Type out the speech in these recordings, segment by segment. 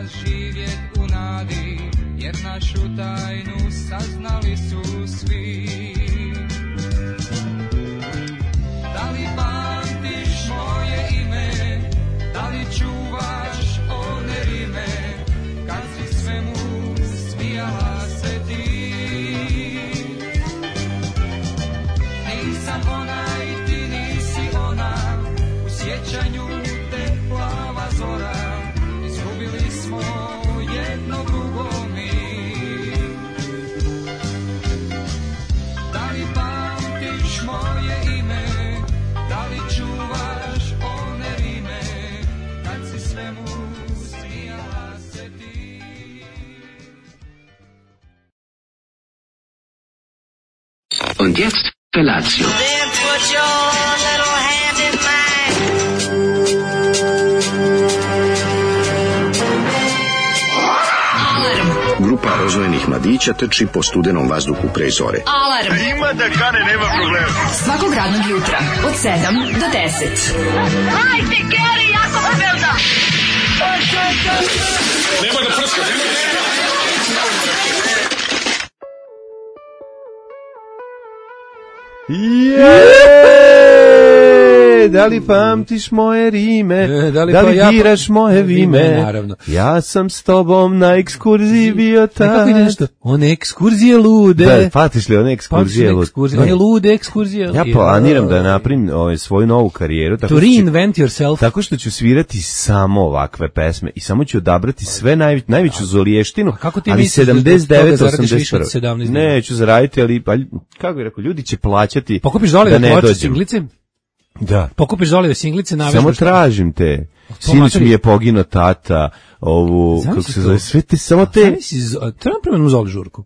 živjet u nadi, jer našu tajnu saznali su svi. Da li pamtiš moje ime, da li čuvaš one rime, kad si svemu smijala se ti. Nisam ona i ti nisi ona, u sjećanju te plava zora, izgubili smo jedno drugo mi. Da li pamtiš moje ime, da li čuvaš one rime, kad si svemu smijala se ti. Und jetzt Felatio. Then put your little hand in mine. Grupa rozvojenih mladića trči po studenom vazduhu pre zore. Alarm. Ima da kane, nema problema. Svakog radnog jutra od 7 do 10. Hajde, Geri, jako se velda. Nemoj da prska, Da li pamtiš moje rime, da li biraš moje vime, naravno. Ja sam s tobom na ekskurziji bio tad. Kako ide nešto? One ekskurzije lude. Da, patiš li one ekskurzije lude? One lude ekskurzije. Ja planiram da napravim svoju novu karijeru. To reinvent yourself. Tako što ću svirati samo ovakve pesme i samo ću odabrati sve najveću zoliještinu, ali 79-81. Neću zaraditi, ali kako bih rekao, ljudi će plaćati pokupiš da Zolive ne ploče, dođem. singlice? Da. Pokupiš Zolive singlice, navežbaš. Samo tražim te. Sinoć mi je poginuo tata, ovu, kako se zove, sve te, samo te... Treba napravimo Zoli žurku.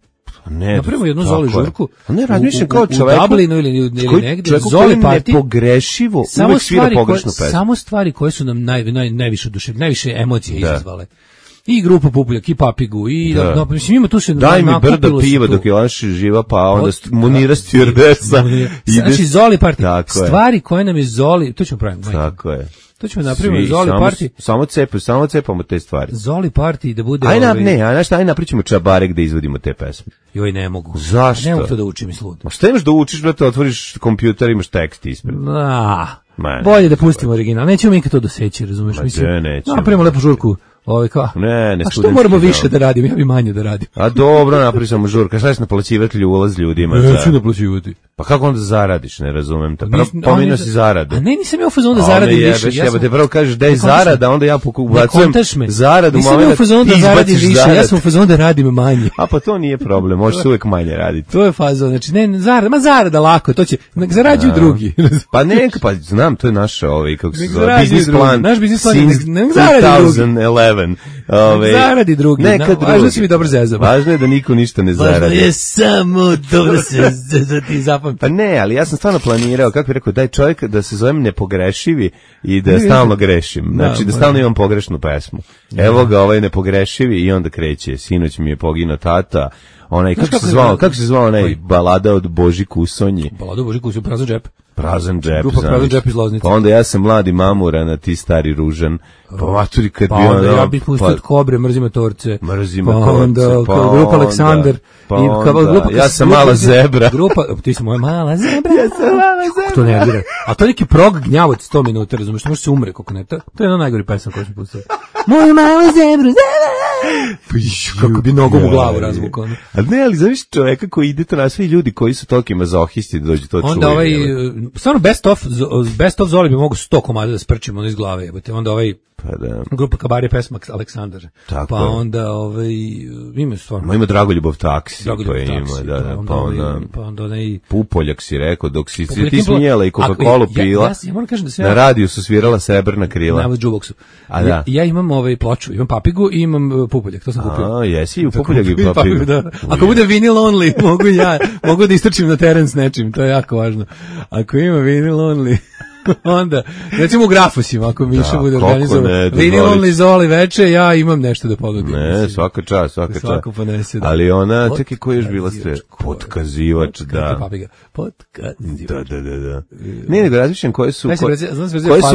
Ne, napravimo jednu Zoli žurku. Ne, razmišljam kao čoveku. U Dublinu ili negdje. Zoli party. Nepogrešivo uvek svira pogrešnu pesmu. Samo stvari koje su nam najviše oduševile, najviše emocije izazvale. I grupa Pupuljak, i Papigu, i mislim ima tu se daj mi brdo piva dok je ona živa, pa onda Munira stjordesa. Znači Zoli party, stvari koje nam je Zoli, to ćemo praviti. Tako je. To ćemo napraviti Zoli party. Samo cepamo te stvari. Zoli party da bude aj napričamo čabare gde izvodimo te pesme. Joj, ne mogu. Zašto? Ne mogu to da učim, mislim. Ma šta imaš da učiš, brate, otvoriš kompjuter, imaš tekst ispred. Bolje da pustimo original. Nećemo mi nikad to doseći, razumeš? Mislim, napravimo lepu žurku. Ne, a što moramo više da radimo, ja bi manje da radim. A dobro, napravi sam žurka, šta ćeš naplaćivati ulaz ljudima? Neću naplaćivati. Pa kako onda zaradiš, ne razumem te. Pominao si zaradu. A ne, nisam ja u fazonu da zaradim više. Ja te prvo kažeš da je zarada, onda ja ubacujem zaradu. Nisam ja u fazonu da zaradim više, ja sam u fazonu da radim manje. A pa to nije problem, možeš uvek manje raditi. To je fazon, znači ne, zarada lako, to će, zarađuju drugi. Pa neka, pa znam, to je naša, kako se zove, biznis plan. Naš biznis plan, ne zaradi drugi. 2011. Zaradi drugi. Važno si mi dobro zezam. Važno je da niko ništa ne zaradi. Važno je samo dobro se ti zapamti. Pa ne, ali ja sam stvarno planirao, kako bih rekao, daj čovjek da se zovem nepogrešivi i da stalno grešim. Znači da stalno imam pogrešnu pesmu. Evo ga ovaj nepogrešivi i onda kreće. Sinoć mi je poginuo tata. Onaj, kako se zvao onaj balada od Boži Kusonji? Balada od Boži Kusonji, Prazan džep. Prazan džep, grupa Prazan džep iz Loznice. Pa onda ja sam mladi mamuran, a ti stari ružan. Pa maturi kad pa onda ja bih pustio od Kobre, mrzime torce. Mrzime torce. Pa grupa Aleksandar. Ja sam mala zebra. Ti si moja mala zebra. Ja sam mala zebra. To ne vira. A to je neki prog gnjavac 100 minuta, razumiješ, može se umre kako ne. To je jedna najgori pesma koju smo pustili. Moja mala zebra, kako bi nogom u glavu razvukao. A ne, ali znaš čoveka koji ide to na svi ljudi koji su toki mazohisti da dođu to čuju. Onda stvarno best of Zoli bi mogu 100 komada da sprčimo iz glave, jebote. Onda grupa Kabarije pesma Aleksandar. Tako pa onda ima stvarno. Ima Dragoljubov taksi. Pa onda Pupoljak si rekao, dok si ti smijela i Coca-Cola pila. Ja moram kažem da se na radiju su svirala Srebrna krila. Na jukeboxu. Ja imam ploču, imam Papigu i imam Pupoljak, to sam kupio. Jesi u Pupoljak i Papigu. Ako bude vinyl only, mogu da istrčim na teren s nečim, to je jako važno. Ako ima vinyl only. Onda, recimo u Grafosima, ako Miša bude organizovao vinilonli Zoli veče, ja imam nešto da ponudim. Ne, svaka čast. Svako ponese, da. Ali ona, čekaj, koji još bila ste? Potkazivač, da. Potkazivač. Da. Nije nego razmišljam koje su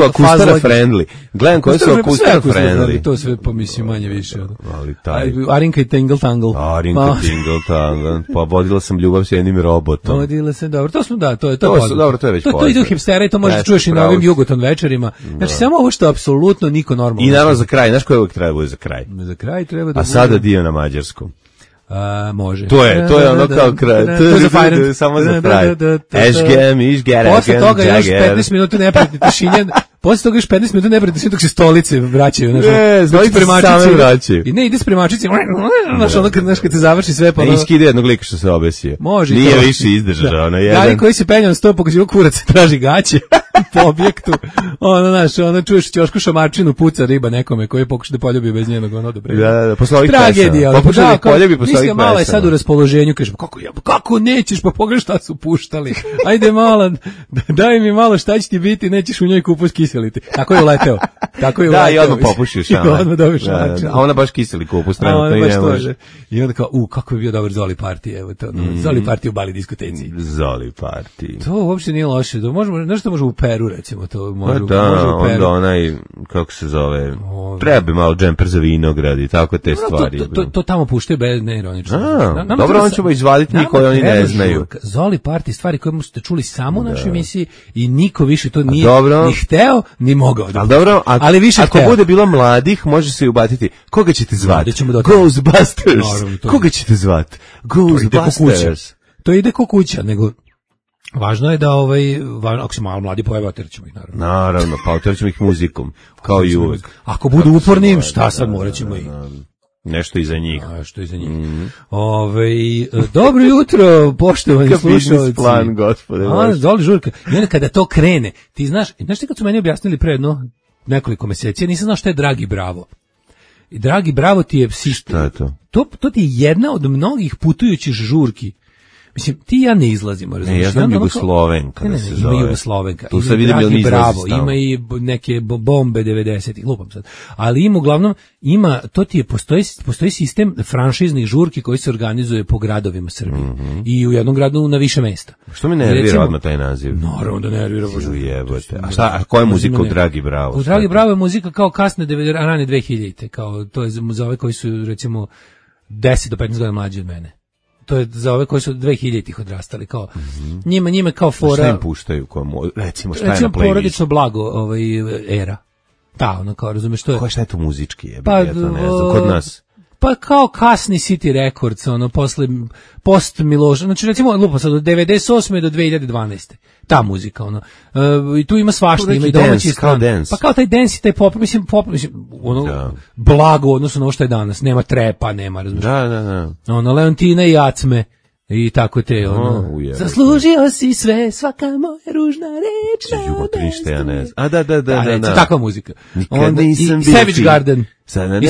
akustara friendly. Gledam koje su akustara friendly. To sve pomislim manje više. Ali taj... Arinka i Tingle Tangle. Pa vodila sam ljubav s jednim robotom. Vodila sam, dobro. To smo, da, to je dobro, to je već to ide u hipstera i to možeš čuješ i na ovim Jugoton večerima. Znači, samo ovo što apsolutno niko normalno. I naravno za kraj, znaš koje uvijek treba bude za kraj? Za kraj treba da a sada dio na mađarskom. Može. To je ono kao kraj. Samo za kraj. Ešgem, išger, posle toga još 15 minuta neprijatne tišine. Posle toga još 15 minuta neprijatne tišine dok se stolice vraćaju. I ne, ide spremačici. Znaš, kad se završi sve pa... Iskide jednog lika što se obesio. Može. Nije više izdržao. Gari koji se penja na sto pokazio kurac traži gaće po objektu. Ono čuješ ćošku šamarčinu, puca riba nekome koji pokuša da poljubi bez njenog odobrenja. Da, posle ovih tragedija. Pokuša da poljubi posle ovih malo je sad u raspoloženju, kažeš, kako nećeš, pa pogledaj šta su puštali. Ajde malo, daj mi malo šta će ti biti, nećeš u njoj kupus kiseliti. Tako je uleteo. Da, i odmah popušiš. A ona baš kiseli kupus, trenutno i ne može. I onda kao, kako bi bio dobar Zoli party, evo to. Zoli party u Bali diskoteci. Zoli party. To uopšte nije loše. Nešto može u Peru, recimo, to može u Peru. Onda onaj, kako se zove, treba malo džemper za vinograd i tako te stvari. To tamo puštaju bez neironično. Dobro, on ćemo izvaditi njih koji oni ne znaju. Zoli party, stvari koje ste čuli samo u našoj emisiji i niko više to nije ni hteo, ni mogao. Ali dobro, ali više ako bude bilo mladih, može se i ubatiti. Koga ćete zvati? Ghostbusters. Koga ćete zvati? Ghostbusters. To ide ko kuća, nego važno je da ako se malo mladi pojave, oterećemo ih naravno. Naravno, pa oterećemo ih muzikom, kao i uvek. Ako budu uporni, šta sad morat ćemo ih? Nešto iza njih. Dobro jutro, poštovani slušalci. Plan, gospode. Zoli žurka. I onda kada to krene, ti znaš ti kad su meni objasnili pre nekoliko meseci, ja nisam znao šta je Dragi Bravo. I Dragi Bravo ti je šta je to? To ti je jedna od mnogih putujućih žurki. Mislim, ti i ja ne izlazimo, razumiješ? Ne, ja znam Jugoslovenka da se zove. Ima Jugoslovenka, tu ima Dragi Bravo, ima i neke bombe 90-ih, lupam sad. Ali uglavnom, postoji sistem franšiznih žurki koji se organizuje po gradovima Srbije. I u jednom gradu na više mesta. Što mi nervira odmah taj naziv? Naravno da nervira. A koja je muzika u Dragi Bravo? U Dragi Bravo je muzika kao kasne rane 2000-te, kao to je za ove koji su recimo 10 do 15 godina mlađi od mene. To je za ove koji su 2000-ih odrastali, kao njima kao fora. Šta im puštaju, recimo šta je na playlistu? Porodično blago, era. Da, ono kao, razumeš, to je. Šta je to muzički, ja to ne znam, kod nas? Pa kao kasni City Records, posle post Miloša, znači recimo lupa sad od 98. do 2012. Ta muzika, i tu ima svašta, ima i domaći stran. Pa kao taj dance i taj pop, mislim, blago odnosno na ovo što je danas, nema trepa, nema, razumiješ. Da. Leontina i Jacme. I tako te, zaslužio si sve, svaka moja ružna reč. Jugotrište, ja ne znam. Da. Takva muzika. Nikad nisam bio Savage Garden. I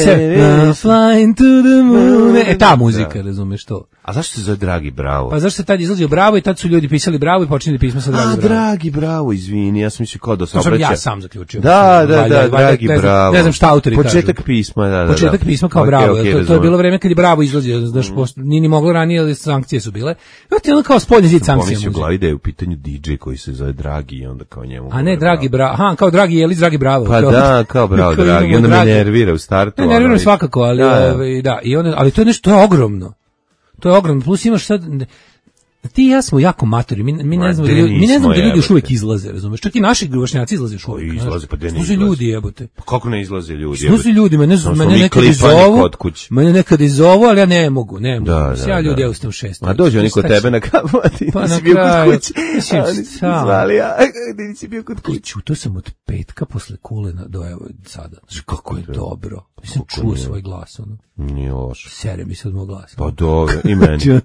Flying to the Moon. Ta muzika, razumeš to. A zašto se zove Dragi Bravo? Pa zašto se tad izlazio Bravo i tad su ljudi pisali Bravo i počinili pisma sa Dragi Bravo. Dragi Bravo, izvini, ja sam mislio kao da se obraća. To sam ja sam zaključio. Da, Dragi Bravo. Ne znam šta autori kažu. Početak pisma, da. Početak pisma kao Bravo. To je bilo vreme kad je Bravo izlazio, znaš, nije ni moglo ranije, ali sankcije su bile. Ti ono kao spoljni zid sankcija. Pomislio glavi da je u pitanju DJ koji se zove Dragi i onda kao njemu. A ne Dragi Bravo. Aha, kao Dragi Jelić, Dragi Bravo. Pa da, kao Bravo Dragi. Onda me nervira u startu. Ne nervira svakako, ali ali to je nešto, to je ogromno. To je ogromno. Plus imaš sad, ti i ja smo jako matori, mi ne znamo da ljudi još uvijek izlaze, razumeš? Čak i naši vršnjaci izlaze još uvijek. Izlaze, pa gdje ne izlaze? Ljudi, jebote. Pa kako ne izlaze ljudi? Što su ljudi? Mene nekad izovu, ali ja ne mogu. Ja ljudi, ja ustajem 6. A dođe oni kod tebe na kafu, a ti nisi bio kod kuće. Oni su zvali, a ti nisi bio kod kuće. To sam od petka posle Kulena do evo sada. Kako je dobro. Mislim, čuo svoj glas, Nije loš. Sere mi se od moj glas. Pa dobro, i meni.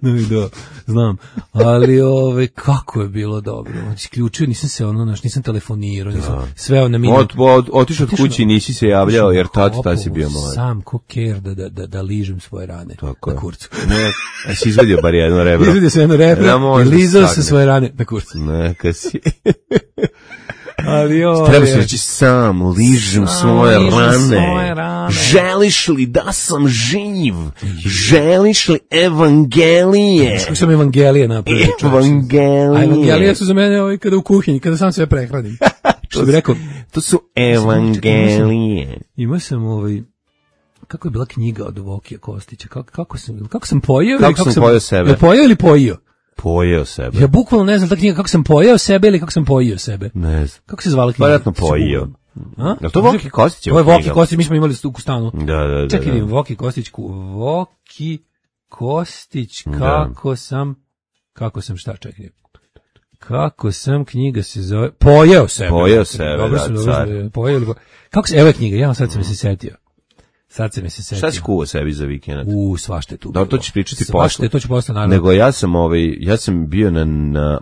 Znam. Ali, kako je bilo dobro. Isključio, nisam telefonirao, nisam sveo na minut. Otišao od kući i nisi se javljao, jer tad si bio mlad. Sam ko ker da ližem svoje rane na kurcu. Ne, si izvadio bar jedno rebro. Izvadio sam jedno rebro i lizao sam svoje rane na kurcu. Neka si. Ali treba se reći sam ližem svoje rane. Želiš li da sam živ? Želiš li evangelije? Kako sam evangelije napravio? Evangelije. A evangelije su za mene kada u kuhinji, kada sam sve prehranim. Što bi rekao? To su evangelije. Ima sam kako je bila knjiga od Vokija Kostića? Kako sam pojeo? Kako sam pojeo sebe? Je pojeo ili pojio? Pojeo sebe. Ja bukvalno ne znam ta knjiga kako sam pojeo sebe ili kako sam pojio sebe. Ne znam. Kako se zvala knjiga? Vjerojatno pojio. Je to Voki Kostić? Ovo je Voki Kostić, mi smo imali u stanu. Da. Čekaj, Voki Kostić, kako sam, knjiga se zove, Pojeo sebe. Pojeo sebe, car. Kako se, evo je knjiga, sad sam se setio. Šta si kuo sebi za vikend? Svašta je tu. Da, to ćeš pričati posle. Svašta, to ću posle, naravno. Nego ja sam bio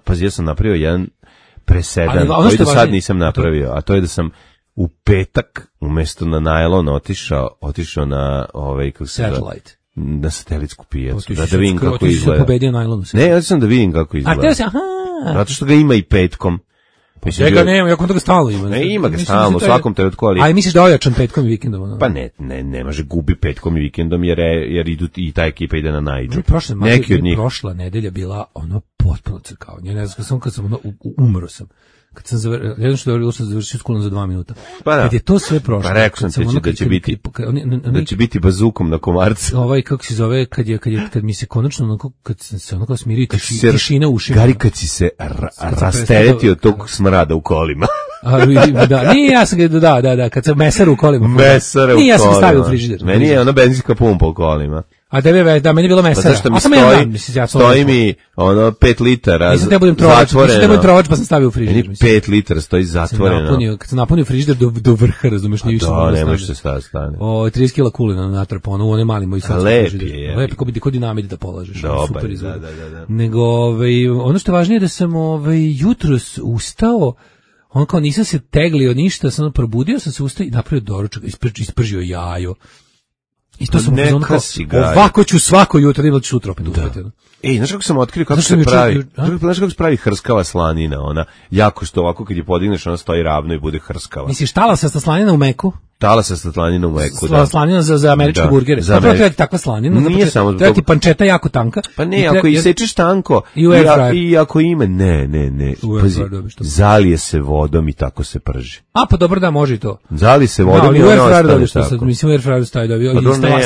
pazi, ja sam napravio jedan presedan, koji do sad nisam napravio, a to je da sam u petak umjesto na najlon otišao na kako se Satellite. Na satelitsku pijacu, da vidim kako izgleda. Ti si pobedio najlonu. Ne, ja sam da vidim kako izgleda. A te se, zato što ga ima i petkom. Njega nema, jako da ga stalno ima. Ne, ima ga stalno, u svakom trenutku, ali... A i misliš da ojačan petkom i vikendom? Pa ne može gubi petkom i vikendom, jer idu i ta ekipa ide na najđu. Neki od njih. Prošla nedelja bila potpuno crkao. Ne znam, kad sam umro sam. Kad sam završio školu za 2 minuta. Kad je to sve prošlo. Pa rekao sam da će biti bazukom na komarcu. Kako se zove, kad mi se konačno, kad se onako smirio tišina u ušima. Gari, kad si se rasteretio od tog smrada u kolima. Nije, ja sam ga, kad sam mesar u kolima. Nije, ja sam stavio u frižider. Meni je ona benzinska pumpa u kolima. A meni je bilo mesara. Zašto mi stoji mi 5 litara nisam te budem trovač, pa sam stavio u frižider. 5 litara stoji zatvoreno. Kad sam napunio frižider do vrha, razumeš, nije više. Da, ne može se stane. 30 kila kulina natrpano, u one mali moji sad. Lep je. Lep je, ko dinamit da polažeš. Dobar, da. Nego, ono što je važnije da sam jutros ustao, kao nisam se teglio ništa, sam probudio sam se ustao i napravio doručak, ispržio jajo. I to sam ovako ću svako jutro, ili ću sutra opet uspeti. Znaš kako sam otkrio kako se pravi? Znaš kako se pravi hrskava slanina, ona jako što ovako kad je podigneš, ona stoji ravno i bude hrskava. Misliš talasa slanina u meku? Talasa slanina u meku, da. Slanina za američke burgere. Treba ti takva slanina. Nije samo zbog... Treba ti pančeta jako tanka. Pa ne, ako isečeš tanko i ako ima, ne. Pazi, zalije se vodom i tako se prži. A, pa dobro da, može i to. Zalije se vodom i ono ostane tako. Mislim, u airfryeru stavi dobio.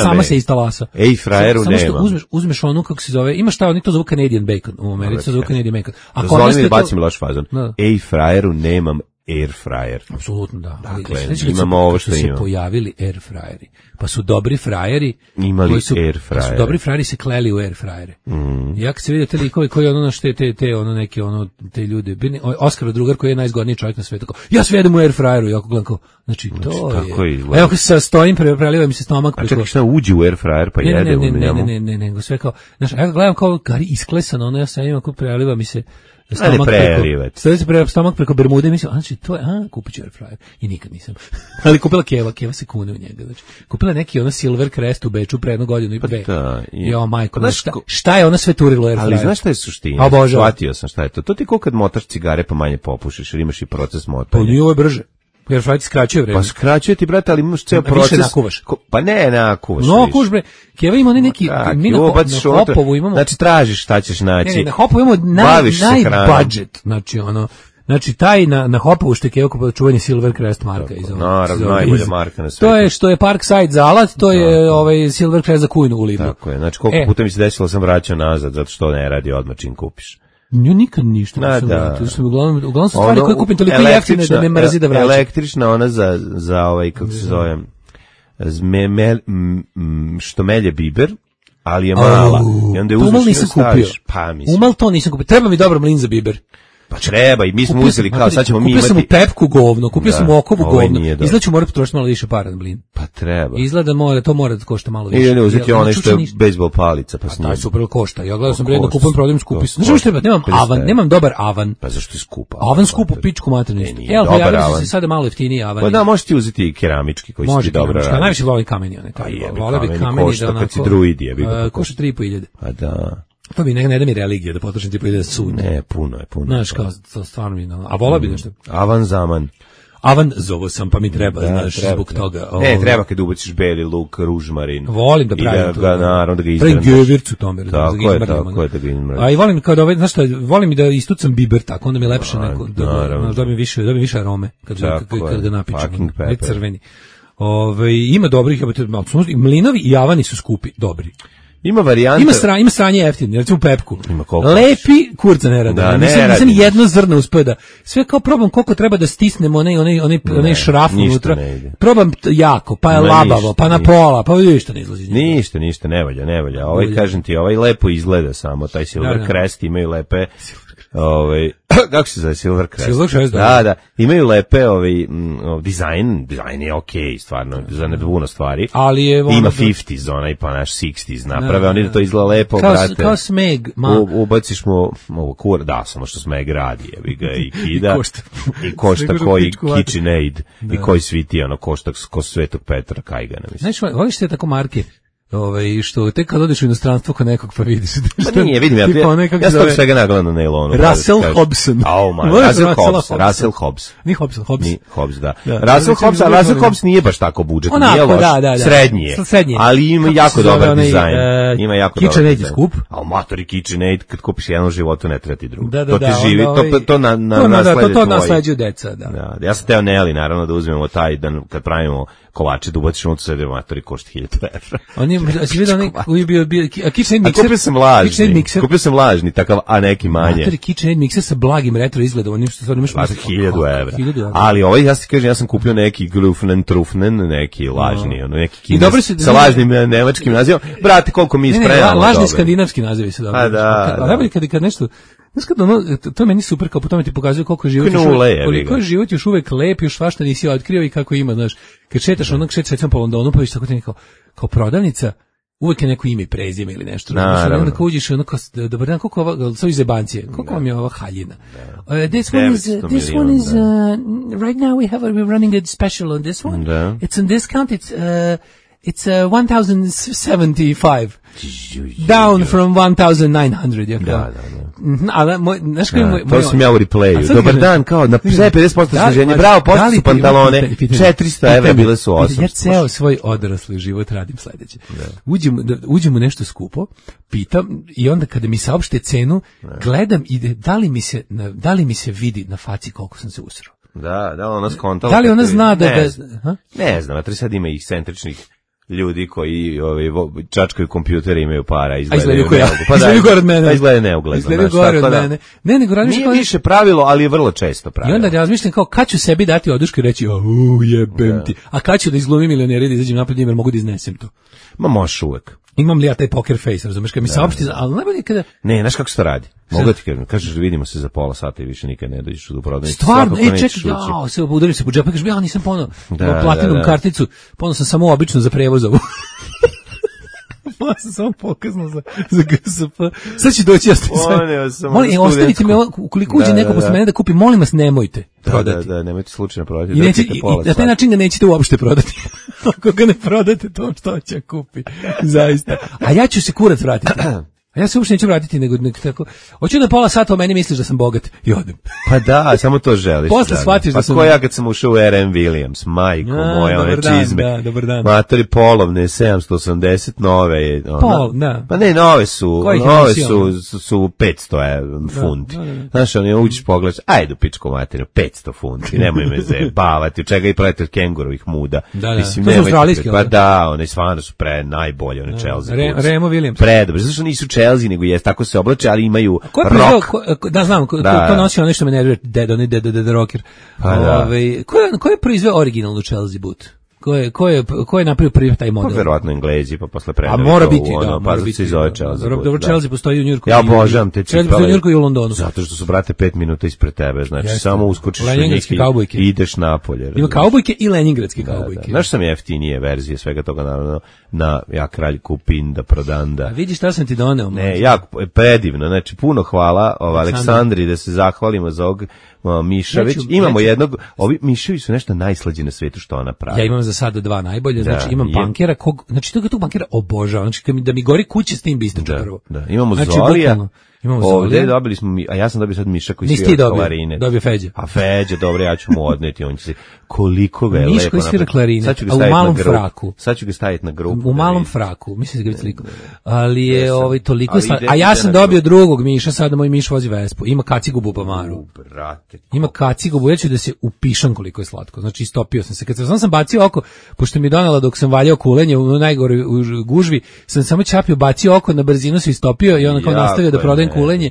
Sama se istalasa. Airfryeru nema. Samo što uzmeš onu, kako se zove, ima šta, oni to zovu Canadian bacon. U Americi to zovu Canadian bacon. Dozvoli mi bacim loš fazon. Airfryeru nemam air fryer. Apsolutno da. Dakle, imamo ovo što imamo. Su se pojavili air fryeri. Pa su dobri frajeri. Imali air fryer. Su dobri frajeri se kleli u air fryere. Ja kad se vidio te likovi koji ono naš te ljude. Oskar drugar koji je najzgodniji čovjek na svetu. Ja sve jedem u air fryeru. Ja gledam kao, znači to je. Evo kad se stojim, preliva mi se stomak. A čekaj, šta uđe u air fryer pa jedem u njemu? Ne, sve kao, znaš, ja gledam kao gari isklesano, ono ja sam imam kao preliva mi se stomak preko Bermude, mislim, znači to je, kupit ću air fryer. I nikad nisam. Ali kupila Keva se kune u njega. Znači, kupila neki ono Silver Crest u Beču pre 1 godinu i 2. Jo, majko, šta je ona sve turilo air fryer? Ali znaš šta je suština? Shvatio sam šta je to. To ti ko kad motaš cigare pa manje popušiš, jer imaš i proces motanja. Pa nije ovo je brže. Air fryer ti skraćuje vreme. Pa skraćuje ti, brate, ali imaš ceo proces. Više nakuvaš. Pa ne, nakuvaš. No, kuš, bre. Keva ima oni neki, mi na Hopovu imamo. Znači, tražiš šta ćeš naći. Ne, na Hopovu imamo najbudget. Znači, ono, znači, taj na Hopovu što je Keva čuvanje Silver Crest marka. Naravno, najbolja marka na svijetu. To je što je Parkside za alat, to je Silver Crest za kujnu u Lidlu. Tako je, znači, koliko puta mi se desilo sam vraćao nazad, zato što ne radi odmah čim kupiš. Nju nikad ništa nisam vratio. Uglavnom su stvari koje kupim toliko jeftine da me mrzi da vraćam. Električna ona za kako se zove, što melje biber, ali je mala. I onda je uzmeš i staviš. Umal to nisam kupio. Treba mi dobro mlin za biber. Pa treba i mi smo uzeli kao sad ćemo mi imati. Kupio sam u Pepku govno, kupio sam u Okovu govno. Izgleda ću morati potrošiti malo više para na blin. Pa treba. Izgleda to mora da košta malo više. Ili uzeti onaj što je bejsbol palica pa s njim. Taj super košta. Ja gledao sam vredno kupujem prodajem skupi. Znaš šta treba? Nemam dobar avan. Pa zašto je skup? Avan skup u pičku materinu. Ja se sada malo jeftiniji avan. Pa da, možeš ti uzeti keramički koji su ti dobro. Može, najviše volim kameni one taj. Vole bi kameni da onako. Kad si druid je. Košta 3.500. Pa da. To mi ne da mi religija, da potrošim tipa ide da sud. Ne, puno je. Znaš, kao, to stvarno mi, a vola bi nešto. Avan zaman. Avan zovo sam, pa mi treba, znaš, zbog toga. Ne, treba kad ubaciš beli luk, ružmarin. Volim da pravim to. I da ga, naravno, da ga izmrneš. Pravim gevircu tome. Tako je, da ga izmrneš. A i volim kao da znaš šta, volim i da istucam biber, tako, onda mi je lepše neko, da dobijem više arome, kad ga napičem. Ne crveni. Ima dobrih, mlinovi i javani su skupi, dobri. Ima varijanta. Ima sranje jeftine, recimo pepku. Ima koliko. Lepi kurca ne rade. Nisam jedno zrno uspeo da. Sve kao probam koliko treba da stisnem onaj šraf unutra. Probam jako, pa je labavo, pa na pola, pa ništa ne izlazi. Ništa, ne valja. Kažem ti, lepo izgleda samo, taj Silver Crest imaju lepe. Kako se zove Silver Crest? Da. Imaju lepe dizajn je okej, stvarno, za nedvuno stvari. Ali je ima 50s, onaj pa naš 60s naprave, oni da to izgleda lepo, brate. Kao Smeg, ubaciš mu ovo kur, da, samo što Smeg radi, jebi ga i kida. I košta koji KitchenAid i koji sviti, košta ko Svetog Petra Kajgana, mislim. Znaš, voliš te tako marke? Što tek kad odeš u inostranstvo kod nekog pa vidiš. Pa nije, vidim, ja sam svega nagledam na nailonu. Russell Hobson. Russell Hobbs. Ni Hobbs, da. Russell Hobbs nije baš tako budžet, nije loš, srednji je. Ali ima jako dobar dizajn. KitchenAid je skup. A matori KitchenAid, kad kupiš jedan u životu, ne treba ti drugo. To ti živi, to nasleđuju deca, da. Ja sam teo Nelly, naravno, da uzmemo taj, da kad pravimo kolače, da ubaciš unutra sve matori košta 1000 evra. Si vidio Kupio sam lažni, takav, a neki manje. Matori KitchenAid mikser sa blagim retro izgledom, onim što stvarno imaš... 1000 evra. Ali ja ti kažem, ja sam kupio neki Trufnen, neki lažni, neki kines, sa lažnim nemačkim nazivom. Brate, koliko mi ispremamo. Lažni skandinavski nazivi su dobri. Da. Najbolje kad nešto... Znaš kad to meni super, kao po tome ti pokazuje koliko je život još uvek lep, još svašta nisi otkrio i kako ima, znaš. Kad šetaš šetaš po Londonu, pa viš tako ti kao prodavnica, uvek je neko ime i prezime ili nešto. Onda kao uđeš dobar dan, koliko ova, sa izebancije, koliko vam je ova haljina? This one is right now we're running a special on this one. It's on discount, it's 1075 down from 1900. Da. Ali znaš koji moj to sam ja u replayu. Dobar dan, kao na 50% sniženje. Bravo, posto su pantalone. 400 evra bile su 800. Ja ceo svoj odrasli život radim sledeće. Uđemo nešto skupo, pitam i onda kada mi saopšte cenu, gledam i da li mi se vidi na faci koliko sam se usrao. Da, ona skontala. Da li ona zna da... Ne znam, a sad ima ekscentričnih ljudi koji čačkaju kompjutere, imaju para, izgledaju gore od mene. Izgledaju neugledno. Izgledaju gore od mene. Ne, nego razmišljam... Nije više pravilo, ali je vrlo često pravilo. I onda razmišljam kao, kad ću sebi dati odušku i reći, jebem ti. A kad ću da izglumim milioneri, da izađem napred njima, jer mogu da iznesem to. Ma možeš uvek. Imam li ja taj poker face, razumeš, kad mi saopšti, ali najbolje kada... Ne, znaš kako se to radi? Mogu ti kažeš da vidimo se za pola sata i više nikad ne dođeš u prodavnicu. Stvarno, čekaj, se udarim se po džepu, kažeš, ja nisam ponao platinum karticu, ponao sam samo obično za prevoz ovu. Ja sam samo pokazno za GSP. Sad će doći, ja sam molim, ostavite me, ukoliko uđe neko posle mene da kupi, molim vas, nemojte prodati. Da, nemojte slučajno prodati. I na taj način ga nećete uopšte prodati. Ako ga ne prodate, to što će kupi. Zaista. A ja ću se kurac vratiti. A ja se uopšte neću vratiti, nego tako. Hoću da pola sata o meni misliš da sam bogat i odem. Pa da, samo to želiš. Posle shvatiš da sam... Pa ko ja kad sam ušao u R.M. Williams, majko moja, one čizme. Da, dobar dan. Matori polovne, 780, nove. Da. Pa ne, nove su 500 funti. Znaš, uđeš pogledaš, ajde u pičku materinu, 500 funti, nemoj me zajebavati, u čega i pravite od kengurovih muda. Mislim, to su australijski. Pa da, one stvarno su najbolje, one Chelsea. R.M. Williams. Predobro, zašto nisu Chelsea, nego je tako se oblače, ali imaju rock. Da, znam, ko nosi ono što me nervira, Dead Rocker. Ko je proizveo originalnu Chelsea boot? Ko je napravio prvi taj model? Pa verovatno Englezi, pa posle predali. A mora biti, pa se zove Chelsea boot. Dobro, Chelsea postoji u Njujorku. Ja obožavam te cipele. Chelsea u Njujorku i u Londonu. Zato što su, brate, 5 minuta ispred tebe, znači samo uskočiš u njih i ideš napolje. Ima kaubojke i leningradske kaubojke. Znaš sam jeftinije verzije svega toga, naravno, na ja kralj kupin da prodanda. A vidiš šta sam ti doneo? Ne, jako predivno, znači puno hvala Aleksandri, da se zahvalimo za ovog Mišavić. Imamo jednog, ovi Miševi su nešto najslađe na svetu što ona pravi. Ja imam za sada 2 najbolje, znači imam punkera, znači tog punkera obožavam, znači da mi gori kuće s tim bistača prvo. Da, imamo znači, Zolija. Ovdje dobili smo a ja sam dobio sad Miša koji svira klarine. Dobio Feđa. A Feđa, dobro, ja ću mu odneti, on će se koliko ga je Miš lepo. Miš koji svira klarine, a u malom fraku. Sad ću ga staviti na grupu. U malom fraku, mislim da ga sliku. Ali je toliko a ja sam dobio drugog Miša, sada moj Miš vozi Vespu. Ima kacigu bubamaru. Brate. Ima kacigu, ja ću da se upišam koliko je slatko. Znači istopio sam se. Kad sam bacio oko, pošto mi je donela dok sam valjao kulenje u najgore u gužvi, sam samo čapio, bacio oko, na brzinu se istopio i onda kao nastavio da prodajem kulenje.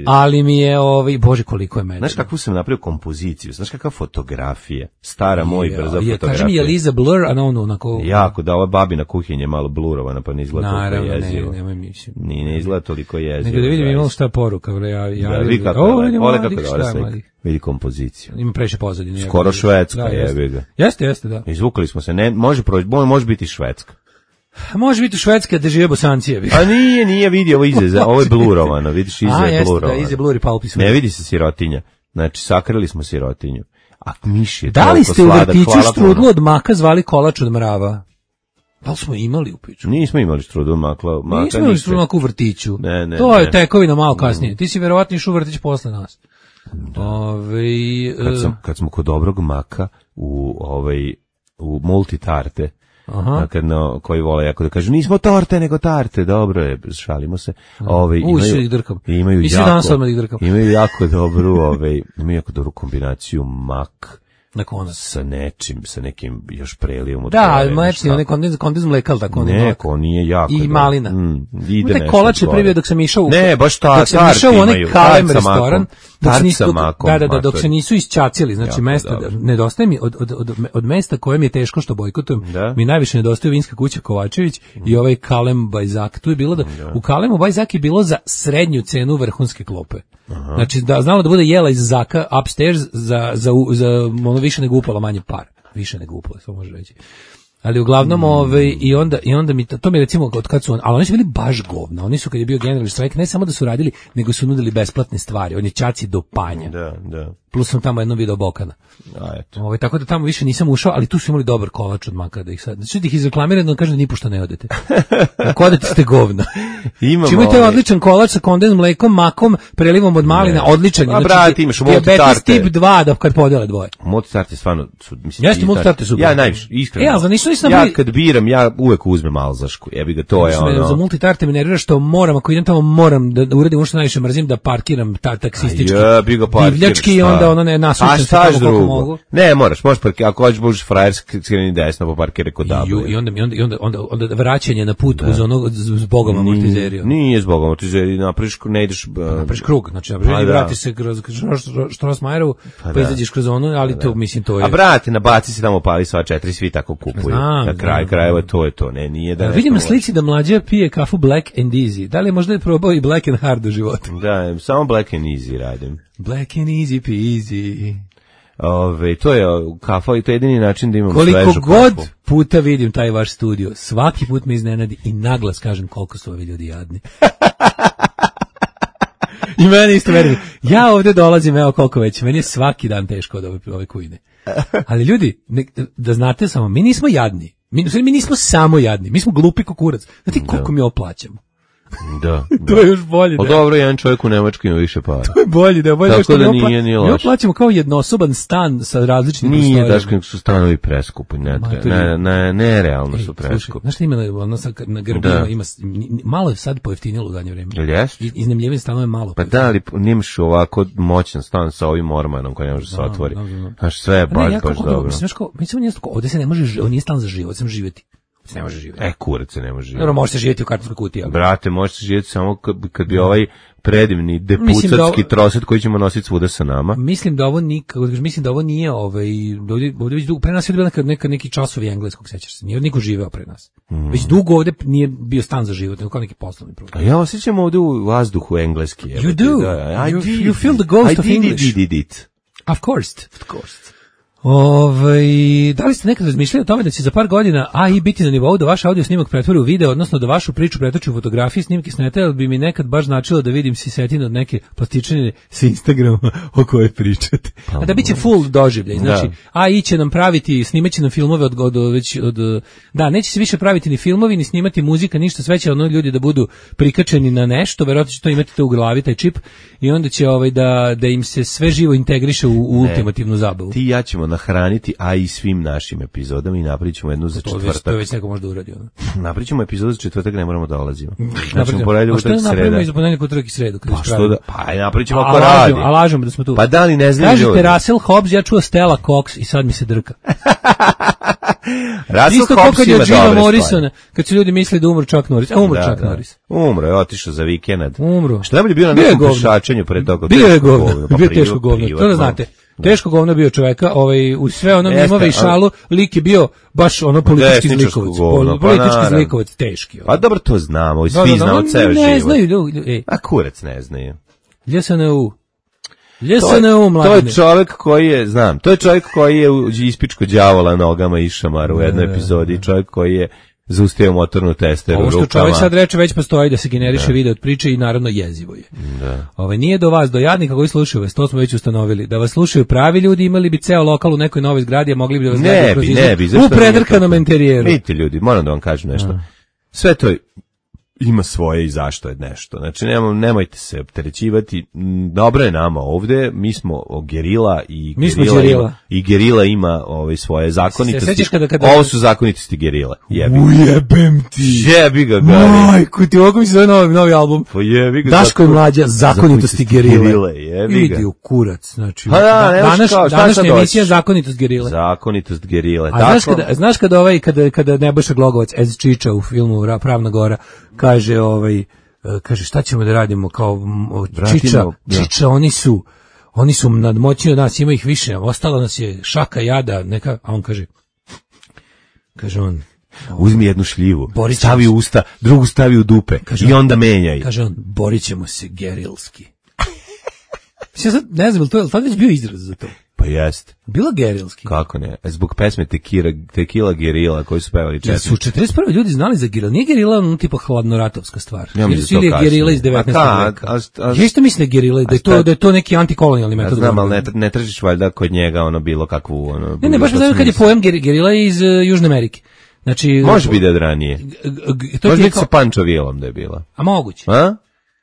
Ali mi je bože koliko je mene. Znaš kakvu sam napravio kompoziciju, znaš kakva fotografija, stara moj brza fotografija. Kaži mi je Liza blur, a ono onako... Jako, da ova babina kuhinja je malo blurovana, pa ne izgleda toliko jezivo. Nemoj mislim. Ne izgleda toliko jezivo. Nego da vidim imalo šta poruka. Vidi kako je, vidi kompoziciju. Ima previše pozadine. Skoro Švedska, jebi ga. Jeste, da. Izvukali smo se, može biti Švedska. Može biti u Švedskoj da žive Bosanci. A nije vidi ovo ize, ovo je blurovano, vidiš ize je blurovano. Da, ize bluri palpi su. Ne vidi se sirotinja. Znači sakrili smo sirotinju. A miš je da li ste u vrtiću štrudlu od maka zvali kolač od mrava? Da li smo imali u piću? Nismo imali štrudlu od maka. Nismo imali štrudlu u vrtiću. Ne. To je tekovina malo kasnije. Ti si verovatno išao u vrtić posle nas. Kad smo kod dobrog maka u multitarte, koji vole jako da kažu nismo torte nego tarte, dobro je, šalimo se. Imaju jako dobru kombinaciju mak sa nečim, sa nekim još prelijom od da, mlečni, onaj kondens mleka, ali tako neko, nije jako i malina. Ide nešto. Kolač je privio dok sam išao baš tart imaju. Kalem restoran, dok se nisu isčacili, znači mesta, nedostaje mi od mesta koje mi je teško što bojkotujem, mi najviše nedostaje Vinska kuća Kovačević i ovaj Kalem Bajzak. Tu je bilo u Kalemu Bajzak je bilo za srednju cenu vrhunske klope. Znači da znalo da bude jela iz zaka upstairs za ono više nego upala manje par. Više nego upala, to može reći. Ali uglavnom i onda mi to mi recimo od kad su ali oni su bili baš govna. Oni su kad je bio generalni štrajk ne samo da su radili, nego su nudili besplatne stvari. On je čaci do panja. Da. Plus sam tamo jedno video Bokana. Tako da tamo više nisam ušao, ali tu su imali dobar kolač od maka da ih sad. Znači da ih izreklamiraju da kažem da nipošto ne odete. Ako odete ste govna. Imate odličan kolač sa kondens mlekom, makom, prelivom od malina, odličan. Znači, brate, imaš diabetes tip 2 da kad podele dvoje. Multitarte stvarno mislim. Jeste multitarte super. Ja najviše iskreno. Ja kad biram, ja uvek uzmem alzašku. Jebi ga, to je ono. Za multitarte me nervira što moram, ako idem tamo moram da uradim što najviše mrzim, da parkiram taksistički. Divljački onda ono ne nasušam se kako mogu. Ne, možeš parkirati, ako hoćeš budeš frajer skreni desno pa parkiraj kod Dabla. I onda vraćanje na put uz onog zbog amortizeriju. Nije zbog amortizeriju, napraviš, ne ideš... Napraviš krug, znači vratiš se kroz Štrosmajerovu, pa izađeš kroz ono, ali to mislim to je... A brate, nabaci se tamo pali sva 4, svi tako kupuju. Na kraj krajeva to je to, ne, nije da... Vidim na slici da mlađa pije kafu Black and Easy. Da li je možda probao i Black and Hard u životu? Da, samo Black and Easy radim. Black and Easy peasy. To je kafa i to je jedini način da imam svežu kafu. Koliko god puta vidim taj vaš studio, svaki put me iznenadi i naglas kažem koliko su ovi ljudi jadni. I meni isto verujem. Ja ovdje dolazim, evo koliko već, meni je svaki dan teško od ove kujne. Ali ljudi, da znate samo, mi nismo jadni. Mi nismo samo jadni, mi smo glupi kukurac. Znate koliko mi oplaćamo? Da. To je još bolje. O dobro, jedan čovjek u Nemačkoj ima više para. To je bolje, da je bolje. Tako da nije loš. Mi oplaćamo kao jednosoban stan sa različitim prostorijama. Nije, daško su stanovi preskupi, nerealno su preskupi. Znaš što ima na Grbima, ima, malo je sad pojeftinilo u zadnje vrijeme. Iznajmljivanje stanova je malo. Pa da, ali nimaš ovako moćan stan sa ovim ormanom koji ne može se otvori. Znaš, sve je baš dobro. Mislim, ovdje se ne može, ovo nije stan za život, sam živjeti. Ne može živjeti. Kurac se ne može živjeti. Dobro, može se živjeti u kartonskoj kutiji. Brate, može se živjeti samo kad bi ovaj predivni depucatski troset koji ćemo nositi svuda sa nama. Mislim da ovo nije ovdje već dugo, pre nas je bila neki časovi engleskog, sećaš se, nije niko živeo pre nas. Već dugo ovdje nije bio stan za život, nego kao neki poslovni program. A ja osjećam ovdje u vazduhu engleski. You do. You feel the ghost of English. I did it. Of course. Da li ste nekad razmišljali o tome da će za par godina AI biti na nivou da vaš audio snimak pretvori u video, odnosno da vašu priču pretoči u fotografiji, snimke snete, ali bi mi nekad baš značilo da vidim sisetine od neke plastičine sa Instagrama o kojoj pričate. A da biće full doživljaj, znači AI će nam praviti, snimaće nam filmove da, neće se više praviti ni filmovi, ni snimati muzika, ništa, sve će ljudi da budu prikačeni na nešto, verovatno će to imati to u glavi, taj čip, i onda će da im se sve živo integriše u ultimativnu zabavu. Ti i ja ćemo nahraniti AI svim našim epizodama i napravit ćemo jednu za četvrtak. To već neko možda uradio. Napravit ćemo epizodu za četvrtak, ne moramo da dolazimo. Znači, poredimo utorak i sreda. Napravimo iz ponedjeljka, utorak i sredu. Pa napravit ćemo ako radi. A lažemo da smo tu. Pa da li ne znaju ljudi? Kažete Russell Hobbs, ja čuo Stella Cox i sad mi se drka. Russell Hobbs ima dobre stvari. Kad su ljudi mislili da umro Chuck Norris. A umro Chuck Norris. Umro je, otišao za vikend. Umro. Što najbolje bio na nekom pešačenju pre toga. Bio je govno. Bio teško govno. To da znate. Teško govno bio čoveka, u sve ono mimove i šalu, lik je bio baš ono politički zlikovac. Politički zlikovac, teški. Pa dobro, to znamo, svi znamo ceo život. Ne znaju ljudi. A kurac ne znaju. LSNU, to je čovjek koji je, to je čovjek koji je ispičko đavola nogama i šamar u jednoj epizodi, čovjek koji je zaustavio motornu testeru rukama. Ovo što čovjek sad reče već postoji da se generiše video od priče i naravno jezivo je. Nije do vas, do jadnika koji slušaju vas, to smo već ustanovili. Da vas slušaju pravi ljudi, imali bi ceo lokal u nekoj novoj zgradi, a mogli bi da vas gledaju kroz izgled u predrkanom interijeru. Vidite ljudi, moram da vam kažem nešto. Sve to ima svoje i zašto je nešto. Znači, nemojte se opterećivati. Dobro je nama ovde, mi smo gerila i gerila ima svoje zakonitosti. Ovo su zakonitosti gerila. Ujebem ti. Jebi ga, Gari. Majku ti, ovako mi se zove novi album. Daško i mlađa, zakonitosti gerile. Idi u kurac. Znači, današnja emisija zakonitost gerile. Zakonitost gerile. A znaš kada Nebojša Glogovac ez Čiča u filmu Pravna Gora kaže šta ćemo da radimo kao Čiča, oni su nadmoćni od nas, ima ih više, ostala nas je šaka jada, neka, a on kaže on, uzmi jednu šljivu, stavi u usta, drugu stavi u dupe i onda menjaj. Kaže on, borit ćemo se gerilski. Sad, ne znam, je li to već bio izraz za to? Pa jest. Bilo gerilski. Kako ne? Zbog pesme Tequila Gerila koji su pevali četiri. Su 41. ljudi znali za gerila. Nije gerila ono tipa hladnoratovska stvar. Ja mislim ili je gerila iz 19. veka. Ja isto mislim da je gerila, da je to neki antikolonijalni metod. Znam, ali ne tražiš valjda kod njega bilo kakvu... Ne, baš me znam kad je pojem gerila iz Južne Amerike. Znači, može biti od ranije. Može biti sa Pancho Villom da je bila. A moguće. A?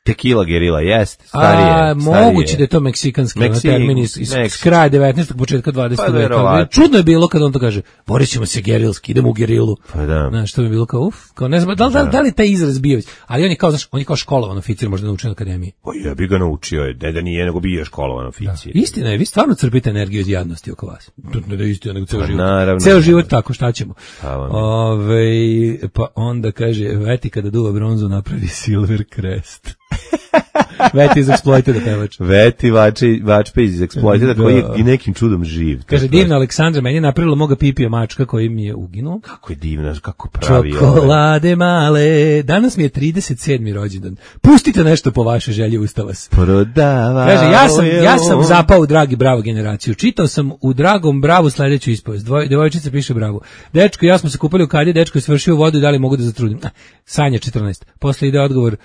Tequila Gerila, jest, starije. Moguće da je to meksikanski termin iz kraja 19. početka 20. veka. Čudno je bilo kada on to kaže, borit ćemo se gerilski, idemo u gerilu. Pa da. Znaš, to bi bilo kao kao ne znam, da li taj izraz bio, ali on je kao školovan oficir, možda naučen na akademiji. O ja bi ga naučio, da nije, nego bio školovan oficir. Da. Istina je, vi stvarno crpite energiju od jadnosti oko vas. Ne da je istina, nego ceo život. Naravno. Ceo život tako, šta ćemo? Pa onda kaže, Veti kada duva bronzu napravi Silver Crest. Veti iz Exploited pevač. Veti Vačpe iz Exploited koji je i nekim čudom živ. Kaže, divna Aleksandra, meni je napravila moga pipija mačka koji mi je uginuo. Kako je divna, kako pravi. Čokolade male. Danas mi je 37. rođendan. Pustite nešto po vaše želje, ustava se. Prodava. Kaže, ja sam zapao u Dragi Bravo generaciju. Čitao sam u Dragom Bravu sledeću ispovest. Devojčica piše Bravo. Dečko i ja smo se kupali u Kadje, dečko je svršio vodu i da li mogu da zatrudim. Sanja 14. Posle ide odgovor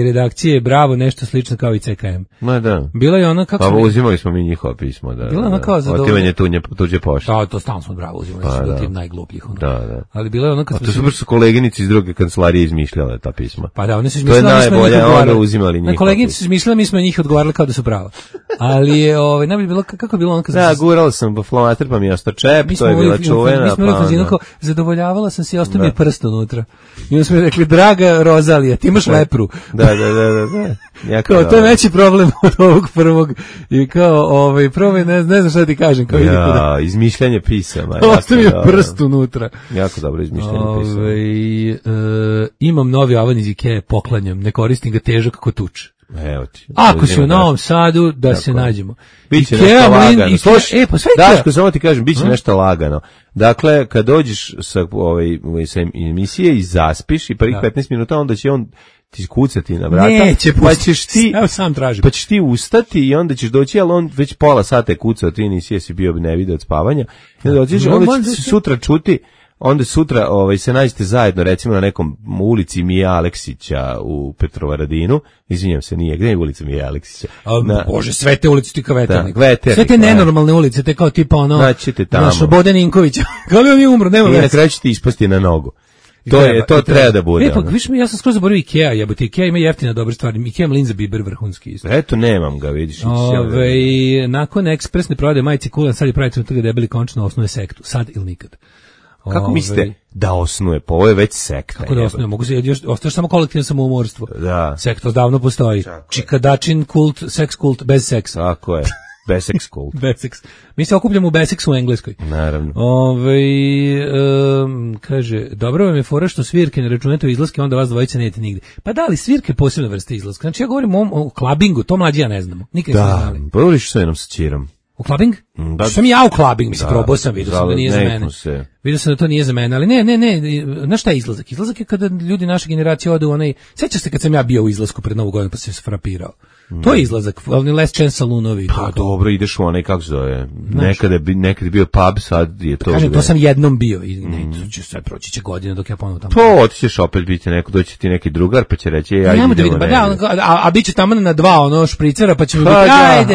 redakcije Bravo, nešto slično kao i CKM. Ma da. Bila je ona kako pa uzimali smo mi njihova pisma, da. Bila ona kao otimanje tuđe pošte. Da, to stalno smo Bravo uzimali, pa, su tim najglupljih. Da. Ali bila je ona kad to su koleginici iz druge kancelarije izmišljale ta pisma. Pa da, one su izmišljale, mi smo njih odgovarali. Uzimali njih. Koleginici su izmišljale, mi smo njih odgovarali kao da su prava. Ali je najbolje bilo kako je bilo ona kad da, gurala sam flomater pa mi je ostao čep, to je bila čuvena. Mi smo zadovoljavala sam se i ostao mi je prst unutra. I onda smo rekli, draga Rozalija, ti imaš lepru. Da. Kao, to je veći problem od ovog prvog. I kao, prvo ne znam šta ti kažem. Kao ja, izmišljanje pisama. Ostavio prst unutra. Jako dobro izmišljanje pisama. Imam novi avan iz Ikea, poklanjam. Ne koristim ga, težak kako tuč. Evo ti. Ako si u Novom Sadu, da se nađemo. Biće nešto lagano. Daško, samo ti kažem, biće nešto lagano. Dakle, kad dođeš sa emisije i zaspiš i prvih 15 minuta, onda će on ti kucati na vrata, neće, pa ćeš ti, sam tražim. Pa ćeš ti ustati i onda ćeš doći, ali on već pola sata je kucao, ti nisi si bio ne video od spavanja, i onda dođeš, onda će se sutra čuti, onda sutra se nađete zajedno, recimo na nekom ulici Mija Aleksića u Petrovaradinu, izvinjam se, nije, gdje je ulica Mija Aleksića? Bože, sve te ulice ti kao Veternik. Sve te nenormalne ulice, te kao tipa Bodan Inkovića. Kao bi on je umro, nema veze. I na kraju će ti ispasti na nogu. To treba da bude. Pa viš mi, ja sam skroz zaboravio Ikea, jebote, Ikea ima jeftina dobre stvari. Ikea ima linza biber vrhunski isto. Eto, nemam ga, vidiš. Nakon ekspresne prodaje majice Kulan, sad je pravitelj toga debeli končno osnuje sektu. Sad ili nikad. Kako mislite da osnuje? Pa ovo je već sekta. Kako da osnuje? Mogu se ostaje samo kolektivno samoumorstvo. Da. Sekta davno postoji. Čikadačin kult, seks kult bez seksa. Tako je. Besex kult. Besex. Mi se okupljamo u Besexu u Engleskoj. Naravno. Kaže, dobro vam je fora što svirke ne računate u izlaske, onda vas dvojica nećete nigde. Pa da li svirke posebne vrste izlaska? Znači ja govorim o klabingu, to mlađi ja ne znamo. Nikad ne znali. Da, povoliš sa jednom sa čirom. U klabing? Sam ja u klabing, mislim, probao sam, vidio sam da nije za mene. Vidio sam da to nije za mene, ali ne, znaš šta je izlazak? Izlazak je kada ljudi naše generacije ode u onaj, sjećaš se kad sam ja bio u izlasku pred Novu godinu pa sam se frapirao. To je izlazak, ali Last Chance salonovi. Pa dobro, ideš u onaj, kako se zove, nekad je bio pub, sad je to... Kažem, to sam jednom bio i sad proći će godina dok ja ponovno tamo... To, otićeš opet, biti neko, doći ti neki drugar, pa će reći, ajde idemo a bit će tamo na 2 špricera, pa će mi biti,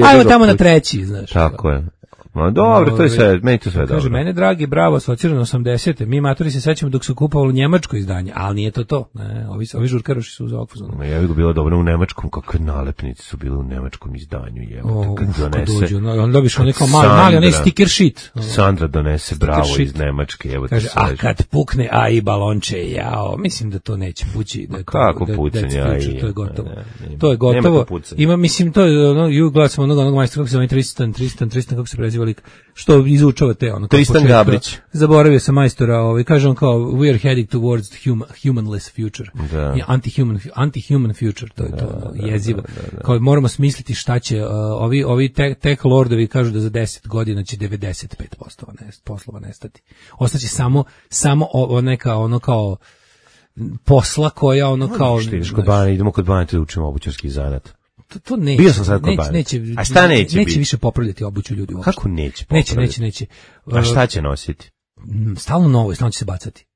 ajde tamo na 3, znaš. Tako je. No, dobro, to je sve, meni to sve dobro. Kaže, mene dragi, bravo, asocirano 80. Mi matori se sećamo dok se kupovalo njemačko izdanje, ali nije to. Ne, ovi žurkaroši su za okfuzonu. Ja bih bilo dobro u nemačkom, kakve nalepnice su bile u nemačkom izdanju, jebote, kad donese. On dobiš onaj kao mali, onaj sticker sheet. Sandra donese bravo iz Nemačke, jebote. Kaže, a kad pukne AI balonče, jao, mislim da to neće pući. Kako pucanje AI? To je gotovo. To je gotovo. Ima, mislim, to je, gledam onog majstora, kako se zove Tristan, kako se preziva lik, što izučava te ono. Tristan Gabrić. Zaboravio sam majstora, kaže on kao we are heading towards the humanless future. Anti-human future, to je to jezivo. Kao moramo smisliti šta će ovi tech lordovi kažu da za 10 godina će 95% poslova nestati. Ostaće samo neka ono kao posla koja ono kao idemo kod Bane da učimo obućarski zanat. To neće. Bio sam sad kod Bane. A šta neće biti? Više popravljati obuću ljudi uopšte. Kako neće popravljati? Neće. A šta će nositi? Stalno novo, stalno će se bacati.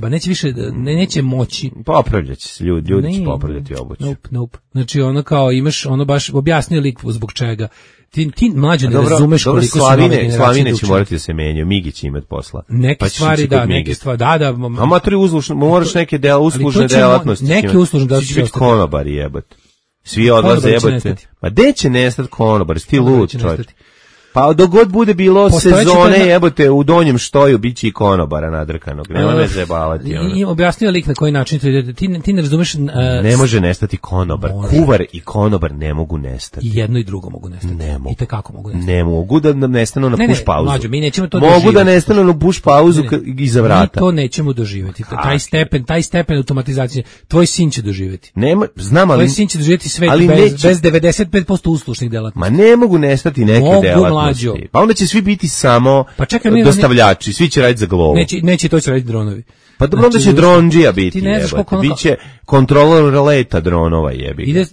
Neće više, neće moći. Popravljat će se ljudi će popravljati obuću. Nope. Znači ono kao imaš, ono baš objasnio lik zbog čega. Ti mlađe ne razumeš koliko su nove generacije. Slavine će morati da se menjaju, Migi će imati posla. Neke stvari, da. Amatori moraš neke uslužne delatnosti. Neke uslužne delatnosti. Će biti konobari jebati. Svi odlaze jebate. Ma gde će nestati konobar, sti lud čovječ. Pa dok god bude bilo sezone jebote u donjem štoju biće i konobara nadrkanog. Nema me zajebavati. I objasnio lik na koji način to ide. Ti ne razumeš. Ne može nestati konobar. Kuvar i konobar ne mogu nestati. I jedno i drugo mogu nestati. Ne mogu. I tekako mogu nestati. Ne mogu da nestanu na push pauzu. Mlađo, mi nećemo to mogu da nestanu na push pauzu iza vrata. Mi to nećemo doživjeti. Taj stepen automatizacije tvoj sin će doživjeti. Nema, znam, ali tvoj sin će doživjeti svet bez 95% uslužnih delatnosti. Ma ne mogu nestati neke delatnosti. Pa onda će svi biti samo dostavljači, svi će raditi za Glovo. Neće to će raditi dronovi. Pa dobro, onda će dronđija biti, jebate. Biće kontrolor leta dronova, jebi.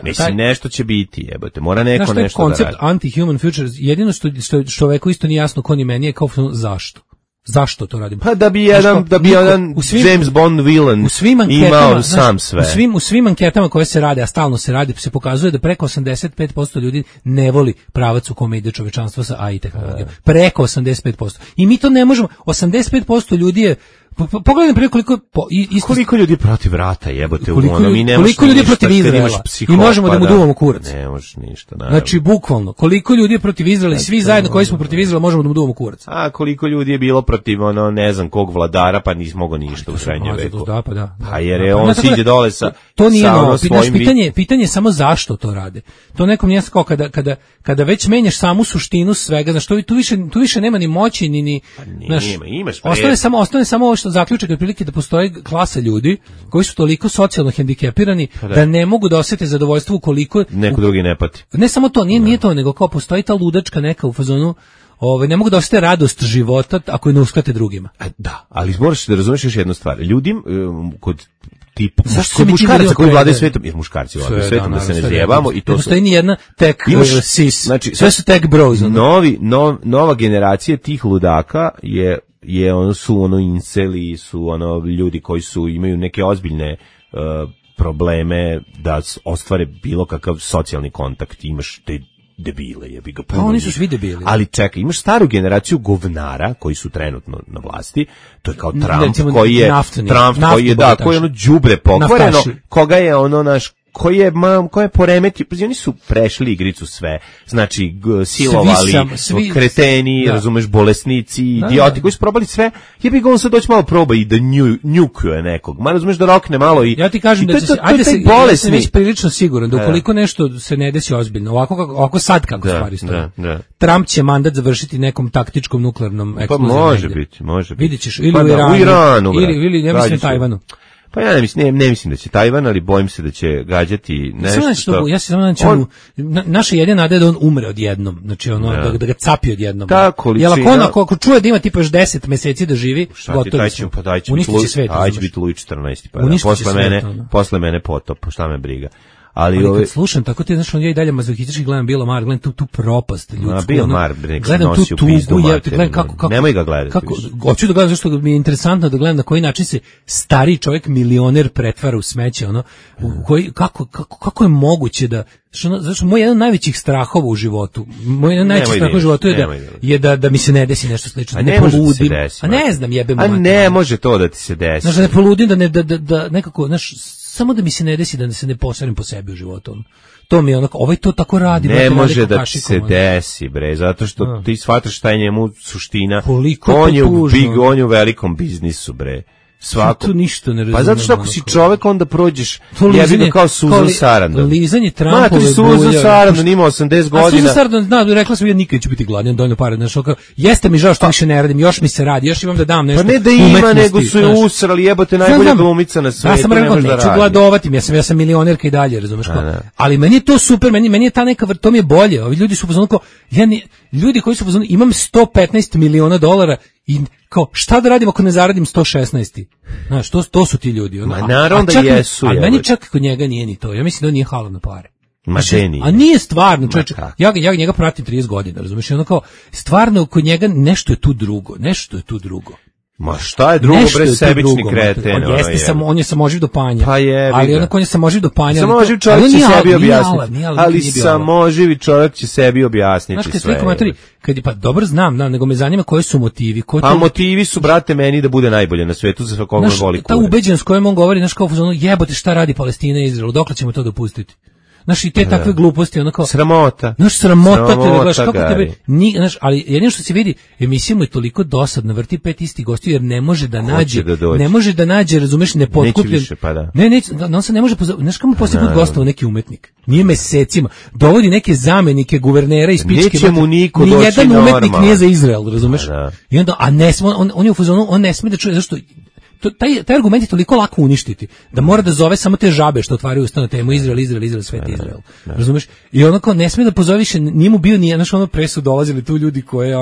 Mislim, nešto će biti, jebate. Mora neko nešto da radi. Znaš, to je koncept anti-human future. Jedino što čoveku isto nije jasno ko ni meni je kao zašto. Zašto to radimo? Pa da bi jedan James Bond villain imao sam sve. U svim anketama koje se rade, a stalno se radi, se pokazuje da preko 85% ljudi ne voli pravac u kome ide čovečanstvo sa AI tehnologijom. Preko 85%. I mi to ne možemo. 85% ljudi je pogledaj prije koliko ljudi protiv rata jebote, koliko ljudi protiv Izraela i možemo da mu duvamo kurac. Ne možeš ništa, naravno. Znači bukvalno koliko ljudi je protiv Izraela i svi zajedno koji smo protiv Izraela možemo da mu duvamo kurac. A koliko ljudi je bilo protiv ne znam kog vladara pa nismo mogao ništa u srednjem veku. Pa jer je on siđe dole sa to nije novo. Pitanje je samo zašto to rade. To nekom nije kao kada već menjaš samu suštinu svega, znači tu više nema ni moći ni imaš ostane samo što zaključak je otprilike da postoji klasa ljudi koji su toliko socijalno hendikepirani da ne mogu da osete zadovoljstvo ukoliko neko drugi ne pati. Ne samo to, nije to, nego kao postoji ta ludačka neka u fazonu, ne mogu da osete radost života ako je ne uskrate drugima. Da, ali moraš da razumeš još jednu stvar. Ljudim kod tipa muškaraca koji vladaju svetom, jer muškarci vladaju svetom, da se ne zjebamo i to ne postoji ni jedna tech sis. Znači, sve su tech bros. Nova generacija tih ludaka su inceli, su ljudi koji imaju neke ozbiljne probleme da ostvare bilo kakav socijalni kontakt. Imaš te debile, jebi ga. Pa oni su svi debili. Ali čekaj, imaš staru generaciju govnara koji su trenutno na vlasti. To je kao Trump koji je koji je đubre pokvareno, koga je naš koji je poremetio, oni su prešli igricu sve, znači silovali, kreteni, razumeš, bolesnici, idioti koji su probali sve, jebi ga on sad doći malo proba i da njukuje nekog, ma razumeš da rokne malo i... Ja ti kažem da ja sam već prilično siguran da ukoliko nešto se ne desi ozbiljno, ovako sad kako stvari stoje, Trump će mandat završiti nekom taktičkom nuklearnom eksplozijom. Pa može biti. Vidjet ćeš, ili u Iranu, ili ja mislim Tajvanu. Pa ja ne mislim da će Tajvan, ali bojim se da će gađati nešto što... Ja se samo naša jedina nada je da on umre odjednom, znači da ga capi odjednom. Ta količina... Jel ako čuje da ima tipa još 10 meseci da živi, gotovo smo. Uništit će svet. Aj će biti Luj 14, pa posle mene potop, šta me briga. Ali kad slušam, tako ti znaš, ja i dalje mazohistički gledam Bila Mar, gledam tu propast ljudsku. Bil Mar, gledam tu tugu, nemoj ga gledati. Hoću da gledam, zašto mi je interesantno da gledam na koji način se stari čovjek milioner pretvara u smeće, kako je moguće da, znači moj jedan od najvećih strahova u životu, je da mi se ne desi nešto slično, da ne poludim. A ne znam, jebem. A ne može to da ti se desi. Znači da ne poludim, da nekako, znaš, samo da mi se ne desi da se ne posarim po sebi u životu. To mi je onako, to tako radi. Ne može da ti se desi, bre, zato što ti shvataš šta je njemu suština. On je u velikom biznisu, bre. Svako. Tu ništa ne razumem. Pa zato što ako si čovek, onda prođeš jebi kao Susan Sarandon. Lizanje Trumpove. Ma, ti Susan Sarandon ima 80 godina. A Susan Sarandon, rekla sam ja nikad neću biti gladan, dovoljno para. Jeste mi žao što više ne radim, još mi se radi, još imam da dam nešto. Pa ne da ima, nego su je usrali, jebote, najbolja glumica na svetu. Ja sam rekao, neću gladovati, ja sam milionerka i dalje, razumeš kao. Ali meni je to super, meni je ta neka, to mi je bolje. Ovi ljudi su pozvani kao, ljudi koji su pozvani, imam $115 miliona i kao, šta da radim ako ne zaradim 116? Znaš, to su ti ljudi. Ma naravno da jesu. Ali meni čak kod njega nije ni to. Ja mislim da on nije halan na pare. Znači, a nije stvarno, čovječe. Ja njega pratim 30 godina, razumiješ? I ono kao, stvarno kod njega nešto je tu drugo. Ma šta je drugo, bre, sebični kreten? On je samoživ do panja. Pa je, ali onako on je samoživ do panja. Samoživ čovjek će sebi objasniti. Ali samoživi čovjek će sebi objasniti sve. Pa dobro znam, nego me zanima koji su motivi. Pa motivi su, brate, meni da bude najbolje na svetu za svakog voli kure. Ta ubeđenost kojom on govori, znaš kao, jebote šta radi Palestina i Izrael, dokle ćemo to dopustiti? Znaš, i te takve gluposti, onako... Sramota. Znaš, sramota te, znaš, kako tebe... Znaš, ali jedino što se vidi, emisija mu je toliko dosadna, vrti 5 istih gostiju, jer ne može da nađe, razumeš, nepotkupljen... Neće više, pa da. On se ne može... Znaš, kako mu poslije put gostao neki umetnik? Nije mesecima. Dovodi neke zamenike, guvernera iz pičke... Neće mu niko doći normalno. Nijedan umetnik nije za Izrael, razumeš? I onda, a ne sme, on je u fazonu, on ne sme da čuje, zašto... Taj argument je toliko lako uništiti, da mora da zove samo te žabe što otvaraju usta na temu Izrael, svet Izrael. Razumeš? I onako ne sme da pozove više, nije mu bio ni, znaš, pre su dolazili tu ljudi koje,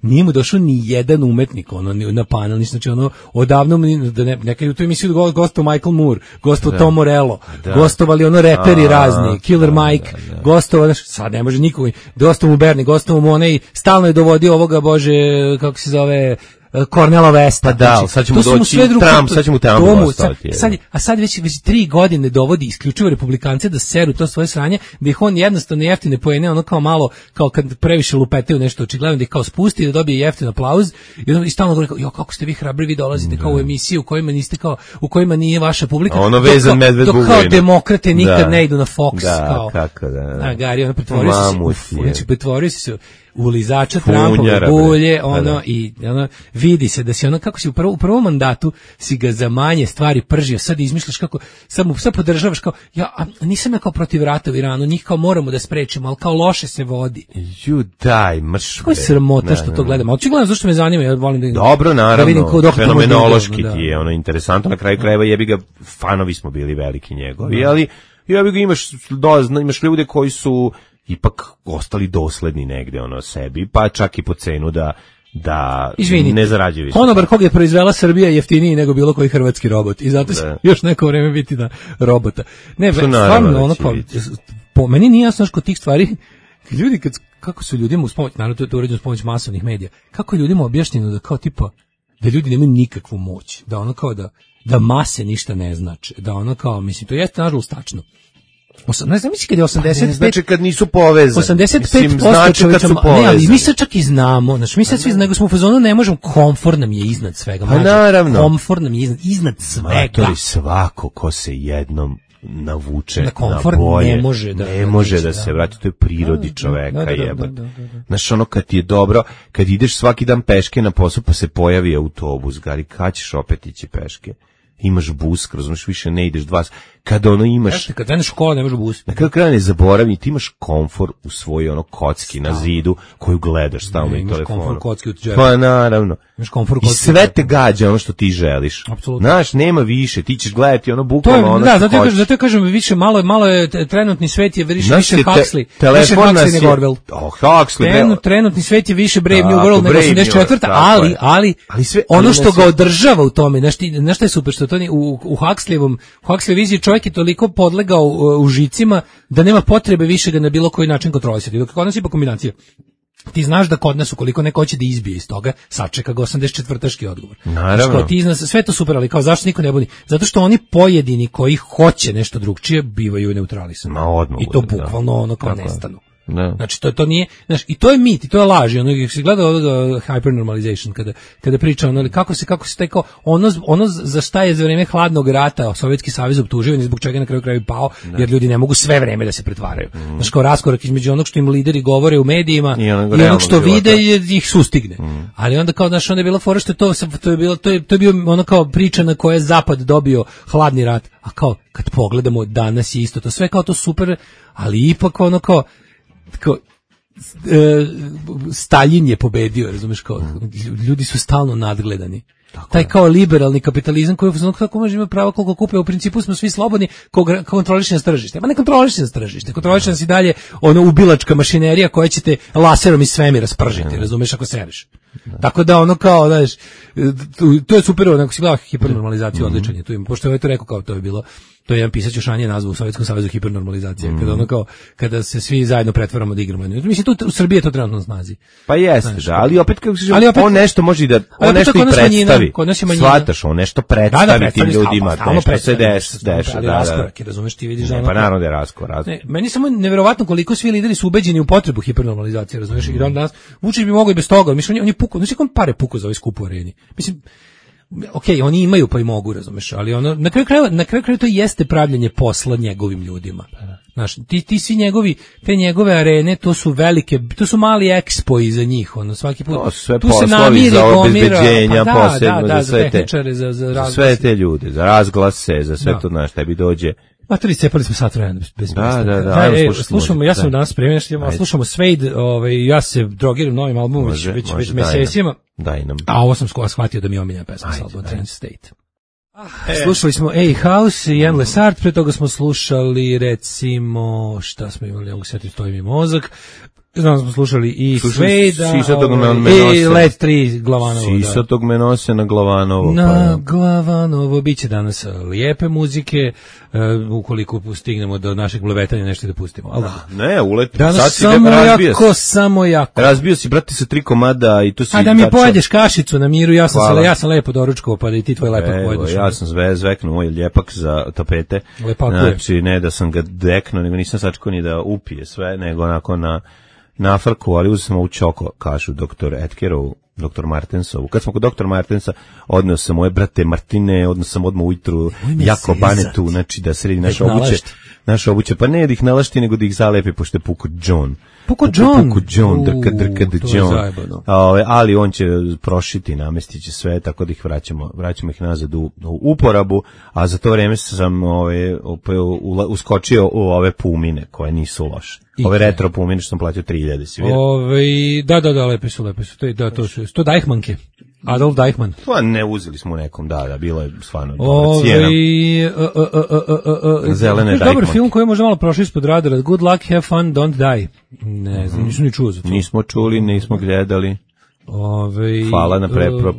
nije mu došao ni jedan umetnik, na panel, znači, odavno, nekad u tu emisiju gostovao Michael Moore, gostovao Tom Morello, gostovali reperi razni, Killer Mike, gostovao, sad ne može nikoga, gostovao mu Bernie, gostovao mu onaj, stalno je dovodio ovoga, bože, kako se zove, Cornela Westa. Pa da, znači, sad ćemo doći Trump, sad ćemo Trump ostaviti. A sad već 3 godine dovodi isključivo republikance da seru to svoje sranje, da ih on jednostavno jeftine poene, kao malo, kao kad previše lupetaju nešto, očigledno da ih kao spusti, da dobije jeftin aplauz i stalno govori, kako ste vi hrabri, vi dolazite kao u emisiju u kojima nije vaša publika. Ono vezan medved Bugojno. Dok kao demokrate nikad ne idu na Fox. Da, kako da. Gari, pretvorio si se. ulizača Trumpove bulje, i vidi se da si kako si u prvom mandatu si ga za manje stvari pržio, sad izmišljaš kako, sad podržavaš kao, nisam ja kao protiv rata u Iranu, njih kao moramo da sprečimo, ali kao loše se vodi. Daj, mrš. Kako je sramota što to gledam, ali gledam zašto me zanima, ja volim da dobro, naravno, da vidim fenomenološki ti je interesantno, na kraju krajeva jebi ga, fanovi smo bili veliki njegovi, ali jebi ga imaš ljude koji su ipak ostali dosledni negde sebi, pa čak i po cenu da ne zarađuju. Konobar kog je proizvela Srbija jeftiniji nego bilo koji hrvatski robot i zato će još neko vreme biti na robota. Ne, stvarno po meni nije jasno kod tih stvari, ljudi kako su ljudima uz pomoć, naravno to je uređeno uz pomoć masovnih medija, kako je ljudima objašnjeno da kao tipa, da ljudi nemaju nikakvu moć, da kao da mase ništa ne znači, da kao, mislim, to jeste nažalost tačno. Ne znam, mislim kad je 85... Znači kad nisu povezani. 85% čovječa... Ne, ali mi sad čak i znamo. Znači mi sad svi nego smo u fazonu ne možemo, komfor nam je iznad svega. Pa naravno. Komfor nam je iznad svega. Matori, svako ko se jednom navuče na bolje, ne može da se vrati, to je prirodi čoveka, jebate. Znaš, kad ti je dobro, kad ideš svaki dan peške na posao pa se pojavi autobus, gari, kad ćeš opet ići peške? Imaš bus, razumiješ, više ne ideš kada imaš... Kad kreneš u školu, ne možeš bus. Na kraju kraja ne zaboravim, ti imaš komfor u svojoj kocki na zidu koju gledaš stalno i telefonu. Imaš komfor kocki u džepu. Pa naravno. I sve te gađa što ti želiš. Apsolutno. Znaš, nema više, ti ćeš gledati bukvalno što hoćeš. Zato kažem, više, malo je trenutni svet je više Huxley. Više Huxley nego Orwell. Trenutni svet je više Brave New World nego 84. Ali ono što ga održava u tome, znaš šta je super, što to u Huxley viziji čovjek je toliko podlegao u žicima da nema potrebe više ga na bilo koji način kontrolisati. Dok kod nas je pa kombinacija. Ti znaš da kod nas ukoliko neko hoće da izbije iz toga, sačeka ga 84-taški odgovor. Naravno. Ti znaš, sve to super, ali kao zašto niko ne buni? Zato što oni pojedini koji hoće nešto drugčije bivaju neutralisani. I to bukvalno kao nestanu. No. Znači to nije, znači i to je mit, i to je laž, i se gleda hypernormalization kada priča kako se tekao ono za šta je za vrijeme hladnog rata Sovjetski savez optužio i zbog čega na kraju krajeva pao, jer ljudi ne mogu sve vreme da se pretvaraju. Znači kao raskorak između onog što im lideri govore u medijima i onog što vide ih sustigne. Ali onda kao onda je bila fora što to je bio ono kao priča na koje je zapad dobio hladni rat, a kao kad pogledamo danas je isto to sve kao to super, ali ipak ono kao Stalin je pobedio, razumeš, kao ljudi su stalno nadgledani. Taj kao liberalni kapitalizam koji kako može imati pravo koliko kupe, u principu smo svi slobodni, kontroliše nas tržište. Ma ne kontroliše nas tržište, kontroliše nas i dalje ubilačka mašinerija koja će te laserom iz svemira spržiti, razumeš, ako sereš. Tako da kao, znaš, to je super, onako si gledao hipernormalizaciju, odličan je tu ima, pošto je to rekao kao to je bilo. To je jedan pisac još ranije nazvao u Sovjetskom savezu hipernormalizacija, kada se svi zajedno pretvaramo da igramo. Mislim, tu u Srbiji je to trenutno na snazi. Pa jeste, ali opet kako se on nešto može i da, on nešto i predstavi. Shvataš, on nešto predstavi tim ljudima, nešto se deša. Ali raskorak, razumeš, ti vidiš da pa naravno da je raskorak. Meni samo neverovatno koliko svi lideri su ubeđeni u potrebu hipernormalizacije, razumeš, i danas Vučić bi mogao i bez toga, mislim, on je pukao, znači kom pare pukao za ovaj skup u areni. Mislim, okej, oni imaju pa i mogu, razumeš, ali na kraju krajeva to jeste pravljenje posla njegovim ljudima. Znaš, ti svi te njegove arene, to su velike, to su mali ekspo iza njih, svaki put. To su sve poslovi za obezbeđenja, posebno za sve tehničare, za sve te ljude, za razglase, za sve to, znaš, tebi dođe. Materi, cepali smo sat vremena bez Da, slušamo, ja sam danas spremljen, slušamo Suede, ja se drogiram novim albumom već mesecima. Daj nam. A ovo sam shvatio da mi je omiljena pesma s albuma Trance State. Slušali smo A-House i Endless Art, pre toga smo slušali recimo, šta smo imali, mogu sjetiti, stoji mi mozak, znam smo slušali i Suede, i Let 3 Glavanovo. Sisatog me nose na Glavanovo. Na Glavanovo, bit će danas lijepe muzike, ukoliko stignemo do našeg blevetanja nešto da pustimo. Ali ne, ulet. Danas samo jako. Razbio si, brate, sa 3 komada i to si... A da mi pojedeš kašicu na miru, ja sam lepo doručkovao, pa da i ti tvoj lepak pojedeš. Ja sam zveknuo moj ljepak za tapete. Znači, ne da sam ga deknuo, nego nisam sačekao ni da upije sve, nego onako na frku, ali uzeo sam ovu čoko kašu dr. Edkerovu, dr. Martensovu. Kad smo kod dr. Martensa, odneo sam moje brate Martine, odneo sam odmah ujutru jako banetu, znači da sredi naše obuće. naše obuće, pa ne da ih nalašti, nego da ih zalepi, pošto je Puko John. Puko John, drka John. Ali on će prošiti, namestiće sve, tako da ih vraćamo ih nazad u uporabu, a za to vreme sam uskočio u ove pumine, koje nisu loše. Ove retro pumine što sam platio 3000, si vidio? Da, lepe su. To Deichmannke. Adolf Deichmann. Pa ne, uzeli smo u nekom, da, bilo je stvarno dobra cijena. Zelene Deichmann. Dobar film koji je možda malo prošao ispod radara. Good luck, have fun, don't die. Ne znam, nisam ni čuo za to. Nismo čuli, nismo gledali. Hvala na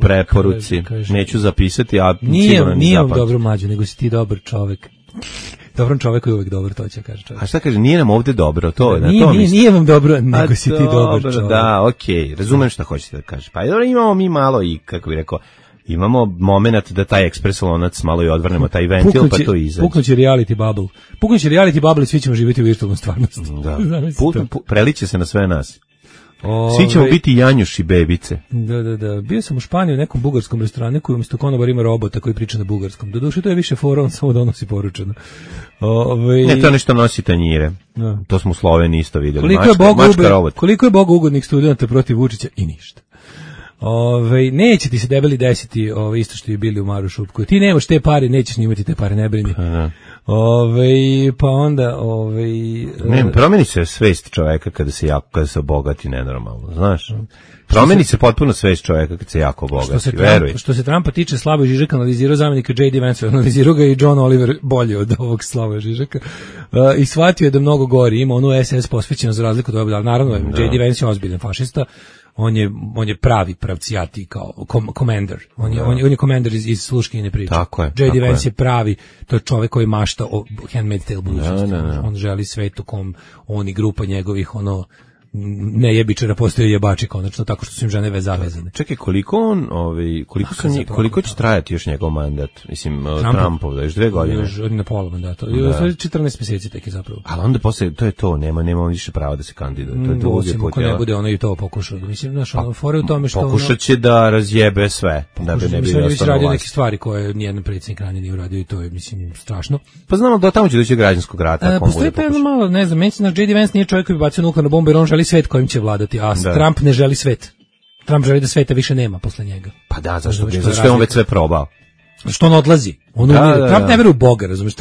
preporuci. Neću zapisati, a sigurno ni zapamću. Nije vam dobro, Mlađo, nego si ti dobar čovek. Dobrom čoveku je uvek dobro, to će kaže čovjek. A šta kaže, nije nam ovde dobro, to je. Nije vam dobro, nego si ti dobar čovjek. Da, okej, razumem šta hoćete da kaže. Pa imamo mi malo i, kako bih rekao, imamo moment da taj ekspres lonac malo i odvrnemo taj ventil, pa to izađe. Puknuće reality bubble i svi ćemo živjeti u virtualnom stvarnosti. Da, preliće se na sve nas. Svi ćemo biti janjuši bebice. Da. Bio sam u Španiji u nekom bugarskom restoranu koji umjesto konobara ima robota koji priča na bugarskom. Doduše to je više fora, on samo donosi poručeno. Ne, to nešto nosi tanjire. Da. To smo u Sloveniji isto vidjeli. Koliko je Bogu ugodnih studenta protiv Vučića i ništa. Neće ti se debeli desiti isto što je bili u Maru Šupku. Ti nemaš te pare, nećeš imati te pare, ne brini. Pa onda ne, promeni se svest čoveka kada se obogati nenormalno, znaš. Promeni se potpuno svest čoveka kad se jako obogati, veruj. Što se Trumpa tiče, Slavoj Žižek analizirao zamenika J.D. Vance, analizirao ga i John Oliver bolje od ovog Slavoja Žižeka i shvatio je da mnogo gori, ima onu SS posvećenu za razliku od ovog, ali naravno J.D. Vance je ozbiljan fašista. On je pravi pravcijati kao commander. On je commander iz sluškinjene priče. J.D. Vance je pravi, to je čovjek koji mašta o Handmaid's Tale budućnosti. On želi svet u kom on i grupa njegovih nejebičara postaju jebači konačno, tako što su im žene zavezane. Čekaj, koliko će trajati još njegov mandat? Mislim, Trumpov, da još 2 godine. Još na pola mandata. 14 mjeseci tek je zapravo. Ali onda posle, to je to, nema više prava da se kandiduje. To je to osim ako ne bude ono i to pokušao. Mislim, znaš, fore u tome što pokušat će da razjebe sve. Da bi ne bilo ostalo radio neke stvari koje nijedan predsjednik ranije nije uradio i to je, mislim, strašno. Pa znamo da tamo će doći građanskog rata. Postoji pa jedno malo, ne znam, meni se naš J.D. Vance nije čovjek koji bi bacio nuklearnu bombu jer on želi svet kojim će vladati, a Trump ne želi svet. Trump želi da sveta više nema posle njega. Pa da, zašto je on već sve probao? Što on odlazi? Trump ne veruje u Boga, razumiješ?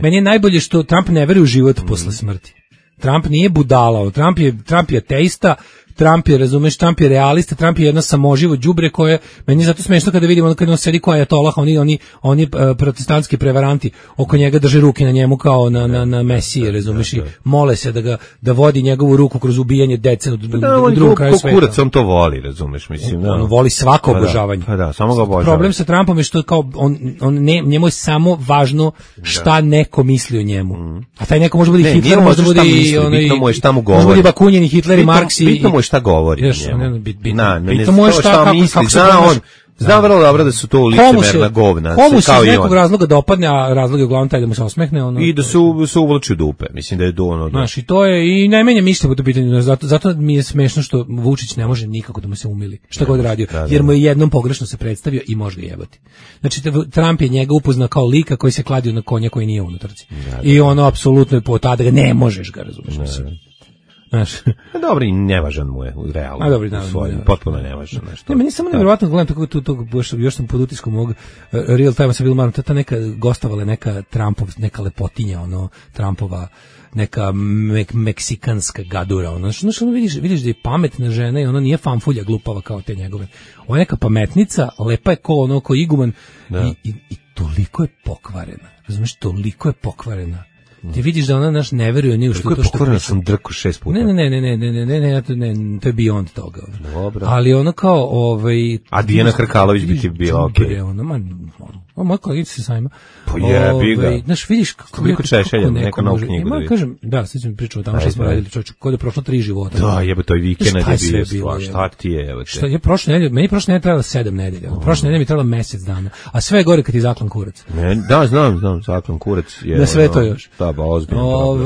Meni je najbolje što Trump ne veruje u život posle smrti. Trump nije budala, Trump je ateista, Trump je, razumeš, Trump je realista, Trump je jedno samoživo đubre koje, meni je zato smešno kada vidimo kada on sedi ko ajatolah, oni protestantski prevaranti oko njega drže ruke na njemu kao na Mesije, razumeš, i mole se da vodi njegovu ruku kroz ubijanje dece u drugom kraju sveta. Kurac, on to voli, razumeš, mislim. On voli svako obožavanje. Pa da, samo ga obožava. Problem sa Trumpom je što kao njemu je samo važno šta neko misli o njemu. A taj neko može biti Hitler, može biti može biti Bakunin, Hitler i Marks i šta govori njemu. Pitamo je kako se zna vrlo dobro da su to licemerna govna. Komu se iz nekog razloga dopadne, a razlog je uglavnom taj da mu se osmehne. I da se uvlači u dupe. Mislim da je to ono. Znaš, i to je, i najmenje mišlja po to pitanju. Zato mi je smešno što Vučić ne može nikako da mu se umili. Šta god radio. Jer mu je jednom pogrešno se predstavio i može ga jebati. Znači, Trump je njega upoznao kao lika koji se kladio na konja koji nije unutarci. I ono apsolutno je po tada ga ne možeš ga, razumeš, mislim. Znaš. Dobro, i nevažan mu je u realu. Potpuno nevažan nešto. Meni samo nevjerovatno gledam to još sam pod utiskom ovog real time sa Vilmarom, ta neka gostovala neka Trumpov, neka lepotinja, Trumpova neka meksikanska gadura, znaš, vidiš da je pametna žena i ona nije fanfulja glupava kao te njegove. Ona je neka pametnica, lepa je ko iguman i toliko je pokvarena. Razumiješ, toliko je pokvarena. Ti vidiš da ona ne veruje ni u što to što pokvarena sam drku 6 puta. Ne, to je beyond toga. Dobro. Ali ono kao a Dijana Hrkalović bi ti bila okej. Moja kolegica se sajma. Pa jebi ga. Znaš, vidiš koliko Češelja, neka novu knjigu da vidiš. Kažem, da, sad ćemo pričati tamo što smo radili, čovječe, kod je prošlo 3 života. Da, jebe, to je vikend je bio, šta ti je, evo te. Meni prošle nedelje trebalo 7 nedelja, prošle nedelje mi trebalo mjesec dana, a sve je gore kad je zaklan kurac. Da, znam, zaklan kurac je. Da sve to još. Da, ba, ozbiljno.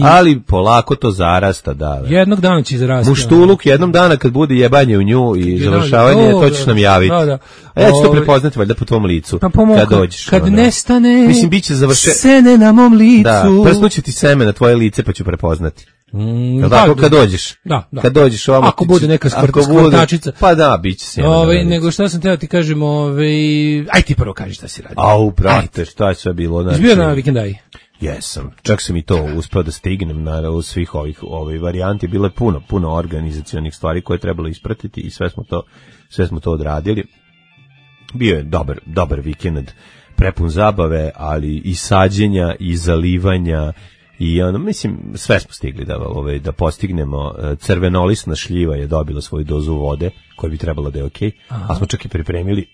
Ali polako to zarasta, da. Jednog dana će zarasti. Muštuluk jednom dana kad bude jebanje u nju i završavanje, to ćeš nam javiti. A ja ću to prepoznati valjda po tvom licu. Pa po mom kad dođeš. Kad nestane, mislim, biće sene na mom licu. Da, prsnuće ti seme na tvoje lice, pa ću prepoznati. Tako kad dođeš. Da. Kad dođeš ovamo. Ako bude neka skvrtačica. Pa da, biće seme. Nego šta sam teo ti kažem, aj ti prvo kaži šta si radio. Brate, šta je sve bilo? Znači, izbio na vikendaj. Jesam, čak sam i to uspeo da stignem na svih ovih varijanti, bilo je puno organizacionih stvari koje je trebalo ispratiti i sve smo to odradili. Bio je dobar vikend, prepun zabave, ali i sađenja i zalivanja i mislim sve smo stigli da postignemo. Crvenolisna šljiva je dobila svoju dozu vode koja bi trebalo da je okej, a smo čak i pripremili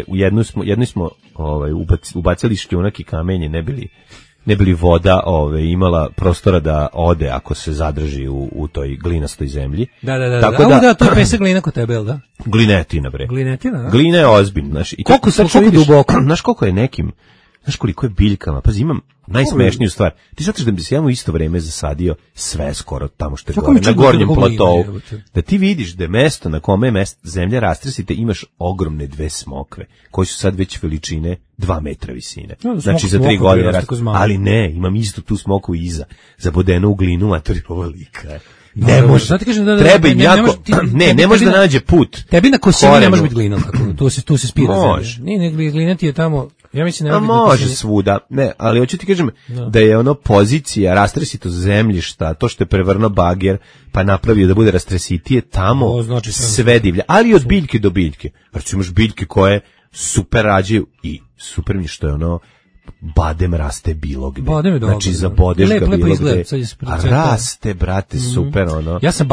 u jednu smo ubacili šljunak i kamenje, ne bili voda imala prostora da ode ako se zadrži u toj glinastoj zemlji. Da, to je pesak glina kod tebe, da? Glinetina, bre. Glinetina, da? Glina je ozbiljna, znaš. Koliko duboko? Znaš koliko je nekim, znaš koliko je biljkama, pazi, imam najsmešniju stvar. Ti shvataš da bi se ja u isto vreme zasadio sve skoro tamo što je gore, na gornjem platovu. Da ti vidiš da je mesto na kome je zemlja rastresite, imaš ogromne 2 smokve, koji su sad već veličine 2 metra visine. Znači za 3 godine raste. Ali ne, imam isto tu smoku iza, zabodenu u glinu, a to je ovo lika. Ne može, treba im jako, ne može da nađe put. Tebi na Kosini ne može biti glina, tu se spira zemlja. Nije, glina ti je tamo, ja mislim ne može svuda, ne, ali hoću ti kažem da je ono pozicija rastresitost zemljišta, to što je prevrno bager, pa napravio da bude rastresitije, tamo sve divlja, ali od biljke do biljke. Znači imaš biljke koje super rađaju i super mi što je ono, badem raste bilo gde. Znači zabodeš ga bilo gde. Raste, brate, super ono. Ja sam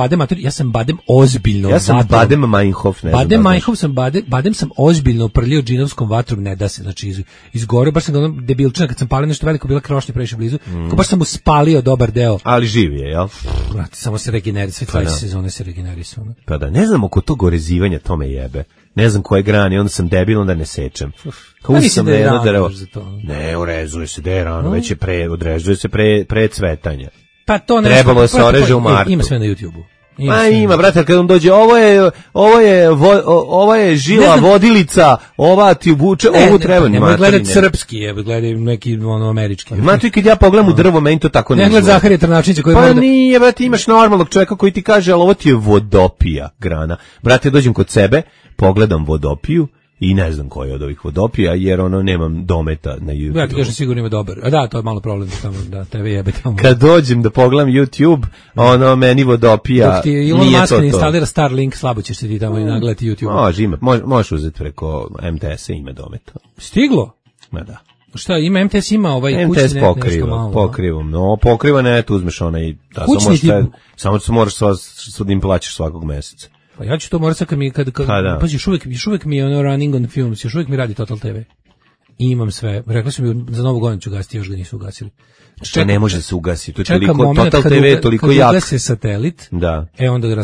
badem ozbiljno. Ja sam badem Meinhof, ne znam. Badem sam ozbiljno prljio džinovskom vatrom, ne da se, znači izgoreo, baš sam ga ono debilčina, kad sam palio nešto veliko, bila krošnja previše blizu, ko baš sam mu spalio dobar deo. Ali živi je, jel? Brate, samo se regenerira, sve 20 sezone se regenerisao. Pa da, ne znam oko tog orezivanja, to me jebe. Ne znam koje grane, onda sam debil, onda ne sečem. Kao sam jedno drvo. Ne, orezuje se, da je rano, već je odrežuje se pre cvetanja. Pa to ne. Trebalo da se oreže u martu. Ima sve na YouTube-u. Ima, brate, kad on dođe, ovo je žila vodilica, ova ti ubuče, ovu treba ni materi. Ne gledati srpski, gledaj neki američki. Ima tu i kad ja pogledam u drvo, meni to tako ne gleda Zaharija Trnačnića koji pa nije, brate, imaš normalnog čovjeka koji ti kaže, ali ovo ti je vodopija grana. Brate, dođem kod sebe, pogledam vodopiju i ne znam koji od ovih vodopija, jer ono nemam dometa na YouTube. Ja ti kažem sigurno ima dobar. A da, to je malo problem tamo, da tebe jebe tamo. Kad dođem da pogledam YouTube, ono meni vodopija dok ti Elon Musk ne instalira Starlink, slabo ćeš se ti tamo i nagledati YouTube. Može, ima, možeš uzeti preko MTS-a, ima dometa. Stiglo? Ma da. Šta, ima MTS, ima ovaj kućni MTS pokriva net, uzmeš onaj, samo moraš da im plaćaš svakog meseca. Pa ja ću to morati pazi, još uvijek mi je ono running on films, još uvijek mi radi Total TV. I imam sve. Rekli su mi za Novu godinu ću gasiti, još ga nisu ugasili. Što ne može se ugasiti, to je toliko, Total TV je toliko jak. Kad ugase satelit, da. Onda ga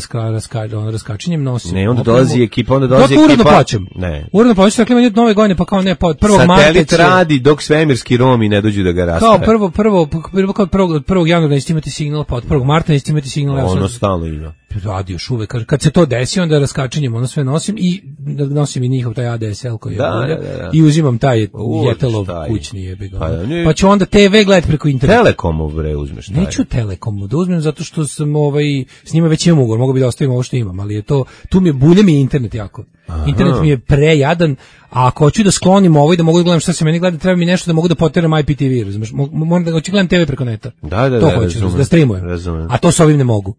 raskačenjem nosim. Ne, onda dolazi ekipa, uredno plaćam. Ne. Uredno plaćam, rekli mi Nove godine, pa kao ne, pa od 1. marta satelit radi dok svemirski Romi ne dođu da ga rastave. Kao od 1. januara nećete imati signal, pa od 1. marta nećete imati signal. Ono stalno ima. Radio još uvek. Kad se to desi, onda raskačenjem ono sve nosim i nosim i njihov taj ADSL koji je i uzimam taj Jetelov kućni jebi ga. Pa ću onda TV gledati preko interneta. Telekomu bre uzmeš taj. Neću Telekomu da uzmem zato što sam s njima već imam ugovor, mogu bi da ostavim ovo što imam, ali je to tu mi je bulja mi internet jako. Internet mi je prejadan, a ako hoću da sklonim ovo i da mogu da gledam šta se meni gleda, treba mi nešto da mogu da poteram IPTV, razumeš? Moram da hoću gledam TV preko neta. Da, hoću da streamujem. A to sa ovim ne mogu.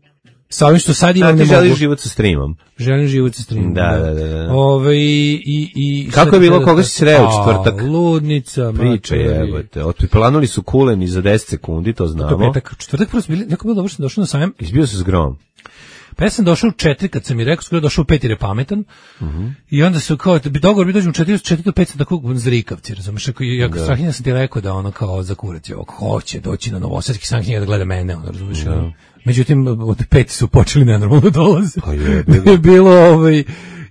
Sa ovim što sad imam ne mogu. Ti želiš život sa streamom. Želim život sa streamom. Da. Kako je bilo, koga si sreo četvrtak? Ludnica. Priča jebote. Otplanuli su kuleni za 10 sekundi, to znamo. To petak, četvrtak prosto bili, jako bilo dobro što došao na sajam. Izbio se s grom. Pa ja sam došao u 4 kad sam mi rekao, skoro došao u 5 jer je pametan. I onda su kao, dogovor bi dođem u 4 do 5 sam tako zrikavci, razumiješ? Ja Strahinja sam ti rekao da ono kao za kurac je hoće doći na Novosadski Strahinja da gleda mene, ono, razumiješ? Međutim, od 5 su počeli nenormalno dolaze. Pa je bilo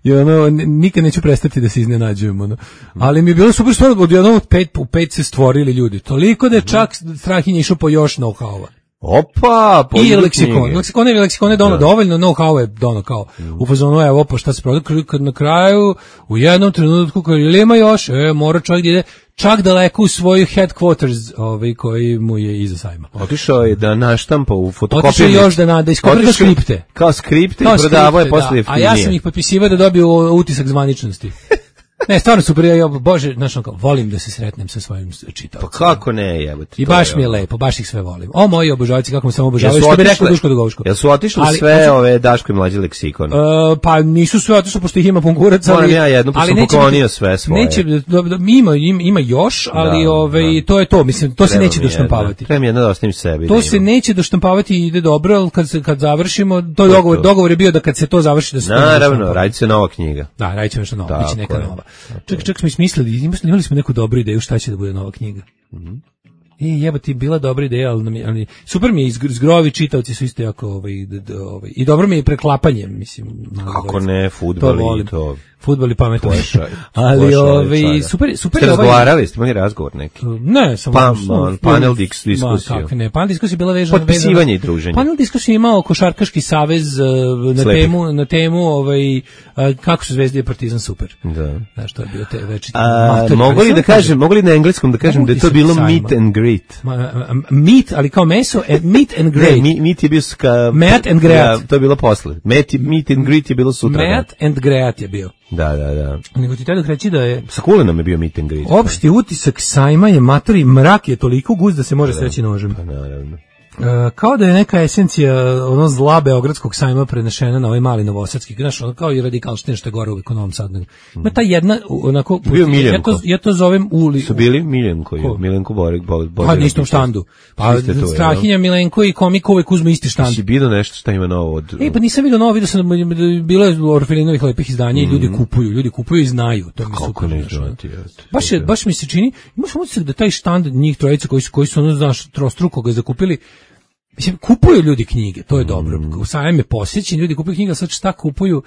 i ono, nikad neću prestati da se iznenađujem, ono. Ali mi je bilo super stvar, od jednog u 5 se stvorili ljudi. Toliko da je čak Strahinja išao po još know-how-a. Opa, i leksikon. Leksikon je dovoljno, know-how je dono kao u fazonu, evo pa šta se prodaje, kad na kraju u jednom trenutku kad ima još, mora čovjek da ide čak daleko u svoju headquarters, koji mu je iza sajma. Otišao je da naštampa u fotokopiju. Otišao još da iskopira skripte. Kao skripte i prodavao je posle jeftinije. A ja sam ih potpisivao da dobiju utisak zvaničnosti. Ne, stvarno super, bože, znaš, volim da se sretnem sa svojim čitaocima. Pa kako ne, jebote. I baš mi je lepo, baš ih sve volim. O, moji obožavci, kako me samo obožavaju, što bi rekao Duško Dugovško. Jel su otišli sve ove Daško i mlađi leksikon? Pa nisu sve otišli, pošto ih ima pun kurac, ali... Moram ja jednu, pa sam poklonio sve svoje. Ima još, ali to je to, mislim, to se neće doštampavati. Trebam jedna da ostavim sebi. To se neće doštampavati i ide dobro, ali kad završimo, to je dogovor je bio da kad se to završi da se... Naravno, radit se nova knjiga. Da, radit će nešto novo, biće neka nova. Čak smo ismislili, imali smo neku dobru ideju šta će da bude nova knjiga. Jebati, bila dobra ideja, ali super mi je, zgrovi čitaoci su isto jako, i dobro mi je preklapanje, mislim. Kako ne, fudbal i to. Fudbal i pametno. Ali super ste razgovarali, ste imali razgovor neki? Ne, samo panel diskusiju. Kako ne, panel diskusija bila vezana. Potpisivanje i druženje. Panel diskusija imao Košarkaški savez na temu kako su Zvezda i Partizan super. Da. Znaš, to je bio te večiti. Mogu li na engleskom da kažem da je to bilo meet and greet? Meet, ali kao meso, meet and greet. Meet je bio Meet and greet. To je bilo posle. Meet and greet je bilo sutra. Meet and greet je bio. Da. Nego ti tada reći da je... Sa Kulinom je bio meet and greet. Opšti utisak sajma je matori, mrak je toliko gust da se može sreći nožem. Pa naravno. Kao da je neka esencija ono zla beogradskog sajma prenešena na ovaj mali novosadski, znaš, ono kao i radikalština što je gore uvijek u Novom Sadu. Ima ta jedna, onako, bio Miljenko. Ja to zovem Su bili Miljenko Borik. Pa na istom štandu. Pa Strahinja, Milenko i Komik uvijek uzmu isti štand. Si vidio nešto šta ima novo od... Pa nisam vidio novo, vidio sam bilo je Orfelinovih lepih izdanja i ljudi kupuju i znaju. To mi kako ne znati? Baš mi se čini, imaš utisak da taj štand njih trojica koji su ono, znaš, trostruko ga zakupili. Mislim, kupuju ljudi knjige, to je dobro. Sajam je posjećen, ljudi kupuju knjige, sad šta kupuju?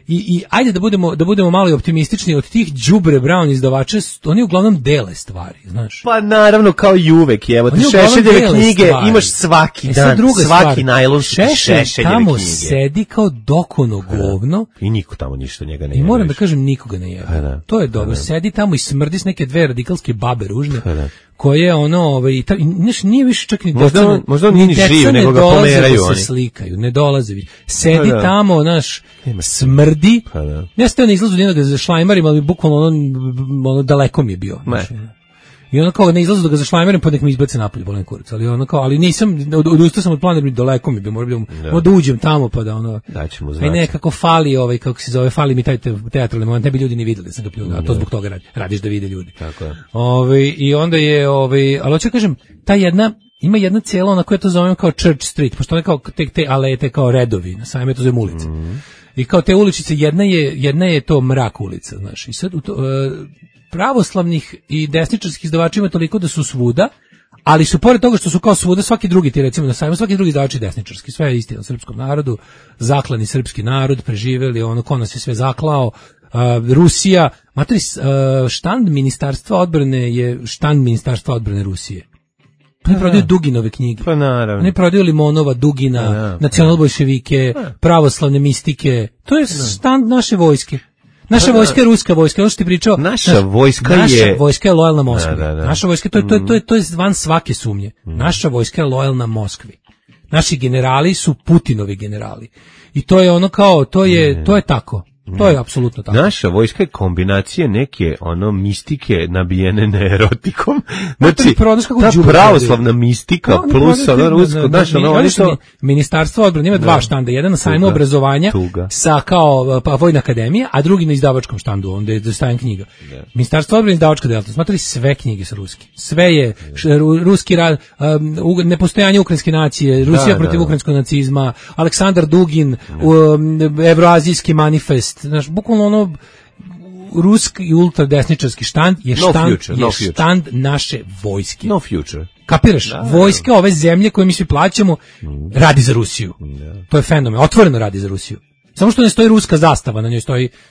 I ajde da budemo malo optimistični, od tih đubre Brown izdavača, oni uglavnom dele stvari, znaš. Pa naravno, kao i uvek, evo, ti Šešeljeve knjige imaš svaki dan, svaki najlonski Šešeljeve tamo knjige. sedi kao dokono govno. I niko tamo ništa njega ne jebe. I moram da kažem, nikoga ne jebe. To je dobro, sedi tamo i smrdi s neke dve radikalske babe ružne. Koje ono, nije više čak ni deca, možda on nije ni živ, nego ga pomeraju oni. Se slikaju, ne dolaze. Sedi tamo, naš, smrdi. Ja sam teo na izlazu njega za šlajmarima, ali bukvalno ono daleko mi je bio. I ono kao ne izlazu da ga za šlajmerom, pa nek mi izbace napolje, bolen kurac. Ali ono kao, ali nisam, odustao sam od plana, jer mi daleko mi je bio, moram da uđem tamo, pa da ono... Daćemo znači. Aj nekako fali, kako se zove, fali mi taj teatralni moment, ne bi ljudi ni videli da sam ga pljunuo, a to zbog toga radiš da vide ljudi. Tako je. I onda je, ali hoću kažem, ima jedna cela, ona koja to zovem kao Church Street, pošto one kao te alete kao redovi, na sajme to zovem ulice. I kao te uličice, jedna je to mrak ulica, znaš, i sad pravoslavnih i desničarskih izdavača ima toliko da su svuda, ali su pored toga što su kao svuda svaki drugi, ti recimo na sajmu, svaki drugi izdavač je desničarski, sve je istina o srpskom narodu, zaklani srpski narod, preživeli, ono ko nas je sve zaklao, Rusija, materi, štand Ministarstva odbrane je štand Ministarstva odbrane Rusije. Oni prodaju Duginove knjige. Pa naravno. Oni prodaju Limonova, Dugina, nacionalbolševike, pravoslavne mistike. To je štand naše vojske. Naša vojska je ruska vojska, ono što ti pričao. Naša vojska je lojalna Moskvi. Naša vojska, to je van svake sumnje. Naša vojska je lojalna Moskvi. Naši generali su Putinovi generali. I to je ono kao, to je tako. To je apsolutno tako. Naša vojska je kombinacija neke mistike nabijene neerotikom. Znači, ta pravoslavna mistika plus ono rusko, Ministarstvo odbrane ima dva štanda, jedan na sajmu obrazovanja sa kao vojna akademija, a drugi na izdavačkom štandu, onda je dostajan knjiga. Ministarstvo odbrane izdavačka delatnost, smatrali sve knjige su ruski. Sve je ruski rad, nepostojanje ukrajinske nacije, Rusija protiv ukrajinskog nacizma, Aleksandar Dugin, Evroazijski manifest. Znaš, bukvalno ono ruski i ultradesničarski štand je štand naše vojske. No future. Kapiraš? Vojska ove zemlje koje mi svi plaćamo radi za Rusiju. To je fenomen. Otvoreno radi za Rusiju. Samo što ne stoji ruska zastava, na njoj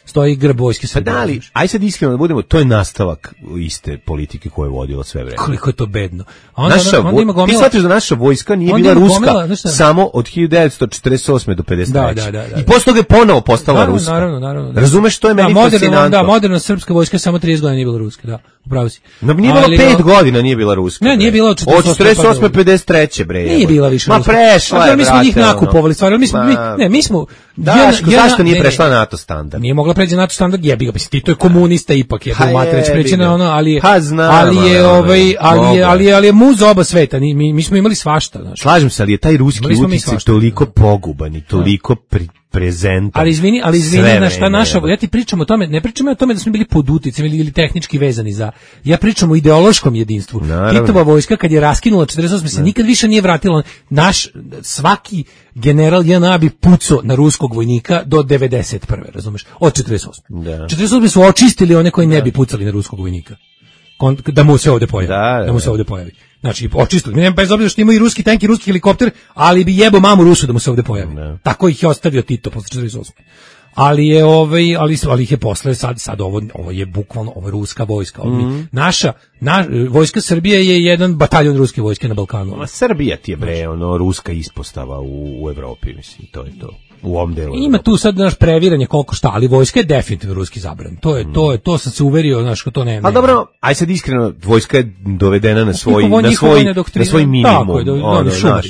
stoji grb vojske Srbije. Pa da li, aj sad iskreno da budemo, to je nastavak iste politike koje je vodila sve vreme. Koliko je to bedno. Onda ima gomila, ti shvatiš da naša vojska nije bila ruska samo od 1948. do 53. Da. I posle toga je ponovo postala ruska. Naravno. Razumeš, to je meni fascinantno. Da, moderna srpska vojska samo 30 godina nije bila ruska, da, upravo si. Nije bila 5 godina, nije bila ruska. Ne, nije bila od 48. 53. bre. Nije bila više ruska. Ma prešla je, mi smo njih nakupovali, stvarno, mi smo... Zašto nije prešla NATO standard? Nije mogla preći NATO standard, jebi ga, Tito je komunista ipak, je Matreć preći na ono, ali je muz oba sveta, mi smo imali svašta, znači. Slažem se, ali je taj ruski uticaj toliko poguban i toliko prezentan. Ali izvini, na šta naša, ja ti pričam o tome, ne pričam o tome da smo bili pod uticajem ili tehnički vezani za, ja pričam o ideološkom jedinstvu. Titova vojska kad je raskinula 48 se nikad više nije vratila, svaki general JNA bi pucao na ruskog vojnika do 91. razumeš, od 48. 48 su očistili one koji ne bi pucali na ruskog vojnika. Da mu se ovde pojavi. Da mu se ovde pojavi. Znači, očistili. Bez obzira što imaju i ruski tank i ruski helikopter, ali bi jebo mamu Rusu da mu se ovde pojavi. Tako ih je ostavio Tito posle 48. Ali ih je posle sad ovo je bukvalno ovo je ruska vojska. Naša vojska Srbije je jedan bataljon ruske vojske na Balkanu. Ma Srbija ti je bre ruska ispostava u Evropi, mislim, to je to. U ovom delu. Ima tu sad previranje koliko šta, ali vojska je definitivno ruski zabran. To sam se uverio, znaš, ko to nema. A dobro, aj sad iskreno, vojska je dovedena na svoj minimum. Šumari.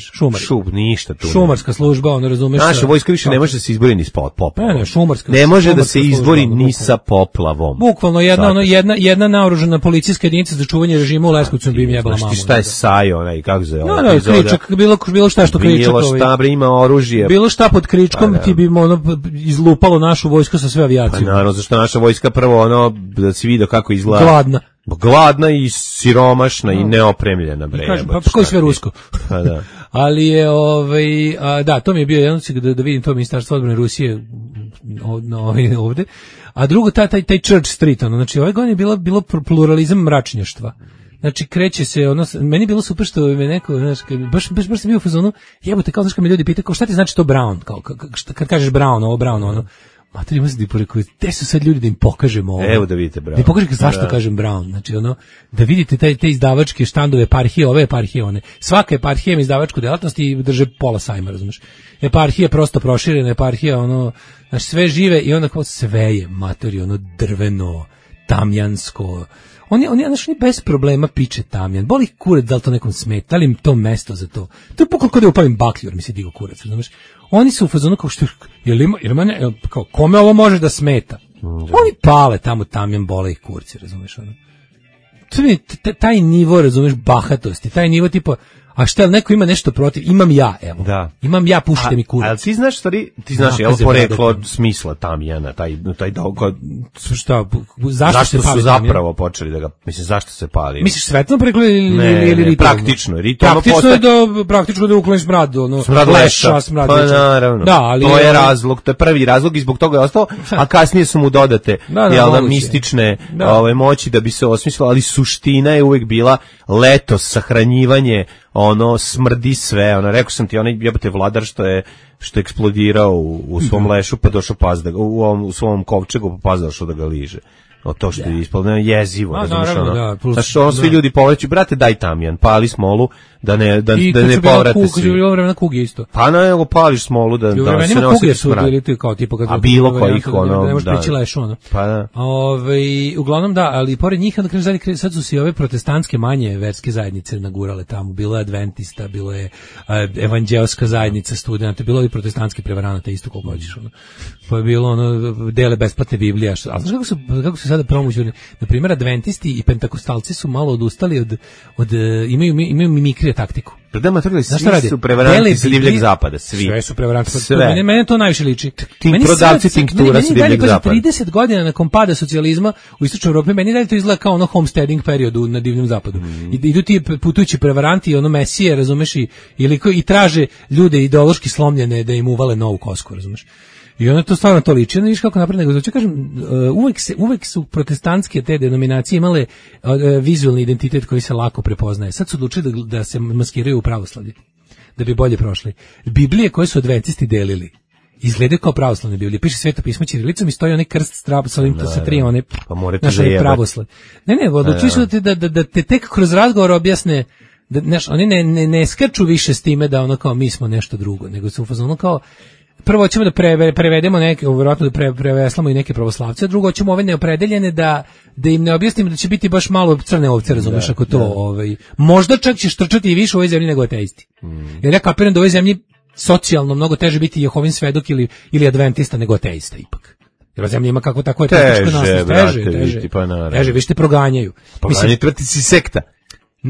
Ništa tu. Šumarska služba, razumeš. Naša vojska više ne može da se izbori ni sa poplavom. Šumarska. Ne može da se izbori ni sa poplavom. Bukvalno jedna naoružana policijska jedinica za čuvanje režima u Leskovcu bi im jebala mamu. Šta je Sajo, onaj, kako se kričak, bilo šta što kričak. Bilo šta, bre, ima oružje. Bilo šta pod kričkom ti bi izlupalo našu vojsku sa sve avijacijom. Pa naravno, zašto naša vojska prvo da si vidio kako izgleda. Gladna i siromašna i neopremljena, bre. Pa koji sve rusko. Pa da. Ali je da, to mi je bio jedan da vidim to ministarstvo odbrane Rusije ovde. A drugo taj Church Street, znači ove godine je bilo pluralizam mračnjaštva. Znači kreće se meni je bilo super što me neko, znaš, baš sam bio u fazonu, jebote, kao znaš kad me ljudi pitaju kao šta ti znači to brown, kao kad kažeš brown, mater ima se da porekao, gde su sad ljudi da im pokažemo ovo? Evo da vidite brown. Da im pokažete zašto kažem brown, znači da vidite te izdavačke štandove, eparhije, ove eparhije, one. Svaka eparhija ima izdavačku delatnost i drže pola sajma, razumeš? Eparhija je prosto proširena, eparhija, znači sve žive i onda kao sve je, matori, drveno, tamjansko. Oni bez problema piče tamjan. Boli kurac da li to nekom smeta, da li im to mesto za to. To je pokolo kod da upalim baklju, jer mi se digo kurac, razumeš? Oni su u fazonu kao što, kao, kome ovo može da smeta? Oni pale tamo tamjan, bole ih kurci, razumeš? Taj nivo, razumeš, bahatosti, taj nivo tipa, a šta, neko ima nešto protiv? Imam ja, evo. Da. Imam ja, pušite mi kurac. Ali ti znaš, ti znaš, evo poreklo smisla tamjana, taj šta, zašto su zapravo počeli da ga, mislim, zašto se pali? Misliš svetlano poreklo ili ritualno? Praktično. Praktično da ukloniš smrad, smrad leša. Pa naravno. Da, ali to je razlog, to je prvi razlog i zbog toga je ostao, a kasnije su mu dodate mistične moći da bi se osmislilo, ali suština je uvek bila leto, sahranjivanje, smrdi sve, rekao sam ti, jebote vladar što je eksplodirao u svom lešu, pa došao u svom kovčegu, pa pas došao da ga liže. To što je ispalo, jezivo, razumiješ, svi ljudi povreću, brate, daj tamjan, pali smolu, da ne povrate svi. I bilo vremena kuge isto. Pa nego pališ smolu da se ne osjeti smrad. A bilo kojih, da ne možeš prići lešu, Pa da. Uglavnom da, ali pored njih, sad su se ove protestantske manje verske zajednice nagurale tamo, bilo je adventista, bilo je evanđelska zajednica studenta, bilo je protestantski prevaranata, isto koliko hoćeš, pa je bilo dele besplatne Biblije, a znaš kako su sada promućeni, na primjer adventisti i pentakostalci su malo odustali imaju mimikrije taktiku. Predama toga svi su prevaranti sa divljeg zapada, svi. Sve su prevaranti. Mene to najviše liči. Prodavci tinktura sa divljeg zapada. 30 godina nakon pada socijalizma u istočnoj Evropi, meni dalje to izgleda kao homesteading periodu na divljem zapadu. Idu ti putujući prevaranti i mesije, razumeš, i traže ljude ideološki slomljene da im uvale novu kosku, razumeš. I onda to stvarno to liči, ne viš kako napred, nego znači kažem, uvek su protestantske te denominacije imale vizualni identitet koji se lako prepoznaje. Sad su odlučili da se maskiraju u pravoslavlje, da bi bolje prošli. Biblije koje su adventisti delili izgledaju kao pravoslavne Biblije. Piše Sveto pismo ćirilicom i stoji onaj krst sa ovim sa tri one. Pa morate zajebati. Pravoslav. Ne, odlučili su da te tek kroz razgovor objasne da oni ne skaču više s time da ono kao mi smo nešto drugo, nego su u fazonu kao prvo ćemo da prevedemo neke, vjerojatno da preveslamo i neke pravoslavce, a drugo ćemo ove neopredeljene da im ne objasnimo da će biti baš malo crne ovce, razumeš, ako to možda čak će štrčati i više u ovoj zemlji nego ateisti. Jer ja kapiram da u ovoj zemlji socijalno mnogo teže biti Jehovin svedok ili adventista nego ateista ipak. Jer zemlja ima kako tako je teže, teže, više te proganjaju. Proganjaju, ti si sekta.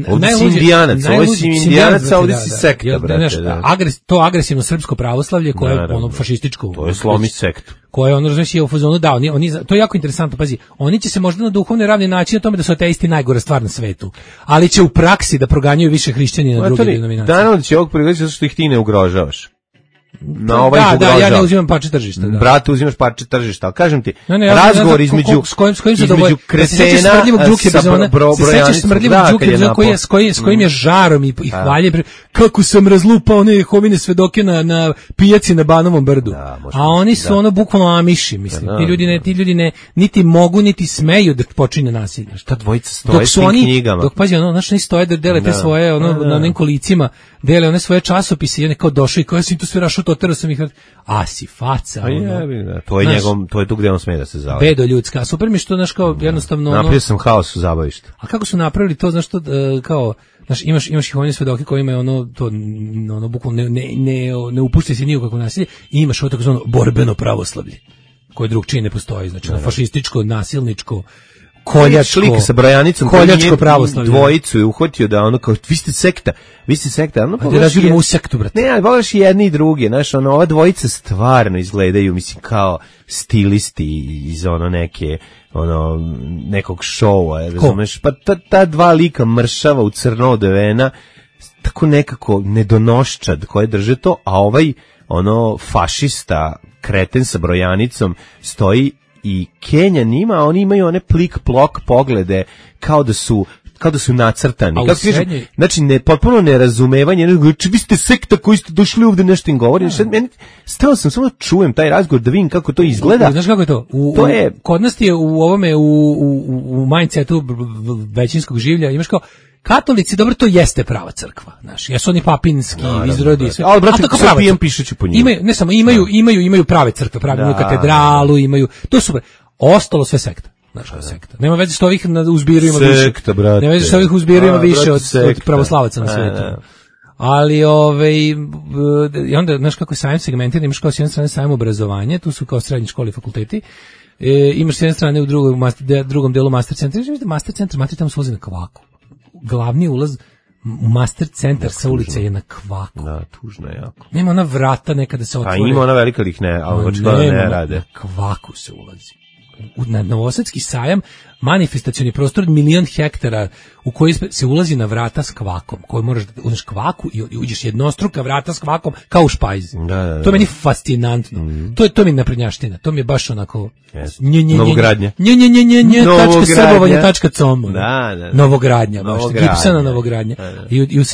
Ovdje si indijanac, a ovdje si sekta, brate. To agresivno srpsko pravoslavlje koje je ono fašističko. To je slomi sektu. Koje ono razumije u fazonu, da, to je jako interesantno, pazi, oni će se možda na duhovne ravne naći na tome da su ateisti najgora stvar na svetu, ali će u praksi da proganjaju više hrišćani na druge denominacije. Naravno da će ovog prigoditi zato što ih ti ne ugrožavaš. Da, ja ne uzimam parče tržišta. Da. Brate, uzimaš parče tržišta, ali kažem ti, razgovor između kretena sa sećaš smrdljivog Đuke Bizona s kojim je žarom i hvalje, kako sam razlupao one Jehovine svedoke na pijaci na Banovom brdu. A oni su ono bukvalno amiši, mislim. Ti ljudi ne niti mogu, niti smeju da počine nasilje. Šta dvojica stoje s tim knjigama? Dok pazi, oni stoje da dele te svoje, na onim kolicima, dele one svoje časopise i one kao došli i kao sam tu sve rašao, otero sam ih, si faca. To je tu gde on sme da se zove. Bedo ljudska, super mi što, znaš, kao jednostavno... Napravio sam haos u zabavištu. A kako su napravili to, znaš, to, kao, znaš, imaš Jehovine svedoke koji imaju bukvalno ne upuštaj se ni u kako nasilje, i imaš ovo tako zvano borbeno pravoslavlje, koje drugčije ne postoji, znači, fašističko, nasilničko, koljačko, lik sa brojanicom, koljačko pravoslavlje. Dvojicu je uhvatio da ono kao, vi ste sekta, ono pa razvidimo u sektu, brate. Ne, ali pogledaš i jedni i drugi, znaš, ova dvojica stvarno izgledaju, mislim, kao stilisti iz nekog šova, razumeš, pa ta dva lika mršava u crno odevena, tako nekako nedonoščad koje drže to, a ovaj, fašista, kreten sa brojanicom, stoji i Kenja nima, oni imaju one plik-plok poglede kao da su nacrtani. Znači, potpuno nerazumevanje, vi ste sekta koji ste došli ovde nešto im govori. Stao sam, samo čujem taj razgovor da vidim kako to izgleda. Znaš kako je to? Kod nas je u ovome, u mindsetu većinskog življa, imaš kao, katolici, dobro, to jeste prava crkva, znaš, jesu oni papinski izrodi, sve. Ali, brate, sa pijem pišući po njima. Ne samo, imaju prave crkve, imaju katedralu, imaju, to su, ostalo sve sekta. Znaš, sekta. Nema veze što ovih u zbiru ima više. Sekta, brate. Nema veze što ovih u zbiru ima više od pravoslavaca na svijetu. Ali, i onda, znaš kako je sajam segmentiran, imaš kao s jedne strane sajam obrazovanje, tu su kao srednje škole i fakulteti, imaš s jedne strane u drugom delu master centra, master centar, tamo se vozi na kvaku. Glavni ulaz u master centar sa ulice je na kvaku. Da, tužno je jako. Nema ona vrata nekada se otvore. Pa ima ona velika ih ne, ali očigledno ne rade. Na kvaku se ulazi. Na Novosadski sajam, manifestacioni prostor 1.000.000 hektara u koji se ulazi na vrata s kvakom, koji moraš da uzmeš kvaku i uđeš jednostruka vrata s kvakom kao u špajzi. To je meni fascinantno. To mi je naprednjaština. To mi je baš onako Novogradnja. srbovanje.com. Novogradnja, baš gipsana Novogradnja.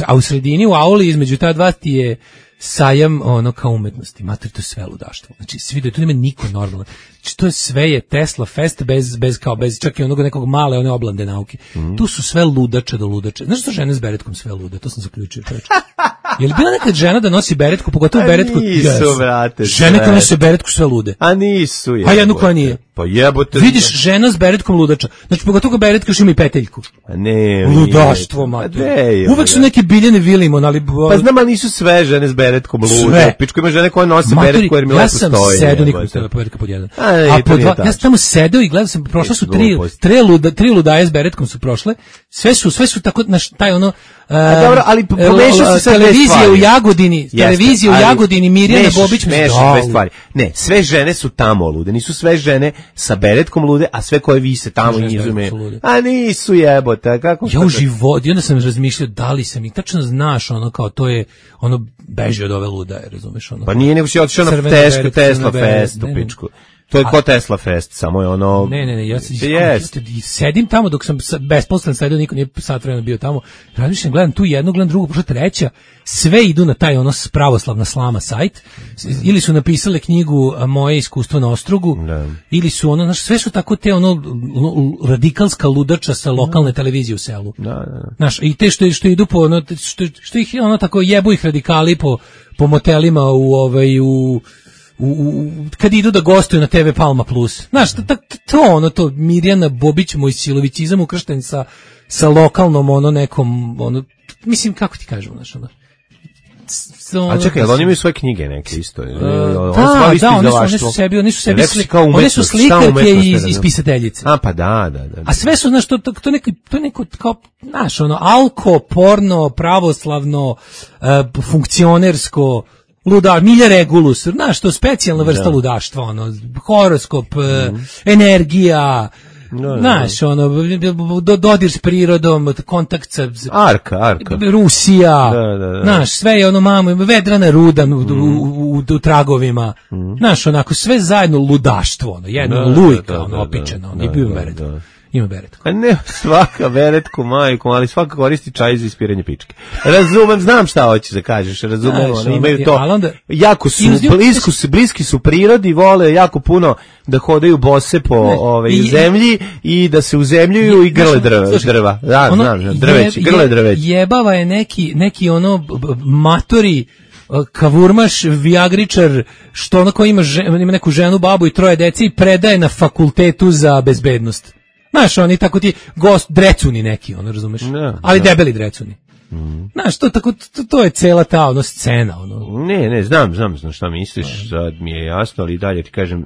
A u sredini, u auli između ta dva ti je sajam kao umetnosti. Mater, to je sve ludaštvo. Znači, svi da tu nema niko normalno. Znači, to je sve je Tesla fest bez čak i onog nekog male one oblande nauke. Tu su sve ludače do ludače. Znaš što žene s beretkom sve lude? To sam zaključio. Je li bila nekad žena da nosi beretku, pogotovo beretku? Nisu, vrate. Žene koje nose beretku sve lude. A nisu, jebote. A jednu koja nije. Pa jebote. Vidiš žena s beretkom ludača. Znači, pogotovo beretka još ima i peteljku. A ne. Ludaštvo, mater. Uvek su neke Biljane Vilimon, ali... Pa znam, ali nisu sve žene s beretkom lude. Pičko ima žene koje nose beretku jer mi lepo stoji. Ja sam sedao, niko stavio beretka pod jedan. A pod dva, ja sam tamo sedao i gledao sam, prošla su tri ludaje s beretkom su prošle. Sve su tako, taj ono... dobro, ali pomešao se sad televizija u Jagodini, televizija u Jagodini, Mirjana Bobić, dve stvari. Ne, sve žene su tamo lude, nisu sve žene sa beretkom lude, a sve koje vise tamo i izume. A nisu, jebote, kako? Ja u životu, i onda sam razmišljao da li sam, i tačno znaš, ono kao to je, ono beži od ove ludaje, razumeš, ono. Pa nije nego si otišao na Tesla fest u pičku. To je ko Tesla Fest, samo je ono... Ne, ja sedim tamo dok sam besposlen sedio, niko nije sat vremena bio tamo, razmišljam, gledam tu jednu, gledam drugu, pošto treća, sve idu na taj ono pravoslavna slama sajt, ili su napisale knjigu Moje iskustvo na Ostrugu, ili su ono, sve su tako te ono radikalska ludača sa lokalne televizije u selu. Znaš, i te što idu po ono, što ih ono tako jebu ih radikali po motelima kad idu da gostuju na TV Palma Plus. Znaš, to Mirjana Bobić, moj silovicizam ukršten sa lokalnom ono nekom, ono, mislim, kako ti kažem, znaš, ono. A čekaj, ali oni imaju svoje knjige neke isto. Oni su slikarke iz pisateljice. A pa da. A sve su, znaš, to neko kao, znaš, ono, alko, porno, pravoslavno, funkcionersko, Milja Regulus, znaš, to specijalna vrsta ludaštva, ono, horoskop, energija, znaš, ono, dodir s prirodom, kontakt sa... Arka. Rusija, znaš, sve je ono, vedrana ruda u tragovima, znaš, onako, sve zajedno ludaštvo, ono, jedno lujka, ono, opičeno, ono, i bio Beret. Ima beretku. A ne svaka beretku, majku, ali svaka koristi čaj za ispiranje pičke. Razumem, znam šta hoćeš da kažeš, razumem, oni imaju to, jako su, bliski su prirodi, vole jako puno da hodaju bose po zemlji i da se uzemljuju i grle drva. Da, znam, grle drveći. Jebava je neki ono matori kavurmaš, viagričar, što ono ko ima neku ženu, babu i 3 dece i predaje na fakultetu za bezbednost. Znaš, oni tako ti drecuni neki, ono, razumeš? Ali debeli drecuni. Znaš, to je cela ta ono scena, ono. Ne, znam šta misliš, sad mi je jasno, ali dalje ti kažem,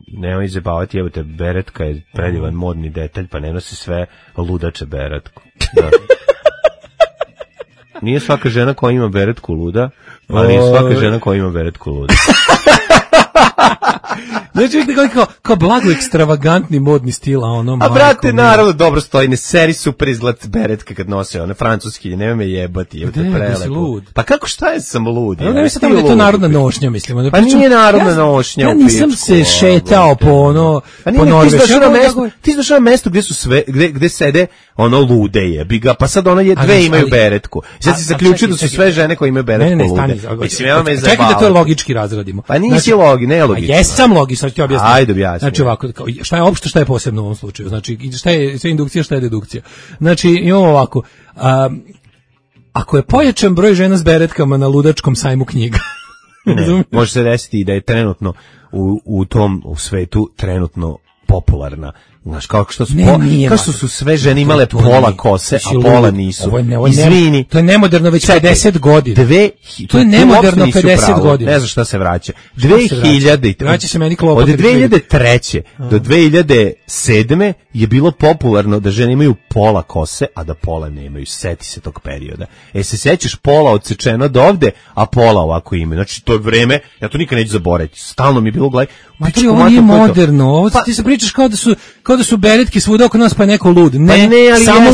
nemoj zabavati, evo te, beretka je predivan modni detalj, pa ne nosi sve ludače beretku. Da. Nije svaka žena koja ima beretku luda, ali svaka žena koja ima beretku luda. Znači, kao blago ekstravagantni modni stil, a ono... A brate, naravno, dobro stoji, ne seri super izgled beretke kad nose, one francuski, nema me jebati, jebate prelepo. Pa kako, šta je sam lud? Ja ne mislim tamo da je to narodna nošnja, mislim. Pa nije narodna nošnja. Ja nisam se šetao po Norvešću. Ti znaš na mesto gde su sve, gde sede ono lude jebi ga, pa sad ono dve imaju beretku. Sad si zaključio da su sve žene koje imaju beretku lude. Mislim, ja me čekaj da to logički razradimo. Pa nisi nelogično. Jesam logično, sad ću objasniti. Ajde objasni. Znači ovako, šta je opšte, šta je posebno u ovom slučaju? Znači, šta je sve indukcija, šta je dedukcija? Znači, imamo ovako, ako je pojačan broj žena s beretkama na ludačkom sajmu knjiga, može se desiti da je trenutno u tom svetu trenutno popularna. Znaš, kao što su sve žene imale pola kose, a pola nisu. Izvini. To je nemoderno već 50 godina. To je nemoderno 50 godina. Ne znam šta se vraća. 2000. Vraća se meni klopot. Od 2003. do 2007. je bilo popularno da žene imaju pola kose, a da pola nemaju. Seti se tog perioda. Se sećaš, pola odsečeno do ovde, a pola ovako imaju. Znači, to je vreme, ja to nikad neću zaboraviti. Stalno mi je bilo gledaj. Ovo nije moderno. Ovo ti se pričaš kao da su beretke svuda oko nas, pa je neko lud. Ne, samo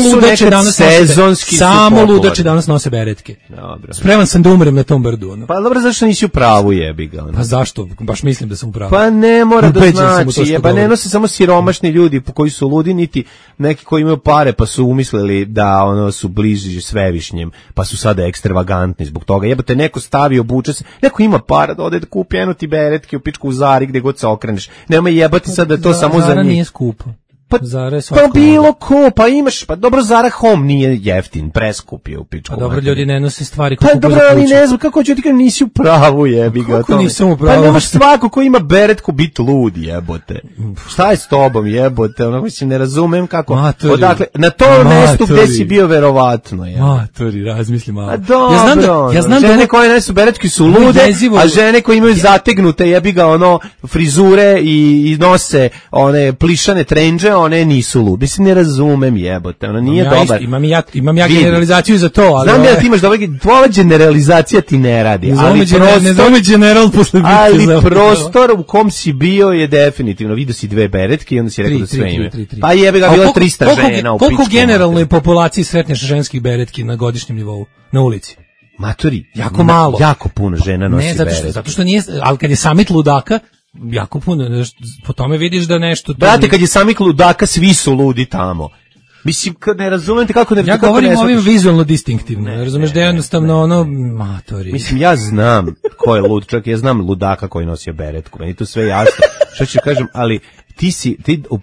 ludače danas nose beretke. Dobro. Spreman sam da umrem na tom brdu. Ono. Pa dobro, zašto nisi u pravu, jebi ga? Ono. Pa zašto? Baš mislim da sam u pravu. Pa ne mora da znači, pa ne nose samo siromašni ljudi koji su ludi, niti neki koji imaju pare pa su umislili da ono su bliži svevišnjem, pa su sada ekstravagantni zbog toga. Jebote, neko stavi, obuče se, neko ima para da ode da kupi eno ti beretke u pičku u Zari gde god se okreneš. Nema jebati sad da je to samo za njih. Zara nije skupo. Pa bilo ko, pa imaš, pa dobro, Zara Home nije jeftin, preskup je u pičku. Pa dobro, ljudi ne nose stvari kako dobro, ali ne znam, kako ću ti kažem, nisi u pravu, jebi ga. Kako nisam u pravu? Pa nemaš svako ko ima beretku bit lud, jebote. Šta je s tobom, jebote, ono, mislim, ne razumem kako. Odakle, na tom mestu gde si bio verovatno, jebote. Matori, razmisli malo. A dobro, ja znam žene koje nesu beretke su lude, a žene koje imaju zategnute, jebi ga, ono, frizure i nose one plišane trendže, one nisu lud. Mislim, ne razumem, jebote, ona nije dobar. Imam ja generalizaciju za to, ali... Znam da ti imaš dobar, tvoja generalizacija ti ne radi. Ali prostor u kom si bio je definitivno, vidio si dve beretke i onda si rekao da sve ime. Pa jebe ga, bilo 300 žena u pičku. Koliko generalnoj populaciji sretneš ženskih beretki na godišnjem nivou, na ulici? Matori, jako malo. Jako puno žena nosi beretke. Zato što nije, ali kad je samit ludaka, jako puno, po tome vidiš da nešto... Brate, kad je samih ludaka, svi su ludi tamo. Mislim, ne razumete kako ne... Ja govorim ovim vizualno distinktivno, razumeš da je jednostavno ono, matori. Mislim, ja znam ko je lud, čak ja znam ludaka koji nosio beretku, meni to sve jasno, što ću kažem, ali ti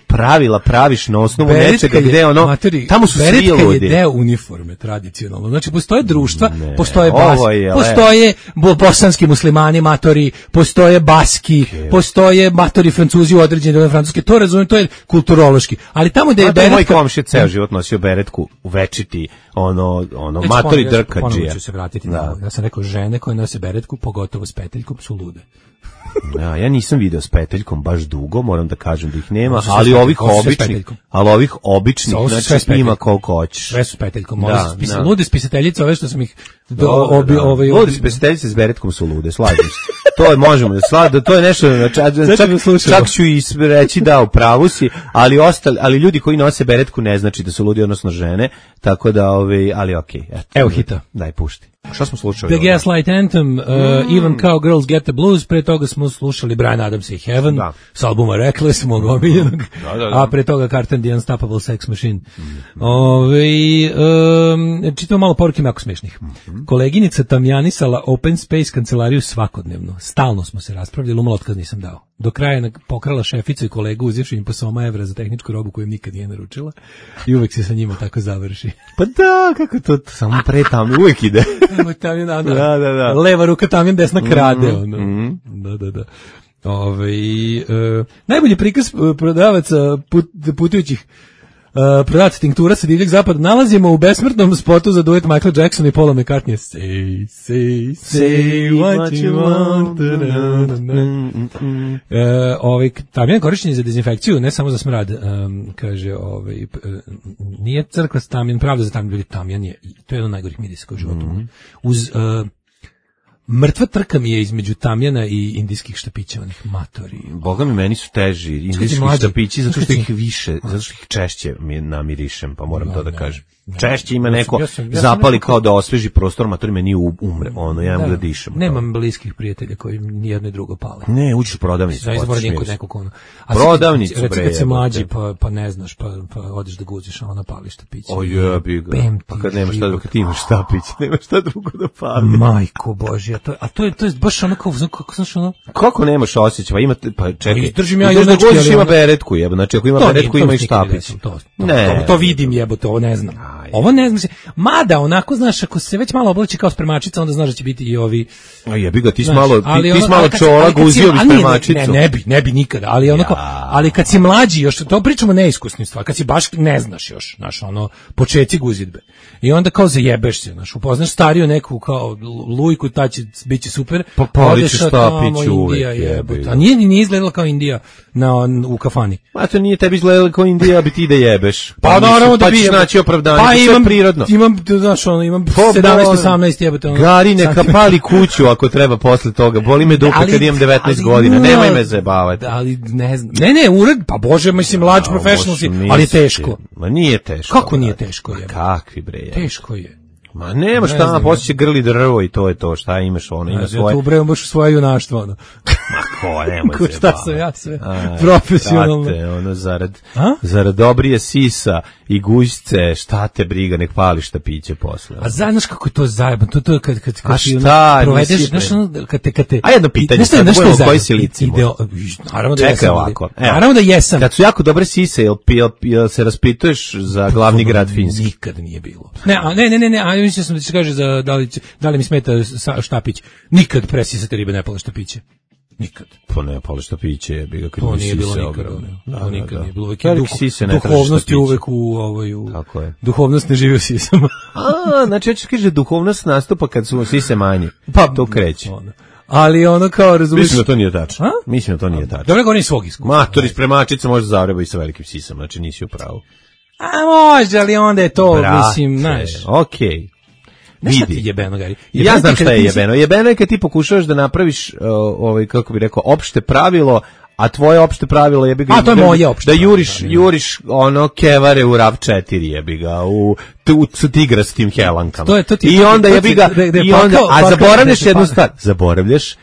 pravila praviš na osnovu nečega gde ono, matori, tamo su svi ludi. Beretka je deo uniforme tradicionalno, znači postoje društva, postoje postoje bosanski muslimani matori, postoje baski, postoje matori Francuzi u određene francuske, to razumijem, to je kulturološki, ali tamo gde je beretka... Moj komšija ceo život nosio beretku u večiti, ono matori drkađija. Ponovno ću se vratiti na ja sam rekao, žene koje nose beretku, pogotovo s peteljkom, su lude. Ja nisam video s peteljkom baš dugo, moram da kažem da ih nema, ali ovih običnih, znači ima koliko hoćeš. Sve su s peteljkom, lude spisateljice, ove što sam ih... Lude spisateljice s beretkom su lude, slažem se. To je, možemo da to je nešto, čak ću i reći da u pravu si, ali ljudi koji nose beretku ne znači da su ludi, odnosno žene, tako da, ali okej. Evo hita. Daj, pušti. Šta smo slušali? The Gaslight Anthem, Even Cowgirls Get the Blues, pre toga smo slušali Bryan Adams i Heaven, s albuma Reckless, mog omiljenog, a pre toga Carter and the Unstoppable Sex Machine. Čitamo malo poruke jako smiješnih. Koleginica tamjanisala Open Space kancelariju svakodnevno. Stalno smo se raspravljali, umalo otkaz nisam dao. Do kraja je pokrala šeficu i kolegu uzivši im po €100 za tehničku robu koju im nikad nije naručila i uvek se sa njima tako završi. Pa da, kako to samo pre tamo uvek ide. Da. Leva ruka tamjan, desna krade. Da. Najbolji prikaz prodavaca putujućih prodavac tinktura sa divljeg zapada nalazimo u besmrtnom spotu za duet Michael Jackson i Paula McCartney. Say what you want. Tamjan korišćen za dezinfekciju, ne samo za smrad. Kaže, nije crkva tamjan, pravda za tamjan, tamjan je, to je jedno najgorih mirisa u životu. Uz mrtva trka mi je između tamjana i indijskih štapića, onih matori. Boga mi, meni su teži indijski štapići, zato što ih više, zato što ih češće namirišem, pa moram to da kažem. Češće ima neko zapali kao da osveži prostor, matori meni umre, ja imam da dišem. Nemam bliskih prijatelja koji nijedno i drugo pale. Ne, uđeš u prodavnicu. Ja izvorim kod nekog ono. Prodavnicu, bre. Recimo kad se mlađi, pa ne znaš, pa odeš da guziš, a ona pali štapić. O jebi ga. Pa kad nemaš šta drugo, kad ti imaš štapić, nemaš šta drugo da pali. Majko Božja, a to je baš ono kao, znaš ono... Kako nemaš osjećaj, pa čekaj. Izdržim ja da guziš ima beretku, jebe, znači ako ima beretku ima i štapić. To vidim, jebote, ovo ne znam. Ovo ne znam se, mada onako, znaš, ako se već malo oblači kao spremačica, onda znaš da će biti i ovi... Jebi ga, ti si malo čola guzio bi spremačicu. Ne bi nikada, ali onako, ali kad si mlađi još, to pričamo neiskusnim stvar, kad si baš ne znaš još, znaš, ono, počeci guzidbe. I onda kao zajebeš se, znaš, upoznaš stariju neku kao lujku, ta će biti super. Pa paliću štapić uvek. A nije izgledala kao Indija u kafani. A to nije tebi izgledala kao Indija, bi ti da jebeš. Pa naravno da bi. Pa ćeš naći opravdanje, to je prirodno. Imam 17-18 jebate. Gari, neka pali kuću ako treba posle toga. Boli me dupe kad imam 19 godina, nemoj me zajebavati. Ali ne znam. Ne, ured, pa bože, mislim, mlađi profesional si, ali je teško. Ma nije teško. Kako nije teško je? Kakvi bre. Teško je. Ma nema šta, poslije će grli drvo i to je to, šta imaš, ono, ima svoje... Ja tu ubrejam baš svoje junaštvo, ono. Ma ko, nemoj se šta sam ja sve, profesionalno. Brate, ono, zarad dobrije sisa i gužce, šta te briga, nek pališ štapiće posle. A znaš kako je to zajeban, to je kad a šta, provedeš, znaš ono, kad te... A jedno pitanje, sad budemo koji si lici. Naravno da jesam. Čekaj ovako. Naravno da jesam. Kad su jako dobre sise, jel se raspituješ za glavni grad Finski? Nikad nije bilo. Ne, mislio sam da će kaže za da li mi smeta štapić. Nikad presisate ribe ne pale štapiće. Nikad. Pa ne pale štapiće, je bilo kad to nije bilo nikad. To nikad nije bilo. Duhovnost je uvek u Tako je. Duhovnost ne živi u sisama. Znači hoćeš kaže duhovnost nastupa kad su sise manje. Pa to kreće. Ali ono kao razumiješ. Mislim da to nije tačno. Mislim da to nije tačno. Dobro, govorim svog iskustva. Matori spremačica može zavreba i sa velikim sisama, znači nisi u pravu. A može, ali onda je to, mislim, znaš. Okej. Nešto ti jebeno, Gari. Ja znam šta je jebeno. Jebeno je kad ti pokušavaš da napraviš, kako bi rekao, opšte pravilo, a tvoje opšte pravilo jebi ga... A to je moje opšte da juriš ono kevare u RAV4 jebi ga, u tigrastim helankama. I onda jebi ga, a zaboravljaš jednu stvar. Zaboravljaš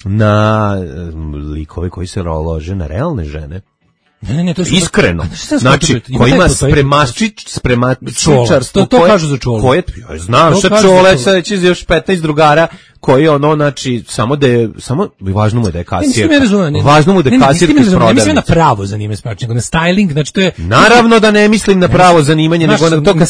na likove koji se lože na realne žene. Ne, to je iskreno. Znači, ko ima spremačičarstvo, to kažu za Čolu. Koje, ja znam šta Čole, sad će još 15 drugara koji znači samo važno mu je da je kasirka. Važno mu da je kasirka iz prodavnice. Ne mislim na pravo zanimanje spremačica, nego na styling, znači to je... Naravno da ne mislim na pravo zanimanje, nego na to kad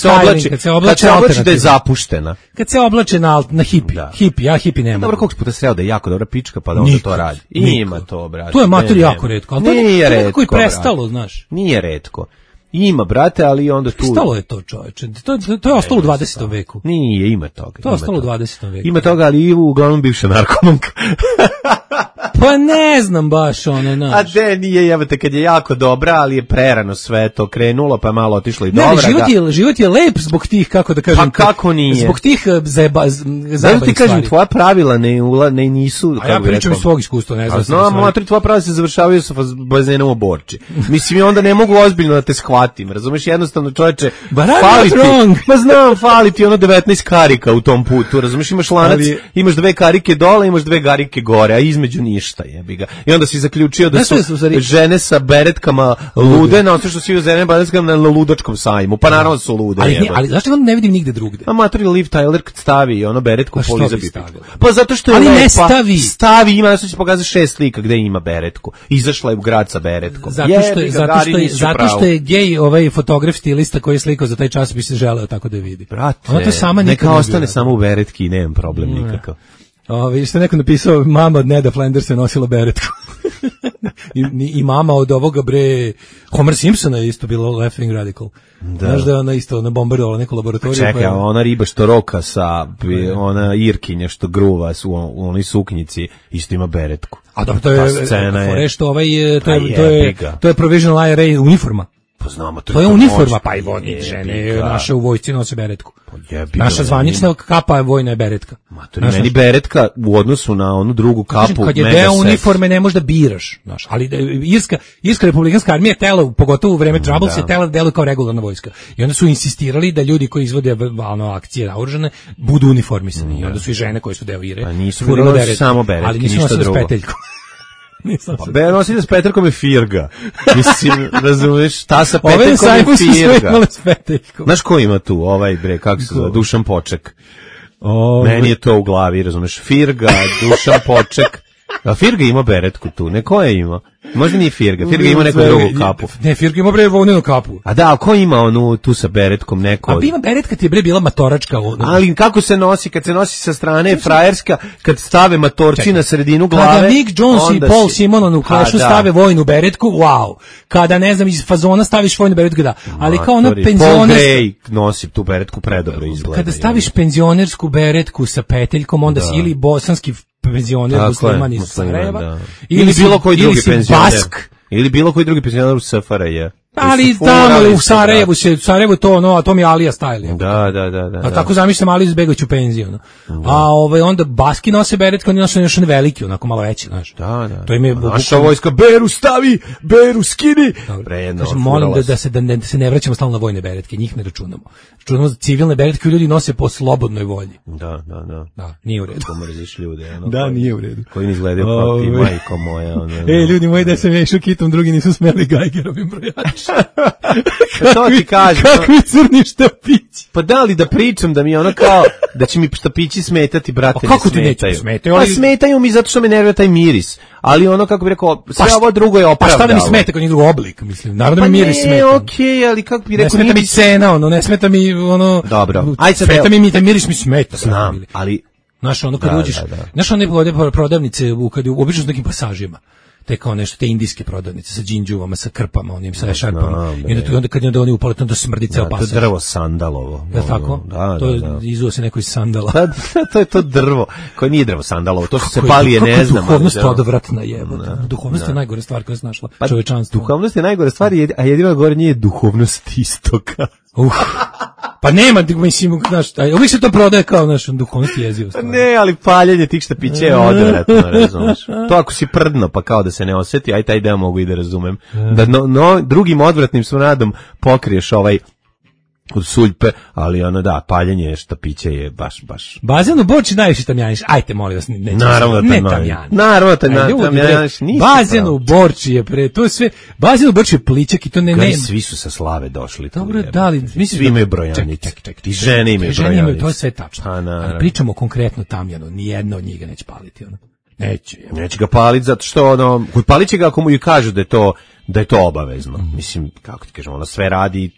se oblači da je zapuštena. Kad se oblače na hipi. Hipi, ja hipi nema. Dobro, koliko puta sreo da je jako dobra pička, pa da onda to radi. Ima to, brate. To je materi jako retko, ali to je koji prestalo, znaš. Nije retko. Ima, brate, ali onda tu... Stalo je to, čoveče. To je ostalo u 20. veku. Nije, ima toga. To je ostalo u 20. veku. Ima toga, ali i uglavnom bivša narkomanka. Pa ne znam baš ono, znaš. A de, nije, jebate, kad je jako dobra, ali je prerano sve to krenulo, pa je malo otišlo i dobra. Ne, život je lep zbog tih, kako da kažem... Pa kako nije? Zbog tih zajebanih stvari. Ti kažem, tvoja pravila ne nisu... A ja pričam iz svog iskustva, ne znam. Znam, matri, tvoja pravila se završavaju sa bazenom u Borči. Mislim, i onda ne mogu ozbiljno da te shvatim, razumeš, jednostavno, čoveče, fali ti ono 19 karika u tom putu, razumeš, imaš lanac, imaš 2 karike dole, imaš 2 karike gore, a između ništa, jebi ga. I onda si zaključio da su žene sa beretkama lude, na osnovu što si u žene beretkama na ludačkom sajmu, pa naravno su lude. Ali zašto ne vidim nigde drugde? A materi Liv Tyler kad stavi ono beretku po Lizabi. Pa zato što je ali lepa. Ne stavi. Stavi, ima, nešto će pokazati 6 slika gde ima beretku. Izašla je u grad sa beretkom. Zato što je gej ovaj fotograf stilista koji je slikao za taj časopis se želeo tako da vidi. Brate, neka ostane samo u beretki i nemam problem nikakav. Što je neko napisao, mama od Neda Flandersa nosila beretku. I mama od ovoga Homer Simpsona je isto bilo Left-wing radical. Znaš da je ona isto bombardovala neku laboratoriju. Čekaj, ona riba što roka sa ona Irkinja što gruva u onoj suknjici isto ima beretku. A dobro, to je što to je provisional IRA uniforma. Pa znamo, to je uniforma, pa i vojne žene naše u vojsci nose beretku. Naša zvanična kapa je vojna beretka. Meni beretka u odnosu na onu drugu kapu. Kad je deo uniforme ne možeš da biraš. Ali Irska republikanska armija tela, pogotovo u vreme Troubles, je tela da deluje kao regularna vojska. I onda su insistirali da ljudi koji izvode akcije naoružane budu uniformisani. I onda su i žene koje su deo IRE. A nisu samo beretke, ali nisu nosili s peteljkom. Pa nosi s Petrkom je firga. Mislim, razumiješ, ta sa Petrkom je firga. Znaš ko ima tu? Kako se zove? Dušan Poček. Meni je to u glavi, razumiješ. Firga, Dušan Poček. A Firga ima beretku tu, neko je ima. Možda nije Firga ima neku drugu kapu. Ne, Firga ima volnenu kapu. A da, ko ima onu tu sa beretkom neko? A ima beretka ti je bila matoračka. Ali kako se nosi, kad se nosi sa strane frajerska, kad stave matorci na sredinu glave. Kada Nick Jones i Paul Simon u Clashu stave vojnu beretku, wow. Kada, ne znam, iz fazona staviš vojnu beretku, da. Ali kao ona penzionerska... Paul Gray nosi tu beretku, predobro izgleda. Kada staviš penzionersku beretku sa peteljkom, onda si ili bosanski penzioner musliman iz Sarajeva ili bilo koji drugi penzioner ili bilo koji drugi penzioner u SFRJ. Ali tamo u Sarajevu to to mi je Alija style. Da. A tako zamišljam Aliju izbegaću penziju. A onda baski nose beretke, oni nose još veliki, onako malo veći, znaš. Da. To im je naša vojska beru stavi, beru skini. Molim da se ne vraćamo stalno na vojne beretke, njih ne računamo. Računamo za civilne beretke ljudi nose po slobodnoj volji. Da. Nije u redu. Ko mrziš ljude. Da, nije u redu. Koji ne izgledaju kao ti, majko moja. Ljudi moji, da sam ja išao kitom, drugi nisu smeli Geigerovim brojačima. To ti kažem. Kakvi crni štapići. Pa da li da pričam da mi ono kao da će mi štapići smetati, brate, ne smetaju. Pa smetaju mi zato što me nervira taj miris. Ali ono, kako bi rekao, sve ovo drugo je opravdano. Pa šta da mi smeta kod njih drugo oblik, mislim. Naravno mi miris smeta. Pa ne, okej, ali kako bi rekao... Ne smeta mi cena, ne smeta mi Dobro. Smeta mi taj miris mi smeta. Znam, ali... Znaš, kad uđeš... Znaš, one prodavnice, kad obično s nekim pasažima. Te kao nešto, te indijske prodavnice sa džinđuvama, sa krpama, onim sa šarpama. I onda kad oni upale, onda smrdi ceo pasaž. To je drvo sandalovo. Je tako? Da. Izuo se neko iz sandala. To je to drvo, koje nije drvo sandalovo, to što se pali ne znam. Duhovnost je odvratna jebote. Duhovnost je najgore stvar koja se našla čovečanstvo. Duhovnost je najgore stvar, a jedino gore nije duhovnost istoka. Pa nema, mislim, znaš, uvijek se to prodaje kao duhovnost jezivo. Ne, ali paljenje tih štapića je odvratno, razumeš. To ako si prdno, pa kao da se ne osjeti, aj taj deo mogu i da razumem. Da drugim odvratnim smradom pokriješ od suljpe, ali ono da, paljenje štapića je baš. Bazen u Borči najviše tamjaniš. Ajte, molim vas, naravno tamjaniš. Bazen u Borči je to je sve. Bazen u Borči je plićak i to ne. Svi su sa Slave došli. Dobro, da li misliš svi imaju brojanice. I žene imaju brojanice. To je sve tačno. Ali pričamo konkretno tamjanu, ni jedna od njih ga neće paliti, ono. Neće ga paliti zato što ono, paliće ga ako mu i kažu da je to obavezno. Mislim, kako ti kažem, ono sve radi,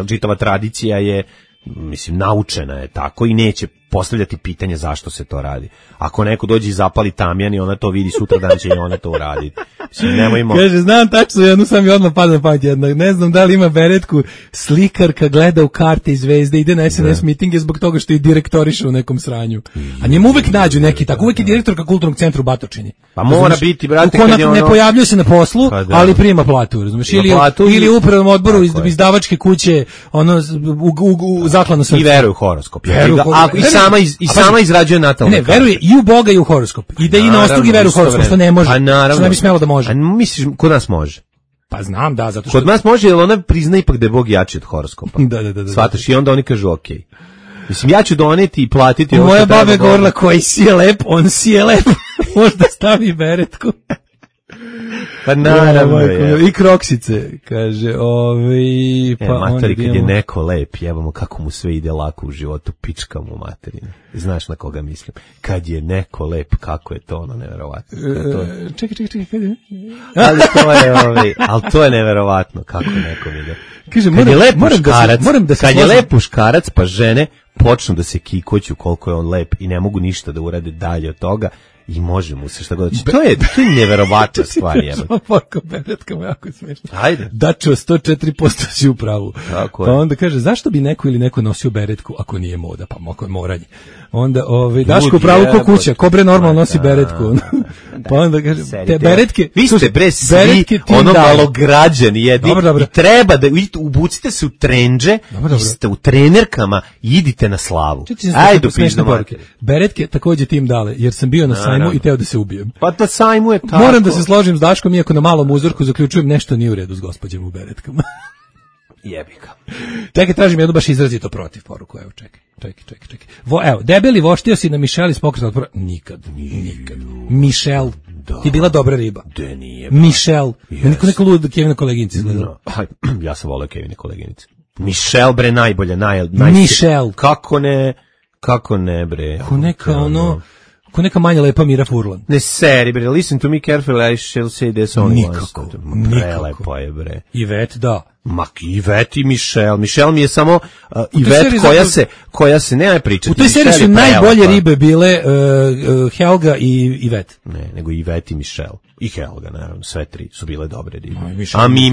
čitava tradicija je, mislim, naučena je tako i neće postavljati pitanje zašto se to radi. Ako neko dođe i zapali tamjan i ona to vidi, sutra dan će i ona to uraditi. Mislim, nemojmo... Kaže, znam tačno jednu, sam i odmah pada na pamet jedna. Ne znam da li ima beretku, slikarka gleda u karte i zvezde, ide na SNS mitinge zbog toga što je direktoriša u nekom sranju. A njemu uvek nađu neki tako, uvek je direktorka kulturnog centra u Batočini. Pa mora biti, brate, kad je ono... Ne pojavljuje se na poslu, ali prima platu, razumiješ? Ili u upravnom odboru izdavačke kuće, ono, u zakladno srce. I veruje u horoskop. I sama izrađuje natalne karte. Ne, veruje i u Boga i u horoskop. Ide i na ostrog i veruje u horoskop, što ne može. Što ne bi smelo da može. A misliš, kod nas može? Pa znam, da, zato što... Kod nas može, jer ona prizna ipak da je Bog jači od horoskopa. Da. Shvataš, i onda oni kažu okej. Mislim, ja ću doneti i platiti... Moja baba je govorila, koji si je lep, on si je lep. Možda stavi beretku. Pa naravno je. I kroksice, kaže, pa materi, kad je neko lep, jebamo kako mu sve ide lako u životu, pička mu materina. Znaš na koga mislim? Kad je neko lep, kako je to ono neverovatno. Čekaj, kad je? Ali to je neverovatno, kako nekom ide. Kaže, kad je lep muškarac, pa žene počnu da se kikoću koliko je on lep i ne mogu ništa da urade dalje od toga. I može mu se šta god. To je neverovatna stvar. Porko beretkama, jako je smešno. Ajde. Dačo, 104% si u pravu. Tako pa onda kaže, zašto bi neko ili neko nosio beretku ako nije moda? Pa ako je moranje. Onda, Daško u pravu ko kuća, ko bre normalno nosi beretku. Pa onda kaže, te beretke... Vi ste bre svi ono malograđani jedni i treba da ubucite se u trendže, ste u trenerkama i idite na slavu. Ajde, pišno marke. Beretke takođe tim dale, jer sam bio na sajmu i teo da se ubijem. Pa to sajmu je tako. Moram da se složim s Daškom, iako na malom uzorku zaključujem nešto nije u redu s gospođem u beretkama. Jebika. Čekaj, tražim jednu baš izrazito protiv poruku. Evo, čekaj. Evo, debeli voštio si na Mišeli s pokreta otpora. Nikad. Mišel. Ti bila dobra riba. De nije. Mišel. Niko lud Kevina koleginici izgledala. Ja sam voleo Kevine koleginice. Mišel bre najbolje, Mišel. Kako ne bre. Ko neka manja lepa Mira Furlan. Ne seri bre, listen to me carefully, I shall say this only nikako, once. Prelepo je bre. Ivet, da. Ivet i Michel. Michel mi je samo Ivet koja se nema pričati. U toj seriji su najbolje ribe bile Helga i Ivet. Ne, nego Ivet i Michel. I Helga, naravno, sve tri su bile dobre ribe. A Mimi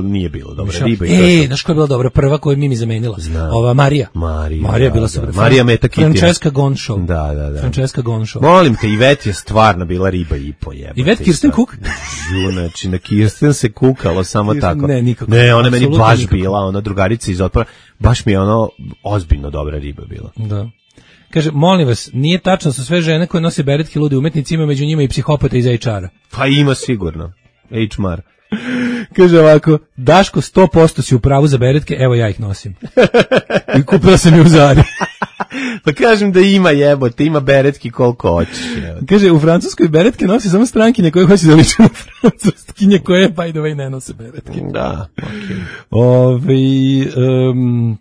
nije bilo dobra riba. Znaš koja je bila dobra? Prva koju je Mimi zamenila. Ova Marija. Marija je bila super. Marija Meta Kitty. Francesca Gonšov. Da. Francesca Gonšov. Molim te, Ivet je stvarno bila riba i po jebate. Ivet Kirsten Cook? Znači, na Kirsten se kukalo samo tako. Ne, nikako. Ne, ona meni baš bila, ona drugarica iz Otpora, baš mi je ono ozbiljno dobra riba bila. Da. Kaže, molim vas, nije tačno su sve žene koje nose beretke ludi umetnici, ima među njima i psihopata iz HR-a. Pa ima sigurno. HR. Kaže ovako, Daško 100% si u pravu za beretke, evo ja ih nosim. I kupila sam je u Zari. Pa kažem da ima jebote, ima beretki koliko hoćeš. Kaže, u Francuskoj beretke nosi samo strankinje koje hoće da liče na francuskinje koje, by the way, ne nose beretke. Da,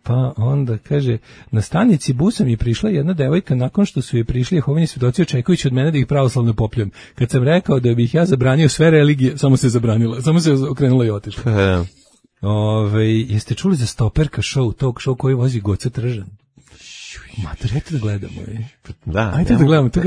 pa onda, kaže, na stanici busa mi prišla jedna devojka nakon što su joj prišli Jehovini svedoci očekujući od mene da ih pravoslavno popljujem. Kad sam rekao da bih ja zabranio sve religije, samo se zabranila, samo se okrenula i otišla. Jeste čuli za Stoperka show, talk show koji vozi Goca Tržan? Mater, ajte da gledamo. Da, ajte da gledamo, to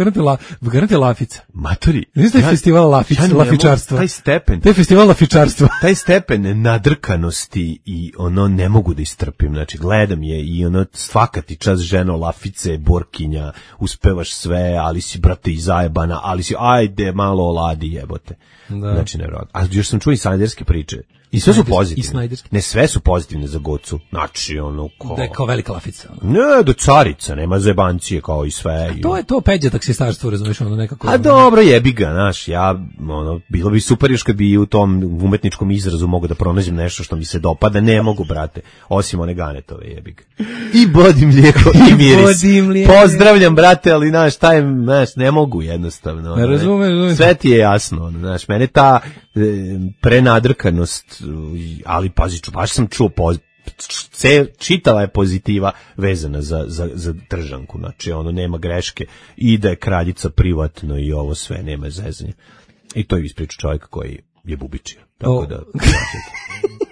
garante Lafica. Matori. Znaš da je festival lafičarstva? Taj stepen. To je festival lafičarstva. Taj stepen nadrkanosti i ono ne mogu da istrpim. Znači, gledam je i ono svaka ti čas ženo lafice, borkinja, uspevaš sve, ali si, brate, i zajebana, ali si, ajde, malo oladi jebote. Da. Znači, nevjerojatno. A još sam čuo i sanderske priče I sve su pozitivne. Ne, sve su pozitivne za Gocu. Znači, ono, da je kao velika lafica. Ne, do carica, nema zebancije kao i sve. To je to Peđa taksistarstvo, razumiješ, ono nekako. A dobro, jebi ga, znaš, ja, ono, bilo bi super još kad bi u tom umetničkom izrazu mogu da pronađem nešto što mi se dopada, ne mogu, brate, osim one Ganetove, jebi ga. I bodi mlijeko i miris. Pozdravljam, brate, ali, znaš, ne mogu jednostavno. Ne razumem. Sve ti je jasno, znaš, mene ta prenadrkanost, ali pazi, baš sam čuo čitava je pozitiva vezana za Tržanku, znači ono nema greške, ide kraljica privatno i ovo sve, nema zezanja. I to je ispričao čovjek koji je bubičio. Tako da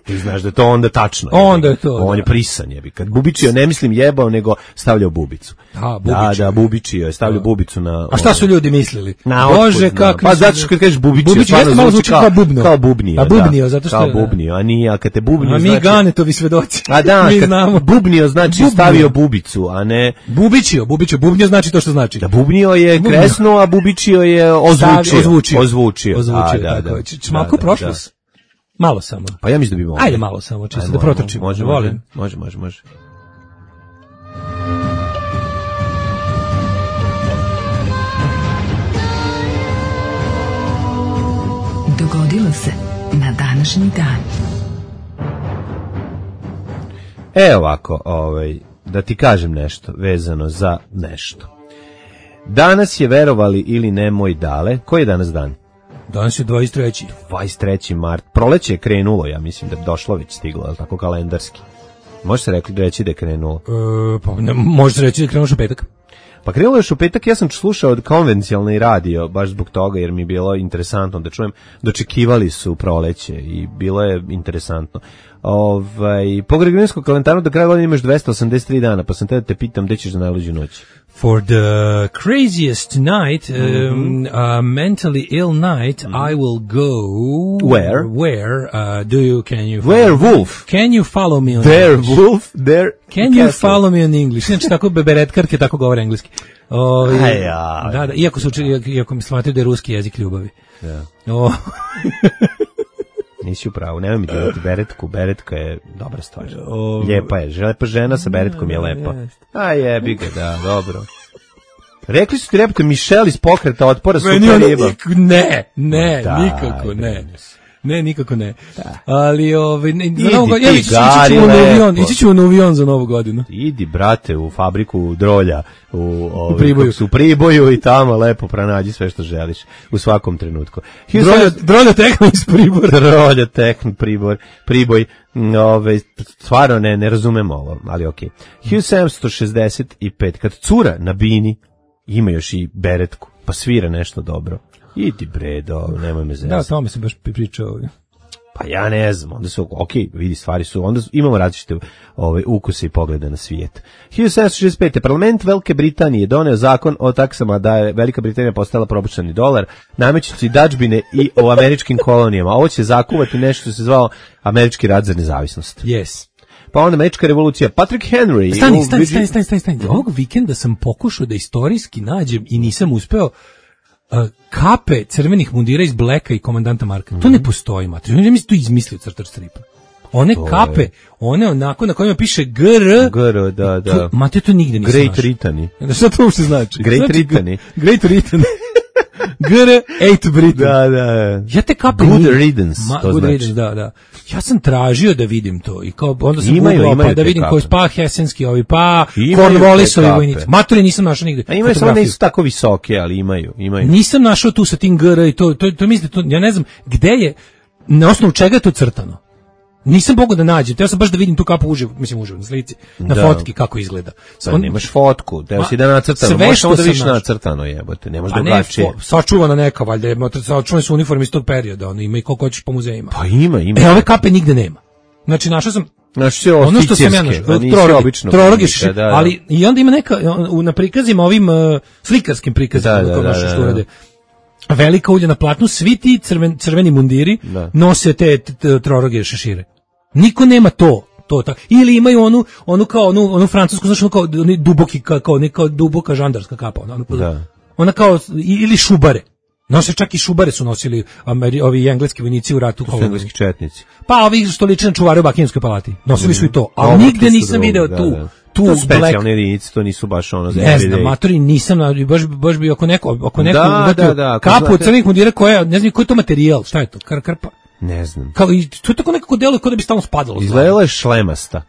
ti znaš da je to onda tačno. Onda je to. On je prisan, jebi. Kad bubičio, ne mislim jebao, nego stavljao bubicu. Da, bubičio je, stavljao bubicu na... A šta su ljudi mislili? Bože, kako... Pa zato što kad kažeš bubičio, stvarno malo zvuči kao bubno. Kao bubnio, da. Bubnio, zato što... Kao bubnio, a nije, a kad te bubnio znači... A mi Ganetovi svedoci. A da, kad bubnio znači stavio bubicu, a ne... Bubnio znači to što znači. Da, bubnio je kresno, a bubičio je ozvučio. Da. Malko prošlost. Malo samo. Pa ja mislim da bi mogli. Ajde malo samo, čisto da protrčimo. Može. Dogodilo se na današnji dan. Ovako, da ti kažem nešto vezano za nešto. Danas je, verovali ili ne, moj Dale. Koji je danas dan? Danas je 23. 23. mart. Proleće je krenulo, ja mislim da je došlo već stiglo, ali tako kalendarski. Može se reći da je krenulo? Može se reći da je krenulo još u petak. Pa krenulo još u petak, ja sam slušao od konvencionalni radio, baš zbog toga, jer mi je bilo interesantno da čujem. Dočekivali su proleće i bilo je interesantno. Po gregorijanskom kalendaru do kraja godine imaš 283 dana, pa sam te da te pitam gde ćeš za najluđu noć. For the craziest night, mentally ill night, I will go... Where? Can you... Werewolf. Can you follow me on English? Werewolf, Can you follow me on English? Znači, tako beberetkarke tako govore engleski. Da, iako mi smatraju da je ruski jezik ljubavi. Da. Nisi u pravu, nemoj mi djelati beretku, beretka je dobra stvar. Lijepa je, lepa žena sa beretkom je lepa. A jebi ga, da, dobro. Rekli su ti repke Mišel iz Pokreta otpora super riba. Ne, nikako ne. Ne, nikako ne. Da. Ali ići ćemo na avion za novu godinu. Idi, brate, u fabriku drolja u Priboju i tamo lepo pronađi sve što želiš u svakom trenutku. Drolja Tehn iz Pribora. Drolja Tehn, Priboj. Stvarno ne razumem ovo, ali okej. 1765, kad cura na bini ima još i beretku, pa svira nešto dobro. Idi bredo, nemoj me zezati. Da, tamo mi se baš pričao. Pa ja ne znam, onda su, vidi, stvari su, onda imamo različite ukuse i poglede na svijet. 1765. Parlament Velike Britanije doneo zakon o taksama da je Velika Britanija postala probušani dolar, namećući dadžbine i o američkim kolonijama. Ovo će zakuvati nešto što se zvao Američki rat za nezavisnost. Yes. Pa onda Američka revolucija. Patrick Henry. Stani. Ovog vikenda sam pokušao da istorijski nađem i nisam uspeo kape crvenih mundira iz Blacka i komandanta Marka. To ne postoji, mate. Ja mislim to izmislio crtač stripa. One kape, one onako na kojima piše GR, da. Mate, to nigde nisam Great Ritani. Šta to uopšte znači? Great Ritani. Great Ritani. GR8 Britain. Da. Ja te kape Good riddance, to good znači. Riddance, da. Ja sam tražio da vidim to i kao onda sam imaju da vidim koji pa Hesenski ovi, pa Cornwallisovi vojnici. Maturi nisam našao nigde. A imaju samo nisu tako visoke, ali imaju. Nisam našao tu sa tim GR i to mislim, ja ne znam gde je, na osnovu čega je to crtano. Nisam mogao da nađem, teo sam baš da vidim tu kapu uživo na slici, na fotki kako izgleda. Nemaš fotku, teo si da nacrtano, možeš da vidiš nacrtano jebote, ne možeš drugačije. Sačuvana neka, valjda, sačuvane su uniforme iz tog perioda, ima i koliko hoćeš po muzejima. Pa ima. Ove kape nigde nema. Znači, našao sam ono što sam ja našao, troroge, ali i onda ima neka, na prikazima ovim slikarskim prikazima, što urade. Velika ulja na platnu, svi ti crveni mundiri nose te troroge šešire. Niko nema to tako. Ili imaju onu francusku, znači kao duboki, kao neka duboka žandarska kapa. Ona kao, ili šubare. Nose čak i šubare su nosili ovi engleski vojnici u ratu. To su engleski četnici. Pa ovi što liče na čuvare u Buckinghamskoj palati. Nosili su i to, ali nigde nisam video tu. To su specijalne jedinice, to nisu baš ono za everyday. Ne znam, matori nisam, baš bi oko neko kapu od crnih mundira koja, ne znam koji je to materijal, šta je to, krpa? Ne znam. Kao, to je tako nekako deluje kao da bi stalno spadalo. Izgledala je šlemasta.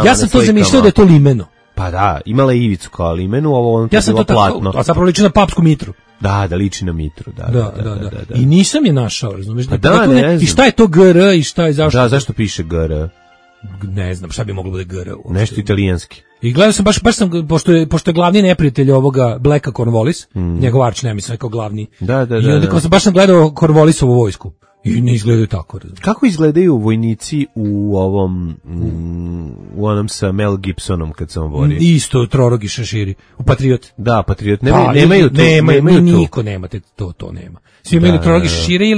Ja sam to zamišljao da je to limeno. Pa da, imala je ivicu kao limenu, ovo ono je bilo platno. A zapravo liči na papsku mitru. Da, liči na mitru, da. I nisam je našao, razumiješ? Pa da, ne znam. I šta je to GR i šta je zašto? Da, zašto piše GR? Ne znam, šta bi moglo bude GR? Nešto italijanski. I gledao sam, baš sam, pošto je glavni neprijatelj ovoga Blacka Cornwallis, njegov arč nemisao kao glavni. Da. I onda baš sam gledao Cornwallisovu vojsku. I ne izgledaju tako. Kako izgledaju vojnici u ovom u onom sa Mel Gibsonom kad se on vodi? Isto trorogi šeširi. U Patriot. Da, Patriot. Nemaju niko nemate to nema. Svi imaju trorogi šešire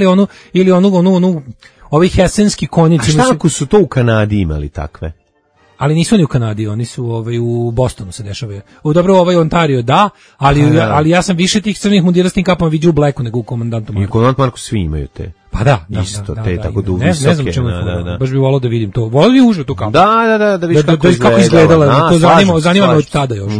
ili onu ovi hesenski konjici. A šta ako su to u Kanadi imali takve? Ali nisu oni u Kanadi, oni su u Bostonu se dešavaju. Dobro, Ontario da, ali ja sam više tih crnih mundira s tim kapama vidio u Blacku nego u Komandantu Marku. I u Komandantu Marku svi imaju te. Pa da. Isto, te tako duvisoke. Ne znam čemu je, baš bih volao da vidim to. Volao bih uživati tu kapu. Da vidiš kako izgledala. To zanima me od tada još.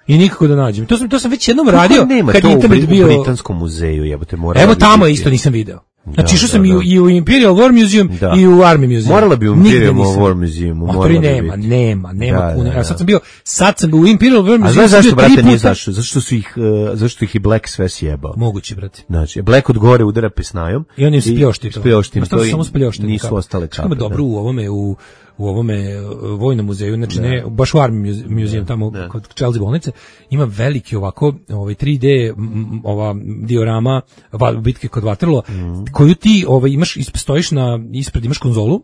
I nikako da nađem. To sam već jednom radio kad je internet bio u Britanskom muzeju, jebote, morala. Evo tamo isto nisam video. Znači išao sam i u Imperial War Museum i u Army Museum. Morala bi u Imperial War Museum. Nema puno. Ja sad sam u Imperial War Museum. A znaš zašto, brate, nije zašto? Zašto ih je Black sve sjebao. Moguće, brate. Znači, Black od gore udara pesnajom. I on im spljošti to. Samo spljošti. Nisu ostale kape. Što je dobro u ovome vojnom muzeju, znači ne, baš u Army Museum tamo kod Chelsea bolnice, ima veliki ovako 3D ova diorama bitke kod Waterloo, koju ti imaš, stojiš ispred imaš konzolu,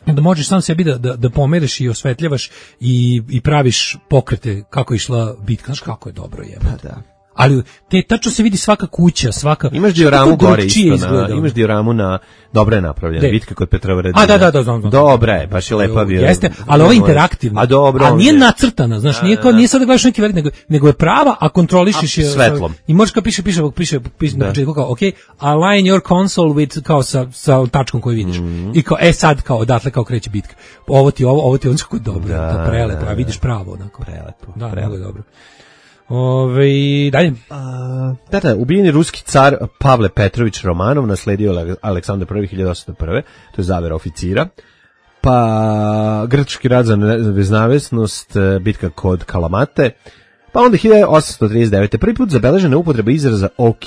da možeš sam sebi da pomeriš i osvetljavaš i praviš pokrete kako je išla bitka, znaš kako je dobro jebote. Da. Ali tačno se vidi svaka kuća, svaka. Imaš dioramu gore isto, imaš dioramu na dobro je napravljena bitka kod Petrovaradina. Da, znam. Dobra je, baš je lepa bio. Jeste, ali ovo je interaktivno. A nije nacrtana, znaš, nije sad da gledaš neki velik, nego je prava, a kontrolišeš je svetlom. I možeš kao piše na početku kao, okay, align your console with kao sa tačkom koju vidiš. I kao sad kao odatle kao kreće bitka. Ovo ti on kako dobro, to prelepo, a vidiš pravo onako. Prelepo. Da, mnogo je dobro. Dalje. Ubijeni ruski car Pavle Petrović Romanov nasledio Aleksandar I 1801. To je zavera oficira. Pa grčki rat za nezavisnost, bitka kod Kalamate. Pa onda 1839. prvi put zabeležena upotreba izraza OK,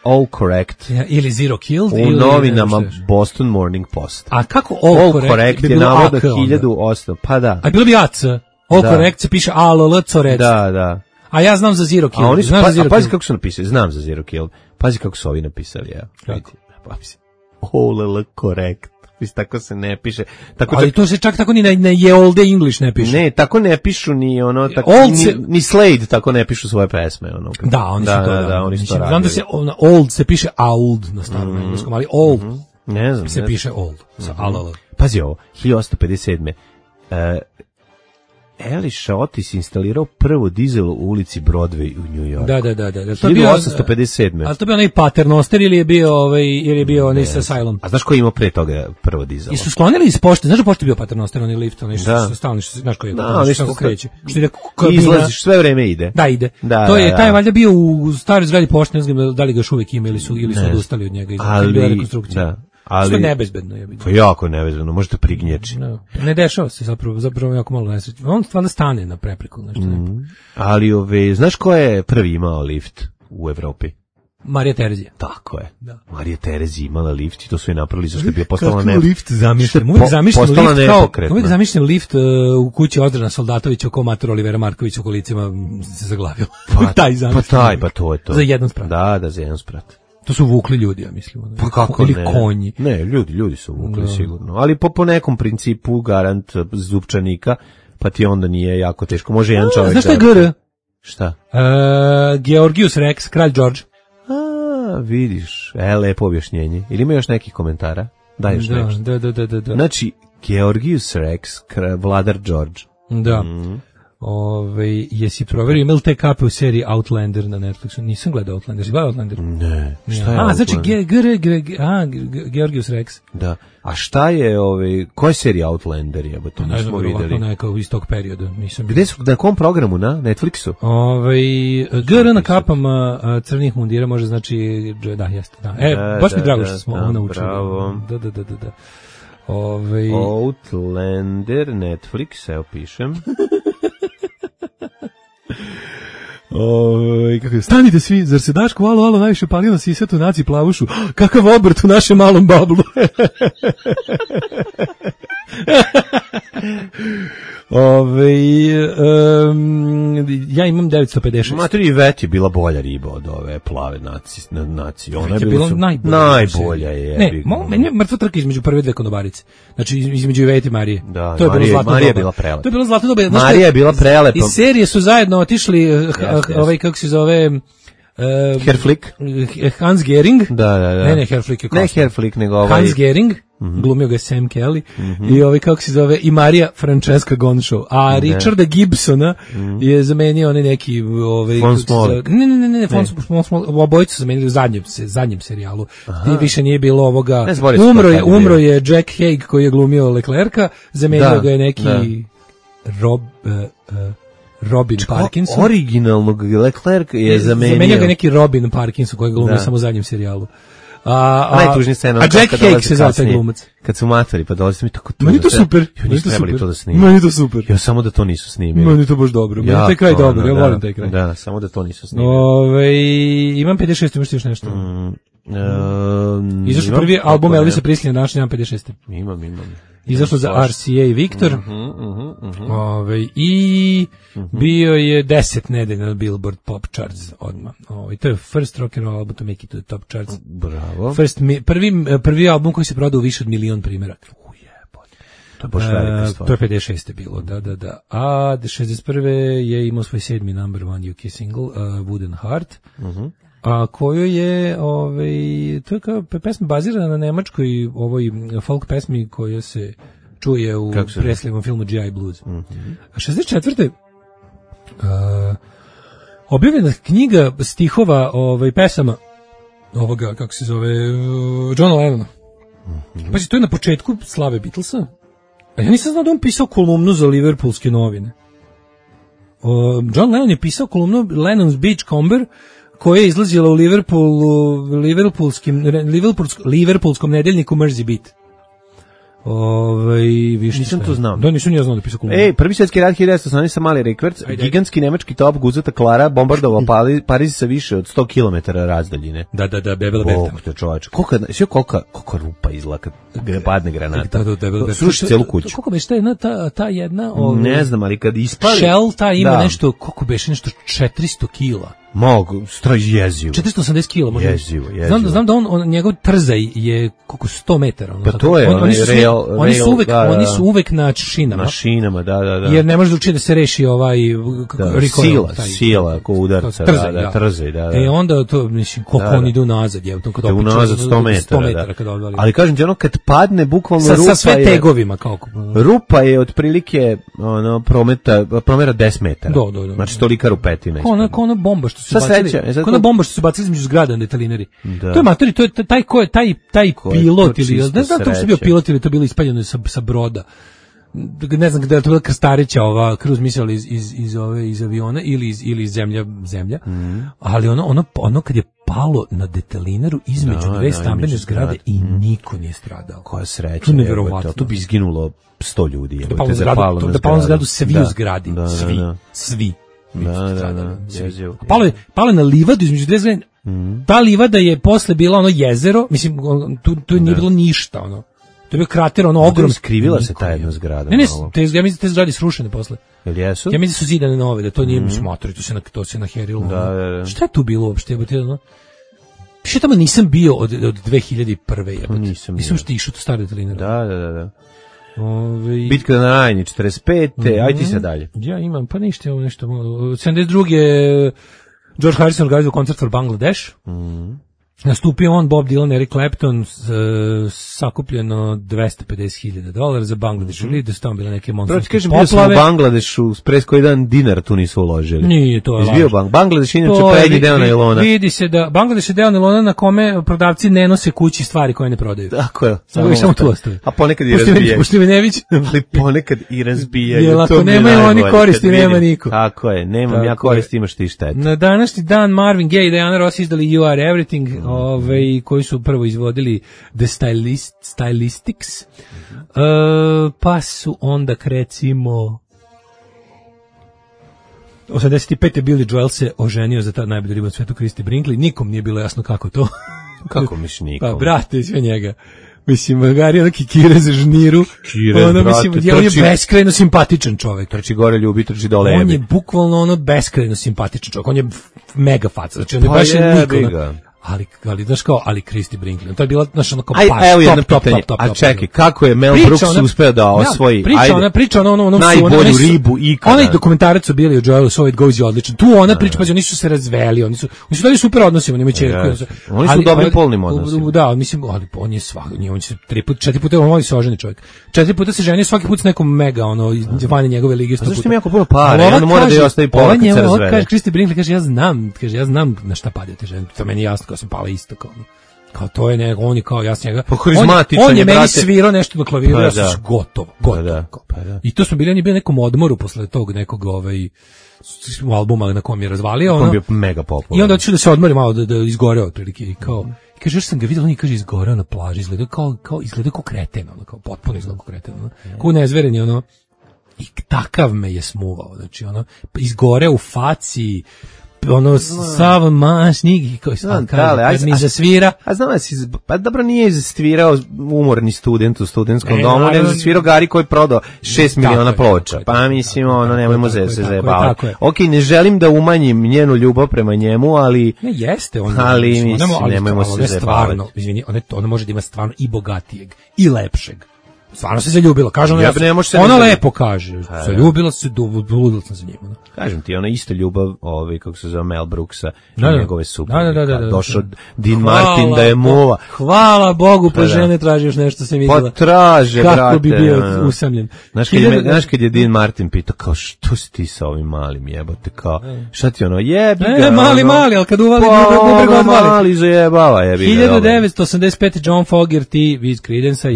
all correct. Ili zero killed. U novinama Boston Morning Post. A kako all correct je navodno 1800. Pa da. A bilo bi AC. All correct se piše ALL corect. Da. A ja znam za zero kill. Pazi kako su napisali, znam za zero kill. Pazi kako su ovi napisali, ja. Kako? All correct. Tako se ne piše. Ali to se čak tako ni na ye all the English ne piše. Ne, tako ne pišu ni ono, tako, ni Slade tako ne pišu svoje pesme. Ono. Da, oni su to. Da, oni su to radili. Znam da se old se piše old na starom engleskom, ali old ne znam, se piše old. Sa ALL. Pazi ovo, 1857. Elisha Otis instalirao prvo dizel u ulici Broadway u New Yorku. Da. To je 1857. A to bio onaj Paternoster ili je bio onaj sa Cylon? A znaš ko je imao pre toga prvo dizel? I su sklonili iz pošte, znaš da pošte bio Paternoster, onaj lift, onaj što stalni, znaš koji je, što kreće. Izlaziš, sve vreme ide. Da, ide. To je, taj valjda bio u staroj zgradi pošte, ne znam da li ga još uvek ima ili su odustali od njega. Ali, da. Što je nebezbedno je. To je jako nebezbedno, možete prignječi. Ne dešava se zapravo jako malo nesreće. On stvarno stane na prepreku. Ali znaš ko je prvi imao lift u Evropi? Marija Terezija. Tako je. Da. Marija Terezija imala lift i to su je napravili zašto je bio postala kako lift zamišljam. Uvijek zamišljam lift u kući Ozdrana Soldatovića oko mater Olivera Markovića u kolicima se zaglavio. Pa to je to. Za jedan sprat. Da, za jedan sprat. To su vukli ljudi, ja mislim. Pa kako ili konji. Ne, ljudi su vukli sigurno. Ali po nekom principu garant zupčanika, pa ti onda nije jako teško. Može jedan čovjek. Znaš šta je GR? Šta? Georgius Rex, kralj George. Vidiš. Lepo objašnjenje. Ili ima još nekih komentara? Daj još nešto. Da. Znači, Georgius Rex, vladar George. Da. Jesi proverio ima li te kape u seriji Outlander na Netflixu? Nisam gledao Outlander. Si gledao Outlander? Ne. Šta je Outlander? Znači Georgios Rex. Da. A šta je koja je serija Outlander? To nismo videli. Neka iz tog perioda. Gde su, na kom programu, na Netflixu? GR na kapama crnih mundira može znači, da, jeste. Da. Baš mi drago što smo ovo naučili. Bravo. Da. Outlander, Netflix, evo pišem. Kako je, stanite svi, zar se Daško alo najviše palio na sisatu naci plavušu? Kakav obrt u našem malom bablu. Ja imam 956. Matri Vet je bila bolja riba od ove plave nacije. Ona je bila najbolja je. Ne, meni je mrtva trka između prve dve konobarice. Znači između Ivete i Marije. Da, to je bilo zlatno Marija doba. Je bila prelepa. To je bilo zlatno doba. Marija je bila prelepa. Iz serije su zajedno otišli kako se zove Herflick, Hans Gering. Da. Ne, Herflick je ne Herflick, nego Hans Gering, glumio ga Sam Kelly, i kako se zove, i Marija Francesca Gonšov. A Richarda Gibsona je zamenio onaj neki Von Smolik. Ne, Von Smolik, obojicu zamenili u zadnjem serijalu. I više nije bilo ovoga. Umro je Jack Haig koji je glumio Leclerca, zamenio ga je neki Robin Parkinson. Originalnog Leclerc je zamenio ga neki Robin Parkinson koji je glumio samo u zadnjem serijalu. Najtužnija scena. A Jack Haig se zove taj glumac. Kad su matori, pa dolazi mi tako tužno. Meni to super. Meni to super. Ja samo da to nisu snimili. Meni to baš dobro. Meni taj kraj dobro. Ja volim taj kraj. Da, samo da to nisu snimili. Imam 56, imaš ti još nešto? Izašao prvi album Elvisa Preslija, naš imam 56. Imam. Izašlo za RCA Victor. I bio je 10 nedelja na Billboard Pop Charts odmah. To je first rock and roll album to make it to the top charts. Bravo. Prvi album koji se prodao više od 1.000.000 primjeraka. To je baš velika stvar. To je 56. bilo, da. A 61. je imao svoj 7. number one UK single, Wooden Heart. A koju je, to je kao pesma bazirana na nemačkoj ovoj folk pesmi koja se čuje u Preslijevom filmu G.I. Blues. A 64. Objavljena knjiga stihova pesama ovoga, kako se zove, Johna Lennona. Pazi, to je na početku slave Beatlesa. A ja nisam znao da on pisao kolumnu za Liverpoolske novine. John Lennon je pisao kolumnu Lennon's Beachcomber, koja je izlazila u Liverpoolskom nedeljniku Mersey Beat. Nisam to znao. Da, nisam ja znao da pisao kolumnu. Prvi svjetski rat 1918 sa Mali Records, gigantski nemački top guzata Klara bombardovao Pariz sa više od 100 km razdaljine. Da, Bebela Berta. Bog te čovač. Koliko rupa izla kad padne granata. Sruši celu kuću. Koliko beše ta jedna... Ne znam, ali kad ispali... Shell ta ima nešto, koliko beše nešto 400 kila. Mogu, jezivo. 480 kila možda. Jezivo. Znam da on njegov trzaj je koliko 100 metara. Pa to je, oni su uvek na šinama. Na šinama, da. Jer ne može da učiti da se reši sila, ko udarca, trzaj, da. Onda to, mislim, koliko oni idu nazad, je, kad opiču. Unazad 100 metara, kada odvali. Ali kažem ti, kad padne, bukvalno rupa je... Sa sve tegovima, kako? Rupa je otprilike, promera 10 metara. Da. Znači, tolika rupetina. Ko ona bomba što su bacili između zgrada na detalinari. To je matori, to je taj pilot ili ne znam to što bio pilot ili to bilo ispaljeno sa broda. Ne znam da je to bila krstarića ova cruise missile iz aviona ili iz zemlja. Ali ono kad je palo na detalinaru između dve stambene zgrade i niko nije stradao. Koja sreća. To je neverovatno. Tu bi izginulo 100 ljudi. Da palo na zgradu svi u zgradi. Svi. Palo je na livadu između dve zgrade. Ta livada je posle bila ono jezero, mislim, tu nije bilo ništa, ono. To je bio krater, ono ogrom. Skrivila se ta jedna zgrada. Ne, ja mislim te zgrade srušene posle. Jel jesu? Ja mislim da su zidane nove, da to nije smotori, to se naherilo. Da. Šta je tu bilo uopšte? Više tamo nisam bio od 2001. Nisam što išao to stare detaline. Da. Bitka na Rajni, 45. Ajde ti se dalje. Ja imam, pa ništa, ovo nešto. 72. George Harrison organizovao koncert for Bangladesh. Nastupio on, Bob Dylan, Eric Clapton, sakupljeno $250,000 za Bangladeš, ili da su tamo bile neke monstranske poplave. Bio sam u Bangladešu, pres koji dan dinar tu nisu uložili. Nije, to je laž. Bangladeš inače prednji deo najlona. Vidi se da Bangladeš je deo najlona na kome prodavci ne nose kući stvari koje ne prodaju. Tako je. Samo tu ostaje. A ponekad i razbijaju. Poštivenević. Ali ponekad i razbijaju. Jer ako nemaju oni koristi, nema niko. Tako je, nemam ja koristi, imaš ti štetu. Na današnji dan Marvin Gaye i Diana Ross izdali You Are Everything, koji su prvo izvodili The Stylistics, pa su onda recimo 85. Billy Joel se oženio za ta najbolju ribu na svetu, Christy Brinkley. Nikom nije bilo jasno kako to. Kako miš nikom? Pa brate, sve njega. Mislim, Gari je kikire za žniru. Mislim, on je beskrajno simpatičan čovjek. Trči gore ljubi, trči dole. On je bukvalno beskrajno simpatičan čovjek. On je mega faca. Znači, on je baš niko. Ali znaš kao, ali Christy Brinkley. To je bila naša onako top. A čekaj, kako je Mel Brooks uspeo da osvoji priča ona najbolju ribu ikada. Onaj dokumentarac o Billy Joelu, So It Goes je odličan. Tu ona priča, pa oni su se razveli, oni su dali super odnosi, oni imaju ćerku. Oni su dobrim polnim odnosima. Da, mislim, ali on je on se 4 puta on voli se oženi čovjek. 4 puta se ženi, svaki put s nekom mega vanje njegove lige 100 puta. Zašto mi jako puno para? On mora da je ostavi pola kad se razvede. Kaže Christy Brinkley, kaže ja znam na šta padate žene. To meni jasno. Sam pala isto kao to je nego, on je kao jasno njega. On je meni svirao nešto na klaviru, ja sam gotovo. I to smo bili, on je bio nekom odmoru posle tog nekog albuma na kom je razvalio. On je bio mega popularan. I onda ću da se odmori malo, da izgoreo otprilike. I kao, kaže, još sam ga vidio, on je kaže izgoreo na plaži, izgleda kao kreten, kao potpuno izgleda kao kreten. Kao nezveren, i takav me je smuvao, znači izgoreo u faci, sav mašnik koji sam kad mi zasvira. A znam da si, pa dobro nije zasvirao umorni student u studentskom domu, nego zasvirao Gari koji je prodao 6 miliona ploča. Pa mislim, nemojmo se zajebavati. Ok, ne želim da umanjim njenu ljubav prema njemu, ali... Ne, jeste. Ali mislim, nemojmo se zajebavati. Ona može da ima stvarno i bogatijeg, i lepšeg. Stvarno se zaljubila, kaže ona lepo kaže, zaljubila se, ludila sam za njim. Kažem ti, ona ista ljubav, kako se zove Mel Brooksa i njegove supruge. Došao Dean Martin da je muva. Hvala Bogu, pa žene traži još nešto se vidjela. Pa traže, brate. Kako bi bio usamljen. Znaš kad je Dean Martin pitao, kao što si ti sa ovim malim jebote, kao šta ti jebi ga. Mali, ali kad uvali bubrega odvali. Mali zajebava, jebi ga. 1985. John Fogerty iz Creedence-a,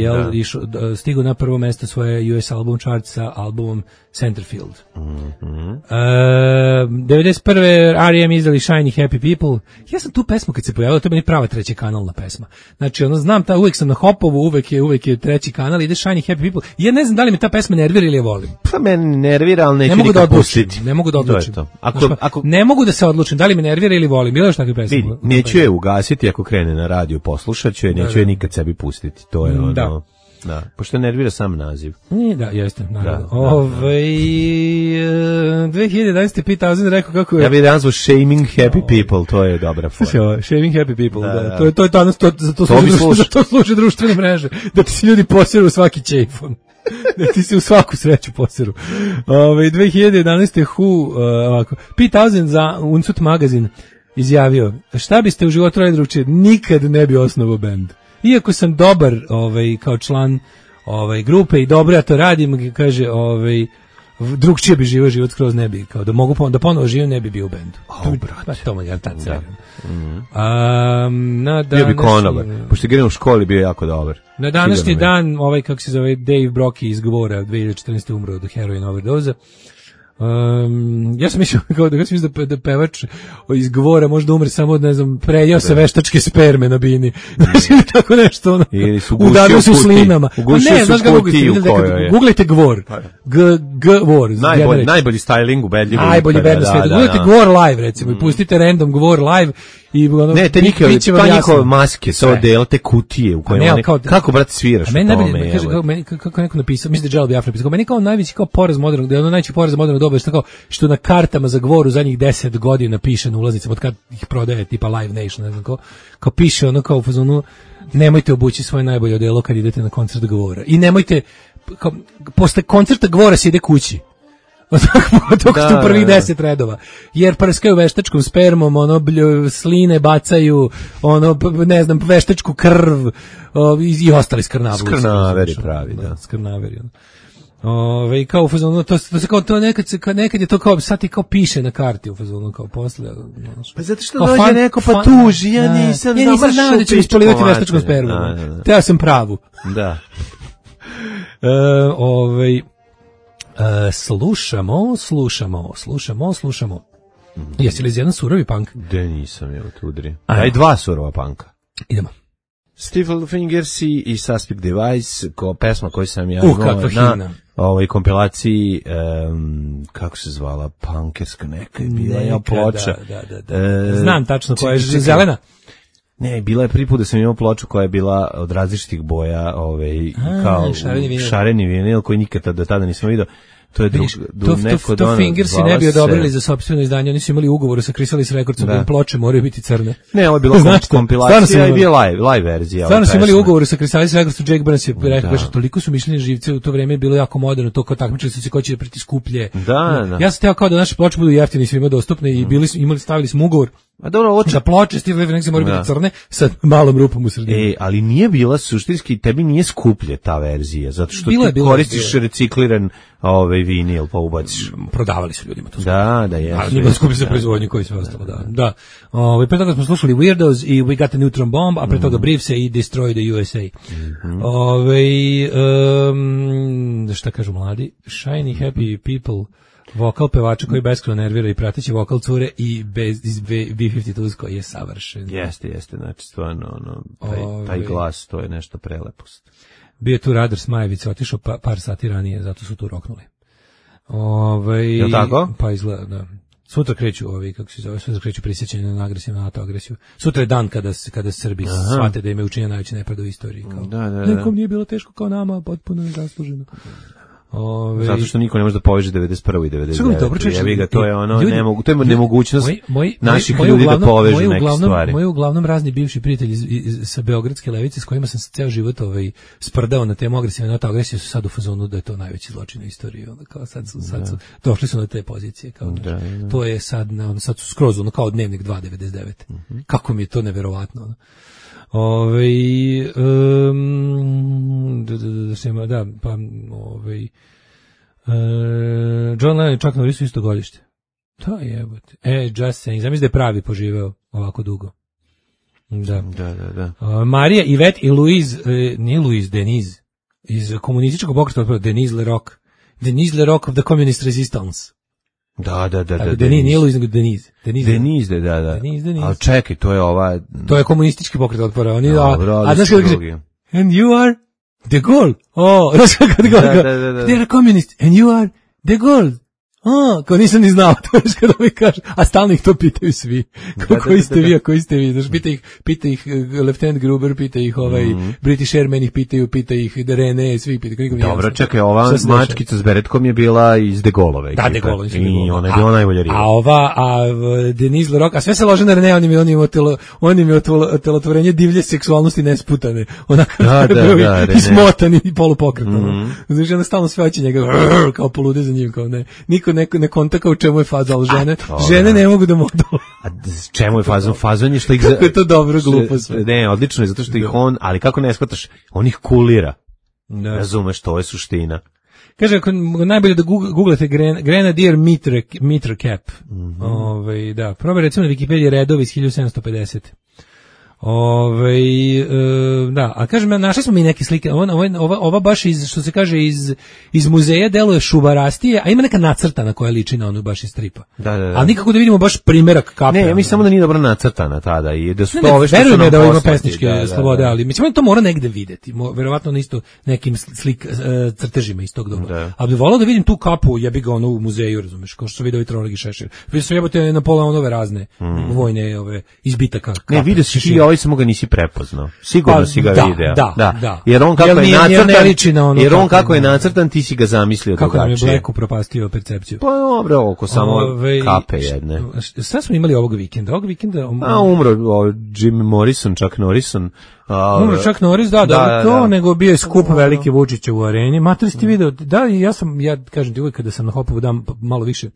stigu na prvo mesto svoje US album chart sa albumom Centerfield. 91. R.E.M. izdali Shiny Happy People. Ja sam tu pesmu kad se pojavila, to je meni prava treća kanalna pesma. Znači, znam, uvek sam na hopovu, uvek je treći kanal, ide Shiny Happy People. Ja ne znam da li me ta pesma nervira ili je volim. Pa meni nervira, ali neću nikad pustiti. Ne mogu da odlučim. Ne mogu da se odlučim, da li me nervira ili volim. Bilo je što takve pesme. Neću je ugasiti ako krene na radio, poslušat ću je, neću je nikad sebi pustiti. To je ono... Da, pošto nervira sam naziv. Da, jeste, naravno. 2011. Pete Townshend rekao kako je... Ja bih danas Shaming Happy People, to je dobra forma. Shaming Happy People, da. To je danas, za to služe društvene mreže. Da ti se ljudi poseru u svaki ćejfon. Da ti se u svaku sreću poseru. 2011. Pete Townshend za Uncut magazin izjavio, šta biste u životu radili drugčije? Nikad ne bi osnovao bend. Iako sam dobar kao član grupe i dobro ja to radim, kaže, drugčije bi život skroz ne bi, kao da ponovo živim ne bi bio u bendu. To mu je tad sredan. Bio bi konobar, pošto je u školi bio jako dobar. Na današnji dan, kako se zove, Dave Brockie iz Gvora, 2014. umro od heroin overdoza. Ja sam mislio da pevač iz Gvora možda umre samo od, ne znam, prejao se veštačke sperme na bini. Znači, tako nešto, udario se u slinama. Ugušio se u kutiju kojoj je. Googlejte Gvor. Gvor. Najbolji styling ubedljivo. Najbolji band na svijetu. Googlejte Gvor live, recimo, i pustite random Gvor live. Ne, te njihove maske, te kutije u kojima kako, brate, sviraš u tome. Kako neko napisao, mislim da je Jello Biafra napisao, meni kao najveći poraz modernog, da je ono najveći poraz modernog doba, što na kartama za Gvor u zadnjih 10 godina piše na ulaznicama, od kad ih prodaje, tipa Live Nation, ne znam kao piše ono kao u fazonu, nemojte obući svoje najbolje odelo kad idete na koncert Gvora. I nemojte, posle koncerta Gvora se ide kući. Dok su prvih 10 redova. Jer prskaju veštačkom spermom, ono, sline bacaju, ono, ne znam, veštačku krv i ostali skrnaveri. Skrnaveri pravi, da. Skrnaveri, kao u fazonu, to se kao to nekad je to kao sad ti kao piše na karti u fazonu kao posle. Pa zato što dođe neko pa tuži, ja nisam znao da ću ispolivati veštačkom spermom. Te ja sam pravu. Da. Slušamo. Jesi li iz jedan surovi punk? Da nisam, evo tu udri. Aj 2 surova punka. Idemo. Stifle Fingers i Suspect Device, pesma koju sam ja imao na ovoj kompilaciji, kako se zvala, punkerska neka je bila ploča. Da. Znam tačno koja je, zelena. Ne, bila je prvi put da sam imao ploču koja je bila od različitih boja, kao šareni vinil koji nikada do tada nisam vidio. To je to Fingersi ne bi odobrili za sopstveno izdanje, oni su imali ugovor sa Chrysalis Recordsom da ploče moraju biti crne. Ne, ovo je bila kompilacija i bila live verzija. Stvarno su imali ugovor sa Chrysalis Recordsom, Jake Burns je rekao, toliko su mišljeni živce, u to vreme je bilo jako moderno, to kao takmičili su se ko će priti skuplje. Da. Ja sam teo kao da naše ploče budu jeftine i svima dostupne i stavili smo ugovor. A dobro, da ploče Steve Fingers moraju biti crne sa malom rupom u sredini. Ali nije bila suštinski, tebi nije skuplje ta verzija, zato što ti koristiš recikliran vinil, pa ubaciš. Prodavali su ljudima to. Da, je. Ali nije skuplje za proizvodnju koji sve ostalo, da. Pre toga smo slušali Weirdos i We Got a Neutron Bomb, a pre toga Briefse i Destroy the USA. Šta kažu mladi? Shiny Happy People, vokal pevača koji beskrajno nervira i prateći vokal cure i iz B-52 koji je savršen. Jeste, znači stvarno taj glas, to je nešto prelepost. Bio je tu Radar Smajevica, otišao par sati ranije, zato su tu roknuli. Je tako? Pa izgleda, da. Sutra kreću sutra kreću prisjećanje na agresiju, na NATO agresiju. Sutra je dan kada Srbi shvate da im je učinjena najveća nepravda u istoriji. Nekom nije bilo teško kao nama, potpuno je zasluženo. Zato što niko ne može da poveže 91. i 99. To je ono, to je nemogućnost naših ljudi da povežu neke stvari. Moji uglavnom razni bivši prijatelji sa Beogradske levice s kojima sam se ceo život sprdao na temu agresije, NATO agresije, su sad u fazonu da je to najveći zločin u istoriji. Kao sad su došli su na te pozicije. Kao, to je sad su skroz kao Dnevnik 2.99. Kako mi je to neverovatno. John Lennon i Chuck Norris su isto godište. To je jebote. Just saying. Zamisli da je pravi poživeo ovako dugo. Da. Marija, Yvette i Denise iz komunističkog pokreta, Denise Leroc of the Communist Resistance. Da. Nije Louise, nego Denise. Denise, da. Ali čekaj, to je ova... To je komunistički pokret otpora. A znaš kada kaže, and you are de Gaulle. Znaš kada kaže, they are communist, and you are de Gaulle. Kao nisam ni znao, to je kada mi kaže, a stalno ih to pitaju svi. Koji ste vi, znaš, pita ih Lieutenant Gruber, pita ih British Airmen ih pita ih René, svi pitaju. Dobro, čekaj, ova mačkica s beretkom je bila iz de Gaulove. Da, de Gaulle. I ona je bila najbolja riba. A Denise Leroc, a sve se lože na René, on im je otelotvorenje divlje seksualnosti nesputane. Onako, ismotani i polupokretano. Znaš, onda stalno sve hoće njega, kao polude za njim, kao ne. Niko ne kontaka u čemu je faza, ali žene ne mogu da mogu. A čemu je fazon? Fazon je što ih... Kako je to dobro, glupo sve. Ne, odlično je, zato što ih on, ali kako ne shvataš, on ih kulira. Razumeš, to je suština. Kaže, ako najbolje da googlate Grenadier Mitre Cap. Da, probaj recimo na Wikipediji redovi iz 1750. Da, a kažem, našli smo mi neke slike, ova baš što se kaže iz muzeja deluje šuvarastije, a ima neka nacrtana koja liči na onu baš iz stripa. Da. Ali nikako da vidimo baš primerak kape. Ne, ja mislim samo da nije dobro nacrtana tada i da su to ove što su nam da ima pesničke slobode, ali mislim to mora negde videti, verovatno na isto nekim crtežima iz tog doba. Ali bih volao da vidim tu kapu, ja bih ga u muzeju, razumeš, kao što su vidio i Tronog i Šešir. Vidio sam jebote na pola onove razne vojne izbitaka. Ne, vidio si ovaj samo ga nisi prepoznao. Sigurno si ga video. Da. Jer on kako je nacrtan, ti si ga zamislio kako drugačije. Kako nam je Blacku propastio percepciju. Pa dobro, oko samo kape jedne. Šta smo imali ovog vikenda? Umro Jim Morrison, Chuck Norrison. Umro Chuck Norris, da, nego bio je skup veliki Vučića u areni. Mater, ste video, ja kažem ti uvijek kada sam na Hopovu dam malo više,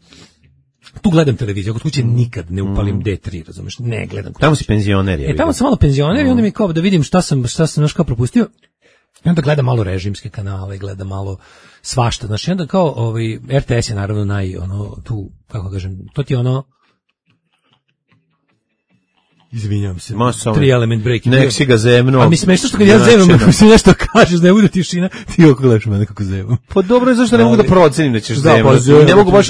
tu gledam televiziju, kod kuće nikad ne upalim D3, razumeš, ne gledam. Tamo si penzioner. Tamo sam malo penzioner i onda mi kao da vidim šta sam naš kao propustio. I onda gledam malo režimske kanale, gledam malo svašta, znači onda kao RTS je naravno tu, kako kažem, to ti je izvinjam se. 3 element break. Nek si ga zemno. A mi smešno što kad ja zemam, ako si nešto kažeš, ne bude tišina, ti oko gledaš mene kako zemam. Pa dobro je zašto ne mogu da procenim da ćeš zemati. Ne mogu baš...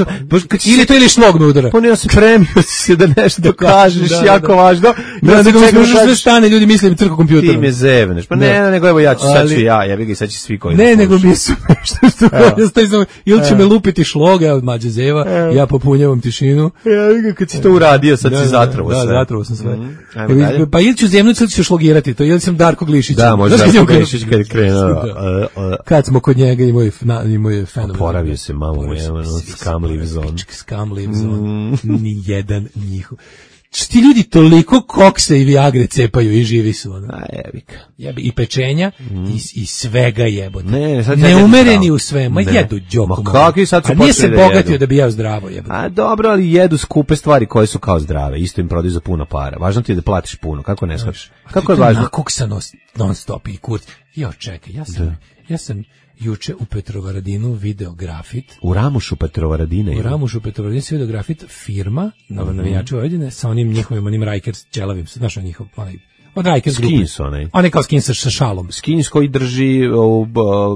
Ili to ili šlogno udara. Pa ne, spremio si se da nešto kažeš, jako važno. Da se čekaš sve stane, ljudi misle crko kompjuterom. Ti me zevneš. Pa ne, nego evo ja ću, sad ću ja bih ga i sad će svi koji... Ne, nego mi je smešno što ili će me lupiti šlog, evo mađe zeva, ja popunjavam tišinu. Ja kad si to uradio, sad si zatrovo sve. Da, zatrovo sam sve. Pa ili ću zemnuti, ili ću šlogirati to, ili sam Darko Glišić. Da, možda Darko Glišić kad je krenuo. Kad smo kod njega i moj fenomen. Oporavio se malo, Scum Lives On. Scum Lives On, nijedan njihov. Ti ljudi toliko koksa i viagre cepaju i živi su. Jebika. I pečenja i svega jebote. Ne, neumereni u sve. Ma jedu đoku. A nije se bogatio da bi jeo zdravo jebote. A dobro, ali jedu skupe stvari koje su kao zdrave. Isto im prodaju za puno para. Važno ti je da platiš puno. Kako ne shvatiš? Kako je važno? Nakoksanost non stop i kurac. Jo, čekaj, ja sam juče u Petrovaradinu video grafit. U Ramušu Petrovaradina. U Ramušu Petrovaradina se video grafit firma, navijači Vojvodine, sa onim njihovim Rikers ćelavim, znaš on njihov, od Rikers grupe. Skins onaj. On je kao skins sa šalom. Skins koji drži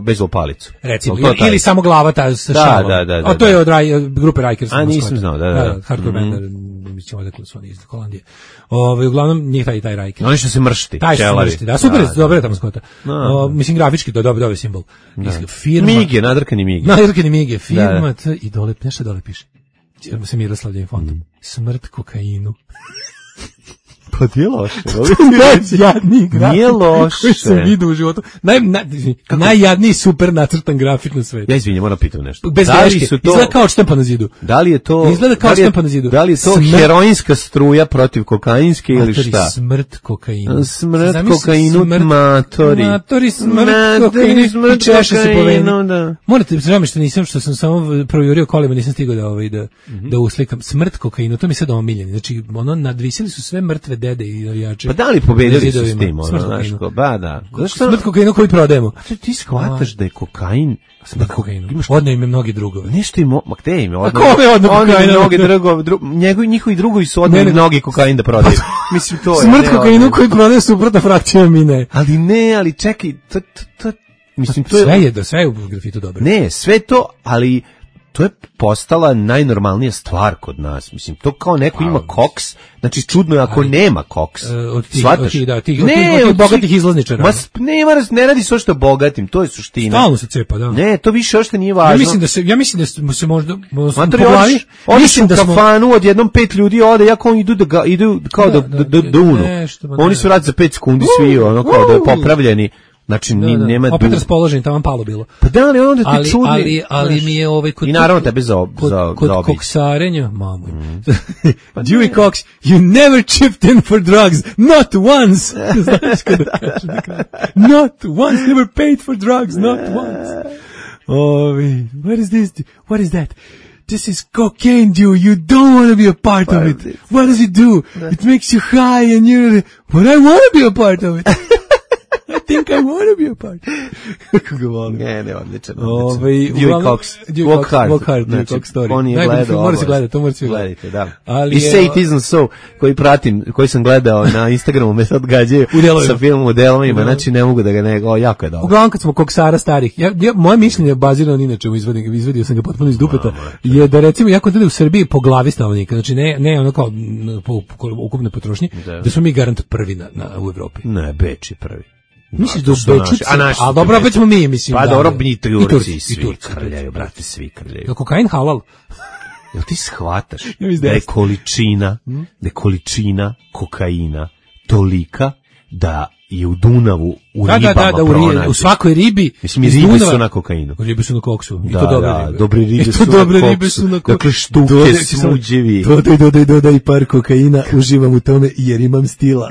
bejzbol palicu. Recimo, ili samo glava sa šalom. Da. To je od grupe Rikers. A nisam znao, da. Hardcore band, mislim da su oni iz Holandije. Uglavnom njih taj Rikers. Oni što se mršti. Taj se mršti, da, super, dobro je tamo skota. Mislim, grafički, to je dobar simbol. Firma. Mige, nadrkani Mige. Firma, i dole, nešto dole piše. Sa Miroslavljevim fondom. Smrt kokainu. Pa nije loše. Najjadniji grafik nije loše koji sam vidio u životu. Najjadniji super nacrtan grafik na svetu. Ja izvinjam, moram pitam nešto. Bez greške, izgleda kao odštampa na zidu. Da li je to, izgleda kao odštampa na zidu. Da li je to heroinska struja protiv kokainske ili šta? Smrt kokainu. Smrt kokainu, matori. Matori, smrt kokainu. I češe se po veni. Morate, žao mi što sam samo projurio kolima, nisam stigao da uslikam. Smrt kokainu, to mi sad omiljeni. Znači, nadvisili su sve mrtve dede i navijače. Pa da li pobedili su s tim? Smrt kokainu koji prodajemo. Ti shvataš da je kokain... Smrt kokainu. Odno im je mnogi drugovi. Nešto im... Ma gde im je odno? A kome odno kokainu? Njihovi drugovi su odno mnogi kokain da prodaju. Mislim, to je... Smrt kokainu koji prodaje suprotna frakcija mi ne. Ali čekaj, mislim, to je... Sve je u grafitu dobro. Ne, sve to, ali... To je postala najnormalnija stvar kod nas. Mislim, to kao neko ima koks, znači čudno je ako nema koks. Od tih bogatih izlazničara. Ne radi se o što bogatim, to je suština. Stalno se cepa, da. Ne, to više ošte nije važno. Ja mislim da se možda... Oni su u kafanu, odjednom 5 ljudi ode, jako oni idu kao da unu. Oni su rad za 5 sekundi svi, ono kao da je popravljeni. Znači, nema... Opet raspoložen, tamo palo bilo. Pa da li onda ti čudni... Ali mi je i naravno tebe za kod koksarenja, mamu. Dewey Cox, you never chipped in for drugs, not once! Znaš kada kaže na kraju. Not once, never paid for drugs, not once. What is that? This is cocaine, dude. You don't want to be a part of it. What does it do? It makes you high and you're... But I want to be a part of it. I think I want to be a part. Kako ga volim. Ne, odličan. Dewey Cox. Walk hard. Dewey Cox story. On je gledao. Mora se gledati, to mora se gledati. Da. I Say It Isn't So, koji sam gledao na Instagramu, me sad gađaju sa filmom u delovima, znači ne mogu da ga jako je dobro. Uglavnom kad smo koksara starih, moje mišljenje je bazirano inače, izvadio sam ga potpuno iz dupeta, je da recimo, jako da u Srbiji po glavi stanovnika, znači ne ono kao po ukupnoj potrošnji, da smo mi garant prvi u Evropi. Ne, Beč je prvi. Misliš da su Bečice? A dobro, opet smo mi, mislim. Pa dobro, mi Turci svi krljaju, brate, svi krljaju. Je kokain halal? Jel ti shvataš da je količina kokaina tolika da i u Dunavu, u ribama pronađe. U svakoj ribi. Mislim, i ribe su na kokainu. Ribe su na koksu. I to dobre ribe su na koksu. Dakle, štuke, smuđevi. Dodaj par kokaina, uživam u tome jer imam stila.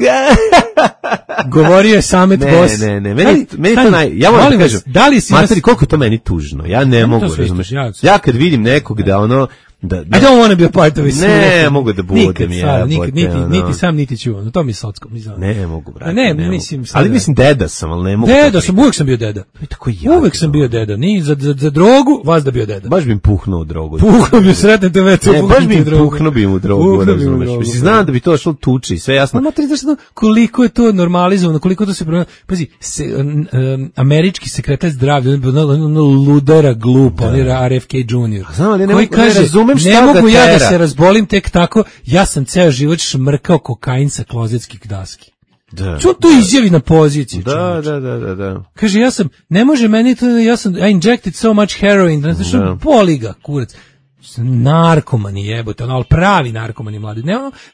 Govorio je Samet Boss. Ne, meni to ja moram da kažem, materi, koliko je to meni tužno, ja ne mogu, razumeš, ja kad vidim nekog da ono, I don't want to be a part of it. Ne, mogu da budem ja. Niti sam, niti ću, to mi je socko. Ne mogu, brate. Ne, mislim. Ali mislim deda sam, ali ne mogu. Deda sam, uvek sam bio deda. Uvek sam bio deda, ni za drogu, vas da bio deda. Baš bi im puhnuo u drogu. Puhnuo bi sretne te već. Ne, baš bi im puhnuo bi im u drogu, razumeš. Mislim, znam da bi to šlo tuči, sve jasno. Ma koliko je to normalizovano, koliko to se pazi, američki sekretar zdravlja, ludara glupa, on je RFK Jr. Znam, ali ne razumem šta ne mogu ja da se razbolim tek tako, ja sam ceo život šmrkao kokain sa klozetskih daski. Da. Čo to izjavi na poziciji? Da. Kaže, ne može meni to, I injected so much heroin, znači, boli ga, kurac. Narkomani jebote, ali pravi narkomani mladi.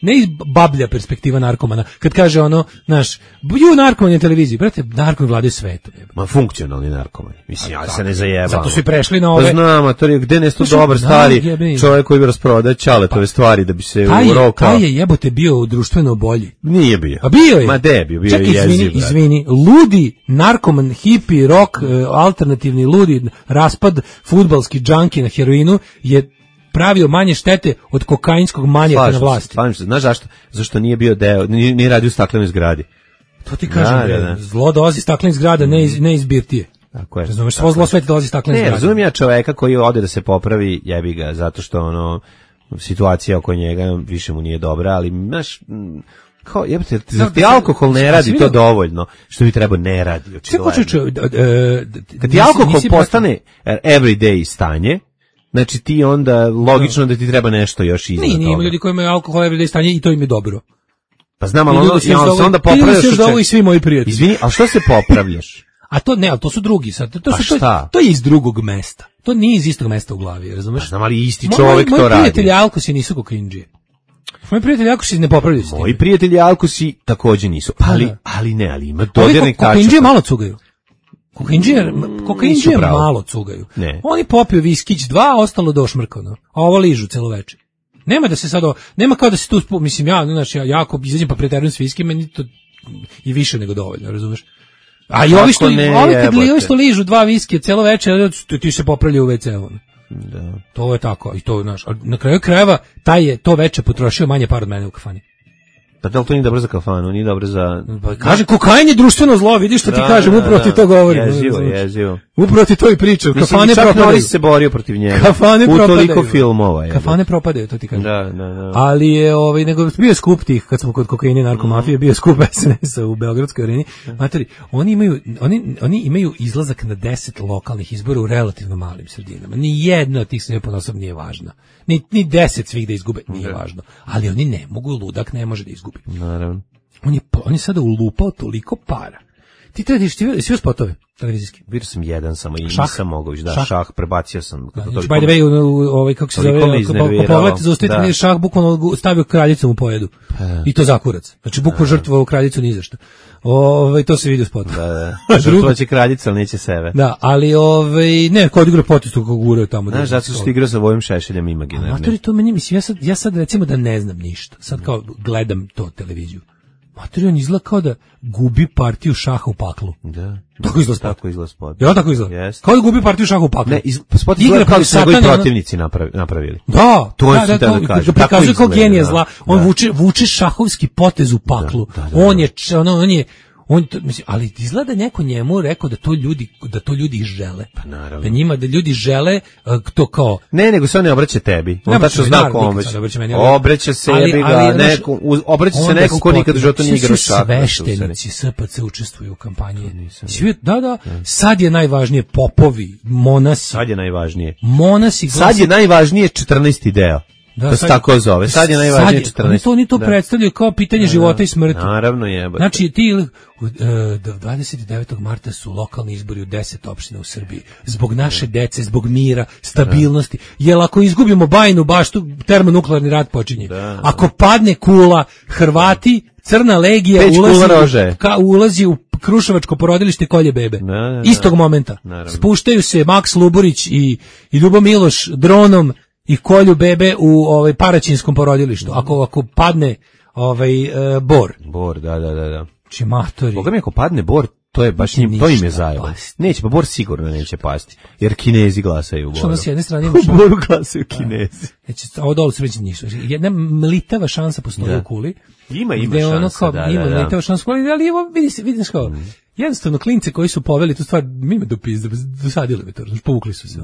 Ne iz bablja perspektiva narkomana. Kad kaže ono, naš, narkomani na televiziji, brate, narkomani vladaju svetom. Ma funkcionalni narkomani. Mislim, ja se ne zajebam. Zato su i prešli na ove. Pa znam, a to je gde nešto dobar stari čovjek koji bi rasprodaje čaletove stvari da bi se urokao. Taj je jebote bio društveno bolji. Nije bio. A bio je. Ma de bio, bio je jeziv. Izvini, ludi narkoman, hipi, rock, alternativni ludi, raspad, fudbalski džanki na heroinu je pravio manje štete od kokainskog manjaka na vlasti. Znaš zašto? Zašto nije bio nije radio u staklenoj zgradi. To ti kažem, zlo dolazi staklenih zgrada, ne iz birtije. Tako je. Razumeš, svo zlo sve dolazi staklenih zgrada. Ne, razumijem ja čoveka koji ode da se popravi, jebi ga, zato što situacija oko njega više mu nije dobra, ali znaš, kao jebate, ti alkohol ne radi to dovoljno, što bi trebao ne radi. Kad ti alkohol postane everyday stanje, znači ti onda logično da ti treba nešto još iza toga. Nije, ima ljudi koji imaju alkohol everyday stanje i to im je dobro. Pa znam, ali se onda popravljaš. Ti da ovo i svi moji prijatelji. Izvini, ali što se popravljaš? A to ne, ali to su drugi sad. To je iz drugog mesta. To nije iz istog mesta u glavi, razumeš? Pa znam, ali isti čovjek to radi. Moji prijatelji alkosi nisu kokaindžije. Moji prijatelji alkosi ne popravljaju s tim. Moji prijatelji alkosi takođe nisu. Ali ima dodirnih tačaka. Kokaindžije malo cugaju. Kokaindžije malo cugaju. Oni popiju viskić 2, ostalo došmrkano. A ovo ližu celo večer. Nema da se sad, nema kao da se tu, mislim ja jako izazim pa preterujem s viskim, meni to i više nego dovoljno, razumeš? A i ovi što ližu 2 viskije celo večer, ti se popravljaju u WC-u. Da. To je tako, i to, znaš, na kraju krajeva taj je to veče potrošio manje para od mene u kafani. Pa da li to nije dobro za kafanu, nije dobro za... Kaže, kokain je društveno zlo, vidiš što ti kažem, upravo ti to govorim. Jezivo. Upravo ti to i pričam, kafane propadaju. Čak Noris se borio protiv njega. Kafane propadaju. U toliko filmova. Kafane propadaju, to ti kažem. Da. Ali je, nego bio skup tih, kad smo kod kokaina i narkomafije, bio skup SNS-a u Beogradskoj areni. Materi, oni imaju izlazak na 10 lokalnih izbora u relativno malim sredinama. Ni jedna od tih sredina ponosom nije važna. Ni 10 svih da izgube nije važno. Ali oni ne mogu, ludak ne može da izgubi. Naravno. On je sada ulupao toliko para. Ti tradiš, svi spotove televizijski. Vidio sam jedan samo i nisam mogao više. Da, šah prebacio sam. By the way, kako se zove, pogled zaustaviti šah, bukvalno stavio kraljicom u pojedu. I to zakurac. Znači, bukvalno žrtvovao kraljicu ni za šta. To se vidi u spotu. Da. Žrtvovaće kraljica, ali neće sebe. Da, ali ne, kod igra potestu kako guraju tamo. Znaš, zato što igrao sa Vojom Šešeljem imaginarnim. Matori, to meni, mislim, ja sad recimo da ne znam ništa. Sad kao gledam to televiziju. Matori, on izgleda kao da gubi partiju šaha u paklu. Da. Tako izgleda spot. Ja, tako izgleda. Yes. Kao da gubi partiju šaha u paklu. Ne, spot izgleda kao da su njegovi protivnici napravili. Da, to je da prikazuje kao genije zla. On vuče šahovski potez u paklu. On je mislim, ali izgleda neko njemu rekao da to ljudi žele. Pa naravno. Da ljudi žele to kao... Ne, nego se on ne obraća tebi. On tačno zna ko obraća se, obraća se nekom ko nikad u životu nije igrao šah. Sveštenici SPC učestvuju u kampanji. Da. Sad je najvažnije popovi, monasi. Sad je najvažnije. Sad je najvažnije 14. deo. To se tako zove. Sad je najvažnije 14. Oni to predstavljaju kao pitanje života i smrti. Naravno je. Znači, ti 29. marta su lokalni izbori u 10 opština u Srbiji. Zbog naše dece, zbog mira, stabilnosti. Jel ako izgubimo Bajinu baštu, termonuklearni rat počinje. Ako padne kula, Hrvati Crna legija ulazi u Kruševačko porodilište kolje bebe. Istog momenta. Naravno. Spuštaju se Maks Luburić i Ljubo Miloš dronom i kolju bebe u Paraćinskom porodilištu. Ako padne Bor. Bor, da. Čimatori. Boga mi ako padne Bor, to je baš to im je zajebo. Neće, pa Bor sigurno neće pasti. Jer Kinezi glasaju u Boru. Što na s jedne strane imaš... U Boru glasaju Kinezi. Znači, ovo dole se već ništa. Jedna mlitava šansa postoji u kuli. Ima šansa, Ima mlitava šansa u kuli, ali evo, vidiš kao... Jednostavno, klince koji su poveli tu stvar, mime dosadili me to, povukli su se.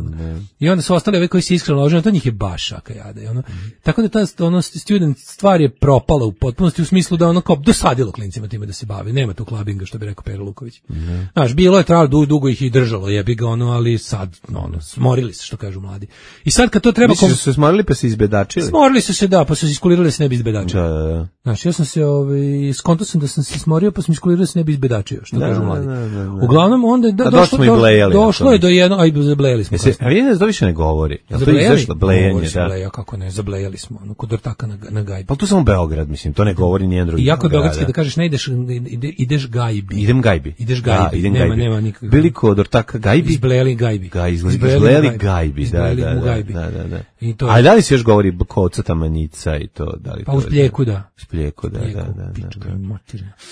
I onda su ostali ovi koji se iskreno ložili, to njih je baš šaka jada. Tako da ta student stvar je propala u potpunosti u smislu da kao dosadilo klincima time da se bavi. Nema tu klabinga, što bi rekao Pero Luković. Znaš, bilo je trajalo, dugo ih i držalo, jebi ga ali sad, smorili se, što kažu mladi. I sad kad to treba... Misliš da su se smorili pa se izbedačili? Smorili su se, da, pa su se iskulirali da se ne bi izbedačili. Da. Znaš, ja sam se, skonto sam da sam se smorio pa sam iskulirao da se ne bi izbedačio, što kažu mladi. Uglavnom onda došlo je do jedno, aj zablejali smo. A vidim da više ne govori. Jel to izašlo blejanje, da? Zableja, kako ne, zablejali smo, kod ortaka na gajbi. Pa to samo Beograd, mislim, to ne govori nijedan drugi. I jako je beogradski da kažeš ne ideš gajbi. Idem gajbi. Ideš gajbi, nema nikakve. Bili kod ortaka gajbi? Izblejali gajbi. Izblejali gajbi, da. A da li se još govori koca tamanjica i to? Pa u Spljeku, da. Spljeku, da.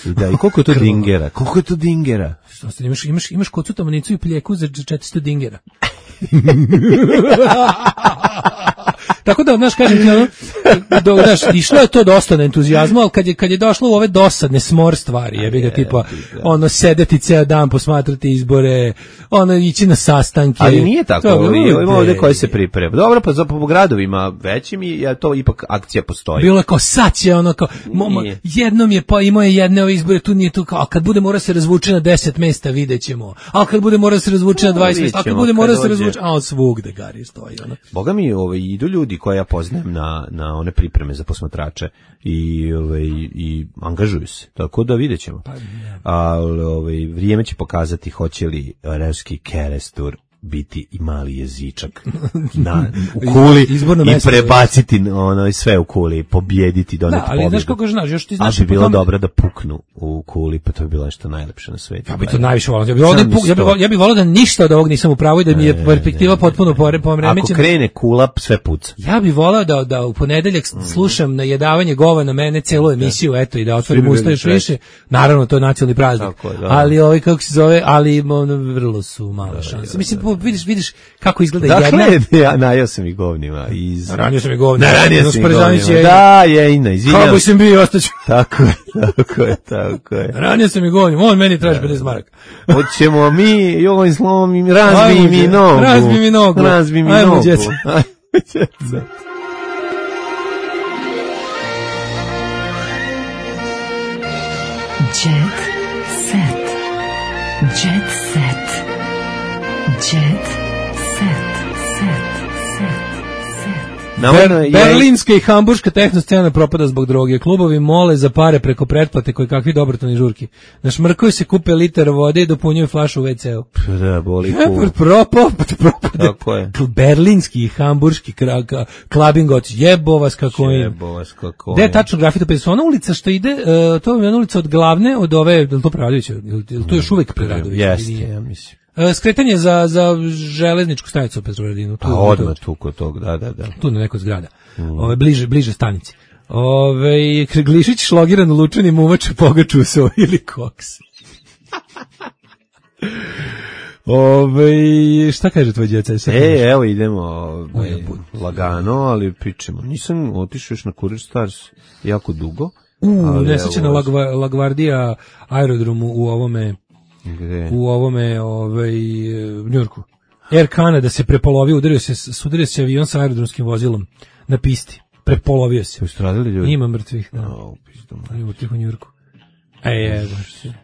Da, i koliko je to dingera? Koliko je to dingera? Imaš kocu tamanicu i pljeku za 400 dingera. Tako da, znaš, kažem ti, išlo je to dosta na entuzijazmu, ali kad je došlo u ove dosadne smor stvari, jebi ga, tipa, sedeti ceo dan, posmatrati izbore, ići na sastanke. Ali nije tako, ima ovdje koji se priprema. Dobro, pa za po gradovima većim to ipak akcija postoji. Bilo je kao sad će kao, jednom je pa imao je jedne ove izbore, tu nije tu kao, a kad bude mora se razvuče na 10 mesta, vidjet ćemo. A kad bude mora se razvuče na 20 mesta, a kad bude mora se razvuče, a od svugde gari stoji. Boga mi, idu ljudi koje ja poznajem na one pripreme za posmatrače i angažuju se. Tako da vidjet ćemo. Ali vrijeme će pokazati hoće li Revski Kerestur biti i mali jezičak u kuli i prebaciti sve u kuli, pobjediti, doneti pobjedu. Ali znaš kako znaš, još ti znaš... Ali bi bilo dobro da puknu u kuli, pa to bi bilo nešto najlepše na svijetu. Ja bi to najviše volao. Ja bi volao da ništa od ovog nisam u pravu i da mi je perspektiva potpuno poremećena. Ako krene kula, sve puca. Ja bih volao da u ponedeljak slušam najedavanje gova na mene celu emisiju, eto, i da otvorim usta još više. Naravno, to je nacionalni praznik. Ali kako se zove, ali vrlo su male šanse. Mislim, vidiš kako izgleda jedna. Dakle, ja najao sam i govnima. Ranio sam i govnima. Ranio sam i govnima. Da, Jejna, izvinjam. Kako sam bio, ostaću. Tako je. Ranio sam i govnima, on meni traži 50 maraka. Hoćemo mi, joj slomim, razbi mi nogu. Razbi mi nogu. Ajmo, djeca. Jet set. Jet set. Jet set. Berlinska i hamburška tehno scena propada zbog droge. Klubovi mole za pare preko pretplate koji kakvi dobrotvorni žurki. Našmrkaju se, kupe liter vode i dopunjuju flašu u WC-u. Da, boli kul. Propade. Berlinski i hamburški klabing od jebo vas kako je. Gde je tačno grafito? Pa ona ulica što ide, to je ona ulica od glavne, od ove, je li to Preradovića? Je li to još uvijek Preradovića? Jeste, ja mislim. Skretanje za železničku stanicu u Petrovaradinu. Odmah tu kod tog, da. Tu na nekoj zgrada. Bliže stanici. Glišić šlogiran lučanim uvače pogaču se ili koks. Šta kaže tvoj djeca? Evo idemo lagano, ali pričamo. Nisam otišao još na Kurir Stars jako dugo. Nesrećena Lagvardija aerodromu u ovome... Gde? U ovome Njujorku. Air Canada se prepolovio, udario se avion sa aerodromskim vozilom na pisti. Prepolovio se. Su stradali ljudi? Ima mrtvih, da. U Njujorku.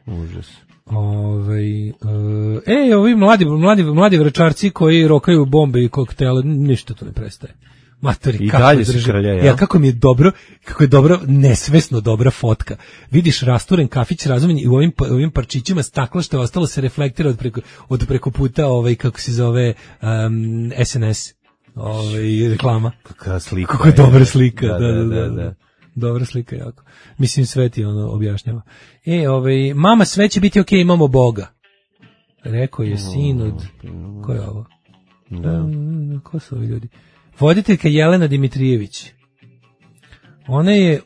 Užas. Ovi mladi vračarci koji rokaju bombe i koktele, ništa to ne prestaje. Matori, kako drži. Ja, kako je dobro, nesvesno dobra fotka. Vidiš rasturen kafić razumljen i u ovim parčićima stakla što je ostalo se reflektira od preko puta, kako se zove, SNS, reklama. Kakva slika. Kako je dobra slika, da. Dobra slika jako. Mislim, sve ti ono objašnjava. Mama, sve će biti okej, imamo Boga. Rekao je sin od... Ko je ovo? Da. Ko su ovi ljudi? Voditeljka Jelena Dimitrijević. Ona je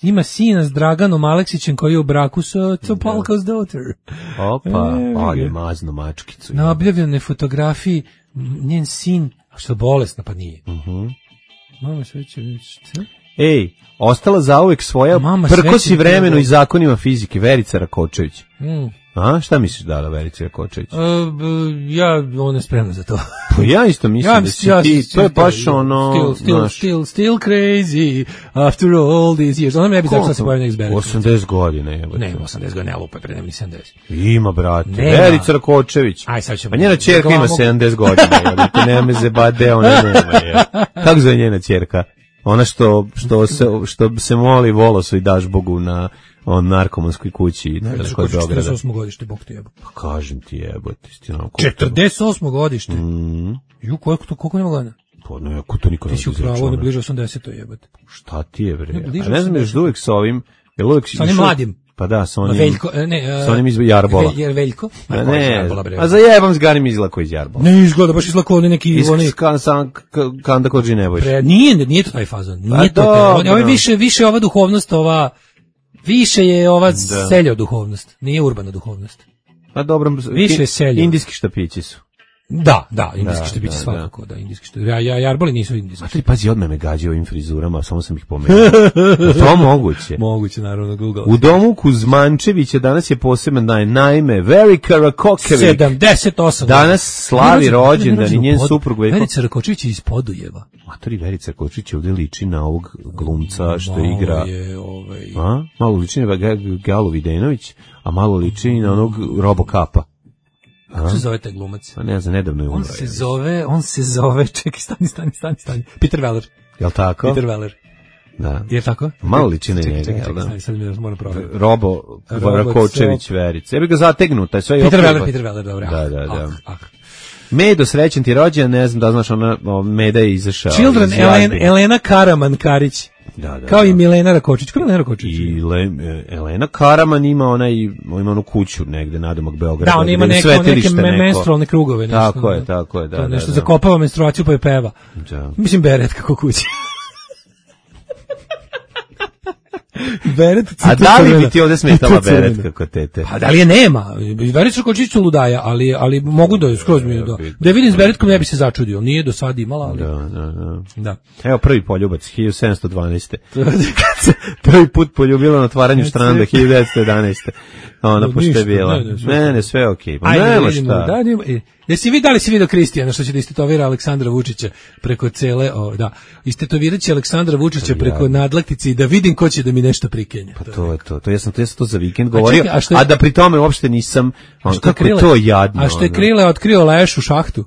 ima sina s Draganom Aleksićem koji je u braku sa Topolka's daughter. Opa, je mazno mačkicu. Na objavljenoj fotografiji njen sin, a što je bolesna, pa nije. Mama sve će vidjeti. Ostala zauvek svoja prkosi vremenu i zakonima fizike, Verica Rakočević. A, šta misliš da Verica Rakočević? Ja, ona je spremna za to. Pa ja isto mislim da si ti, to je baš ono... Still crazy, after all these years. Ona mi ne bi tako sad se pojavio nek zberi. 80 godina je. Ne, 80 godina, ne lupa, pre nema ni 70. Ima, brate, Verica Rakočević. Aj, sad ćemo... Pa njena ćerka ima 70 godina, ti ne me zebade, ona nema. Kako zove njena ćerka? Ona što se moli Volosu i daš Bogu na narkomanskoj kući kod Beograda. 48. godište, Bog te jebo. Pa kažem ti jebote. 48. godište? Ju, koliko nema godina? Pa ne, ko to niko ne ti si upravo, on je bliže 80. jebote. Šta ti je, bre? A ne znam, još uvijek sa ovim... Sa onim mladim. Pa da, sa onim... Veljko, sa onim iz Jarbola. Veljko? Ne, a za jebam zgarim izlako iz Jarbola. Ne izgleda, baš izlako oni neki... Iz Kanda Kođi Nebojš. Nije to taj fazon. Nije to. Ovo je više ova duhovnost, više je ova seljo duhovnost. Nije urbana duhovnost. A dobro, više seljo. Indijski štapići su. Da, indijski štapići svakako, da, indijski štapići. Jarboli nisu indijski. A ti pazi, odmah me gađa ovim frizurama, samo sam ih pomenuo. To moguće. Moguće, naravno, Google. U domu Kuzmančevića danas je poseban dan, naime, Verika Rakočević. 78. Danas slavi rođendan i njen suprug Veljko. Verica Rakočević je iz Podujeva. Matori, Verica Rakočević ovdje liči na ovog glumca što igra. Malo liči na Galu Videnović, a malo liči na onog Robocapa. Kako se zove taj glumac? Pa ne znam, nedavno je umro. On se zove, čekaj, stani. Peter Weller. Jel' tako? Peter Weller. Da. Je tako? Malo liči na njega. Čekaj, sad mi moram provjeriti. Robo Rakočević Verica. Ja bih ga zategnuo, taj sve... Peter Weller, dobro. Da. Medo, srećen ti rođen, ne znam da znaš, Meda je izašao. Children, Elena Karaman-Karić. Da. Kao i Milena Rakočić. Kako je Milena Rakočić? I Elena Karaman ima onu kuću negde nadomak Beograda. Da, on ima neke menstrualne krugove. Tako je. Da, nešto zakopava menstruaciju pa je peva. Da. Mislim, beret kako kući. Beret, a da li bi ti ovdje smetala beret kako tete? A da li je nema? Verica Rakočić su ludaja, ali mogu da je skroz mi da je vidim s beretkom ne bi se začudio. Nije do sad imala, ali... Da. Evo prvi poljubac, 1712. Prvi put poljubila na otvaranju štranda, 1911. Ona pošto je bila. Ne, sve okej. Nema šta. Jesi vidio Kristijana što će da istetovira Aleksandra Vučića preko cele, istetovirat će Aleksandra Vučića preko nadlaktice i da vidim ko će da mi nešto prikenja. Pa to je to. Ja sam to za vikend govorio, a da pri tome uopšte nisam, kako je to jadno. A što je Krile otkrio leš u šahtu?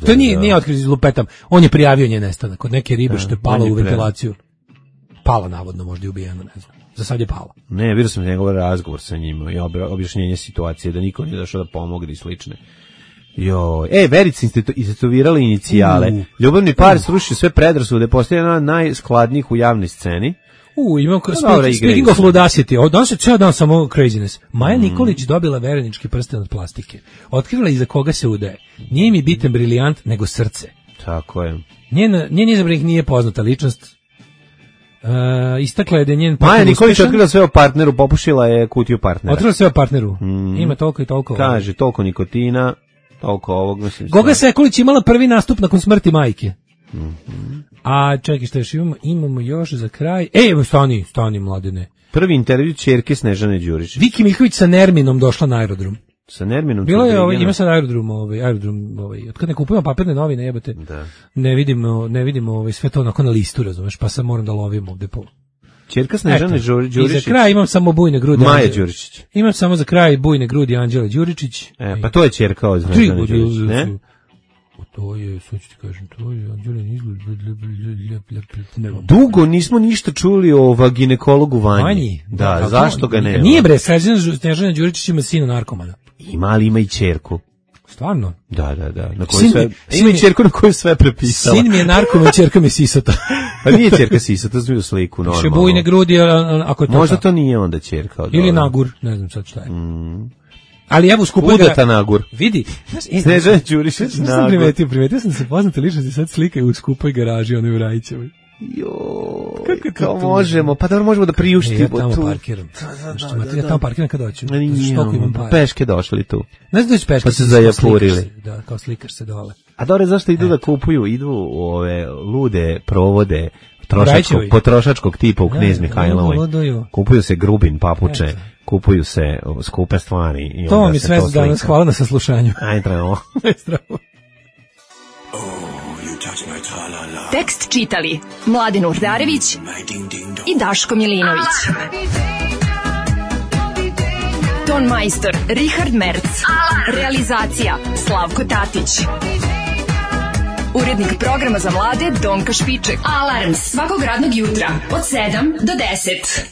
To nije otkrio lupetam. On je prijavio njen nestanak od neke ribe što je pala u ventilaciju. Pala navodno, možda je ubijena, ne znam. Za sad je pala. Ne, vidio sam njegov razgovor sa njim i objašnjenje situacije da niko nije došao da pomogne i slične. Verica istetovirala inicijale. Ljubavni par srušio sve predrasude, postaje jedna od najskladnijih u javnoj sceni. Imam speaking of ludacity, danas je ceo dan samo craziness. Maja Nikolić dobila verenički prsten od plastike. Otkrila iza koga se udaje. Nije mi bitan brilijant, nego srce. Tako je. Njen izabranik nije poznata ličnost. Istakla je da je njen partner Maja Nikolić otkrila sve o partneru, popušila je kutiju partnera. Otkrila sve o partneru. Ima toliko i toliko. Kaže, toliko nikotina, toliko ovog, mislim. Goga Sekulić imala prvi nastup nakon smrti majke. A čekaj, šta još imamo još za kraj. Stani mladene. Prvi intervju ćerke Snežane Đurić. Viki Miljković sa Nerminom došla na aerodrom. Sa Nerminom? Bilo je, ima sad aerodrom, otkad ne kupujemo papirne novine, jebate. Da. Ne vidimo sve to onako na listu, razumeš, pa sad moram da lovim ovde po... Ćerka Snežane Đuričić. I za kraj imam samo bujne grudi. Maja Đuričić. Imam samo za kraj bujne grudi Anđele Đuričić. Pa to je ćerka od Snežane Đuričić, ne? To je, sad ću ti kažem, to je Anđelen izgled. Dugo nismo ništa čuli o ginekologu Vanji. Da, zašto ga nema? Nije bre, Snežana Đuričić ima sina narkomana. Ima, ali ima i ćerku. Stvarno? Da. Na koju sve, ima i ćerku na koju sve prepisala. Sin mi je narkoman, ćerka mi je sisata. Pa nije ćerka sisata, to je sliku normalno. Še bujne grudi, ako je to možda to nije onda ćerka. Ili nagur, ne znam sad šta je. Ali evo skupaj udata nagur. Vidi. Snežana Đurišić nagur. Primetio sam se poznate ličnosti sad slikaju u skupoj garaži, onoj u Rajićevoj. Kako možemo? Pa dobro, možemo da priuštimo tu. Ja tamo parkiram. Ja tamo parkiram kad doću. Peške došli tu. Ne znam da ću peške. Pa se zajapurili. Da, kao slikaš se dole. A dobro, zašto idu da kupuju? Idu u ove lude provode potrošačkog tipa u Knez Mihajlovoj. Kupuju se grubin, papuče, kupuju se skupe stvari. To mi sve danas, hvala na saslušanju. Aj, trebamo. Tekst čitali Mladen Urdarević i Daško Milinović. Ton majstor Richard Merc. Realizacija Slavko Tatić. Urednik programa za mlade Donka Špiček. Alarms svakog radnog jutra od 7 do 10.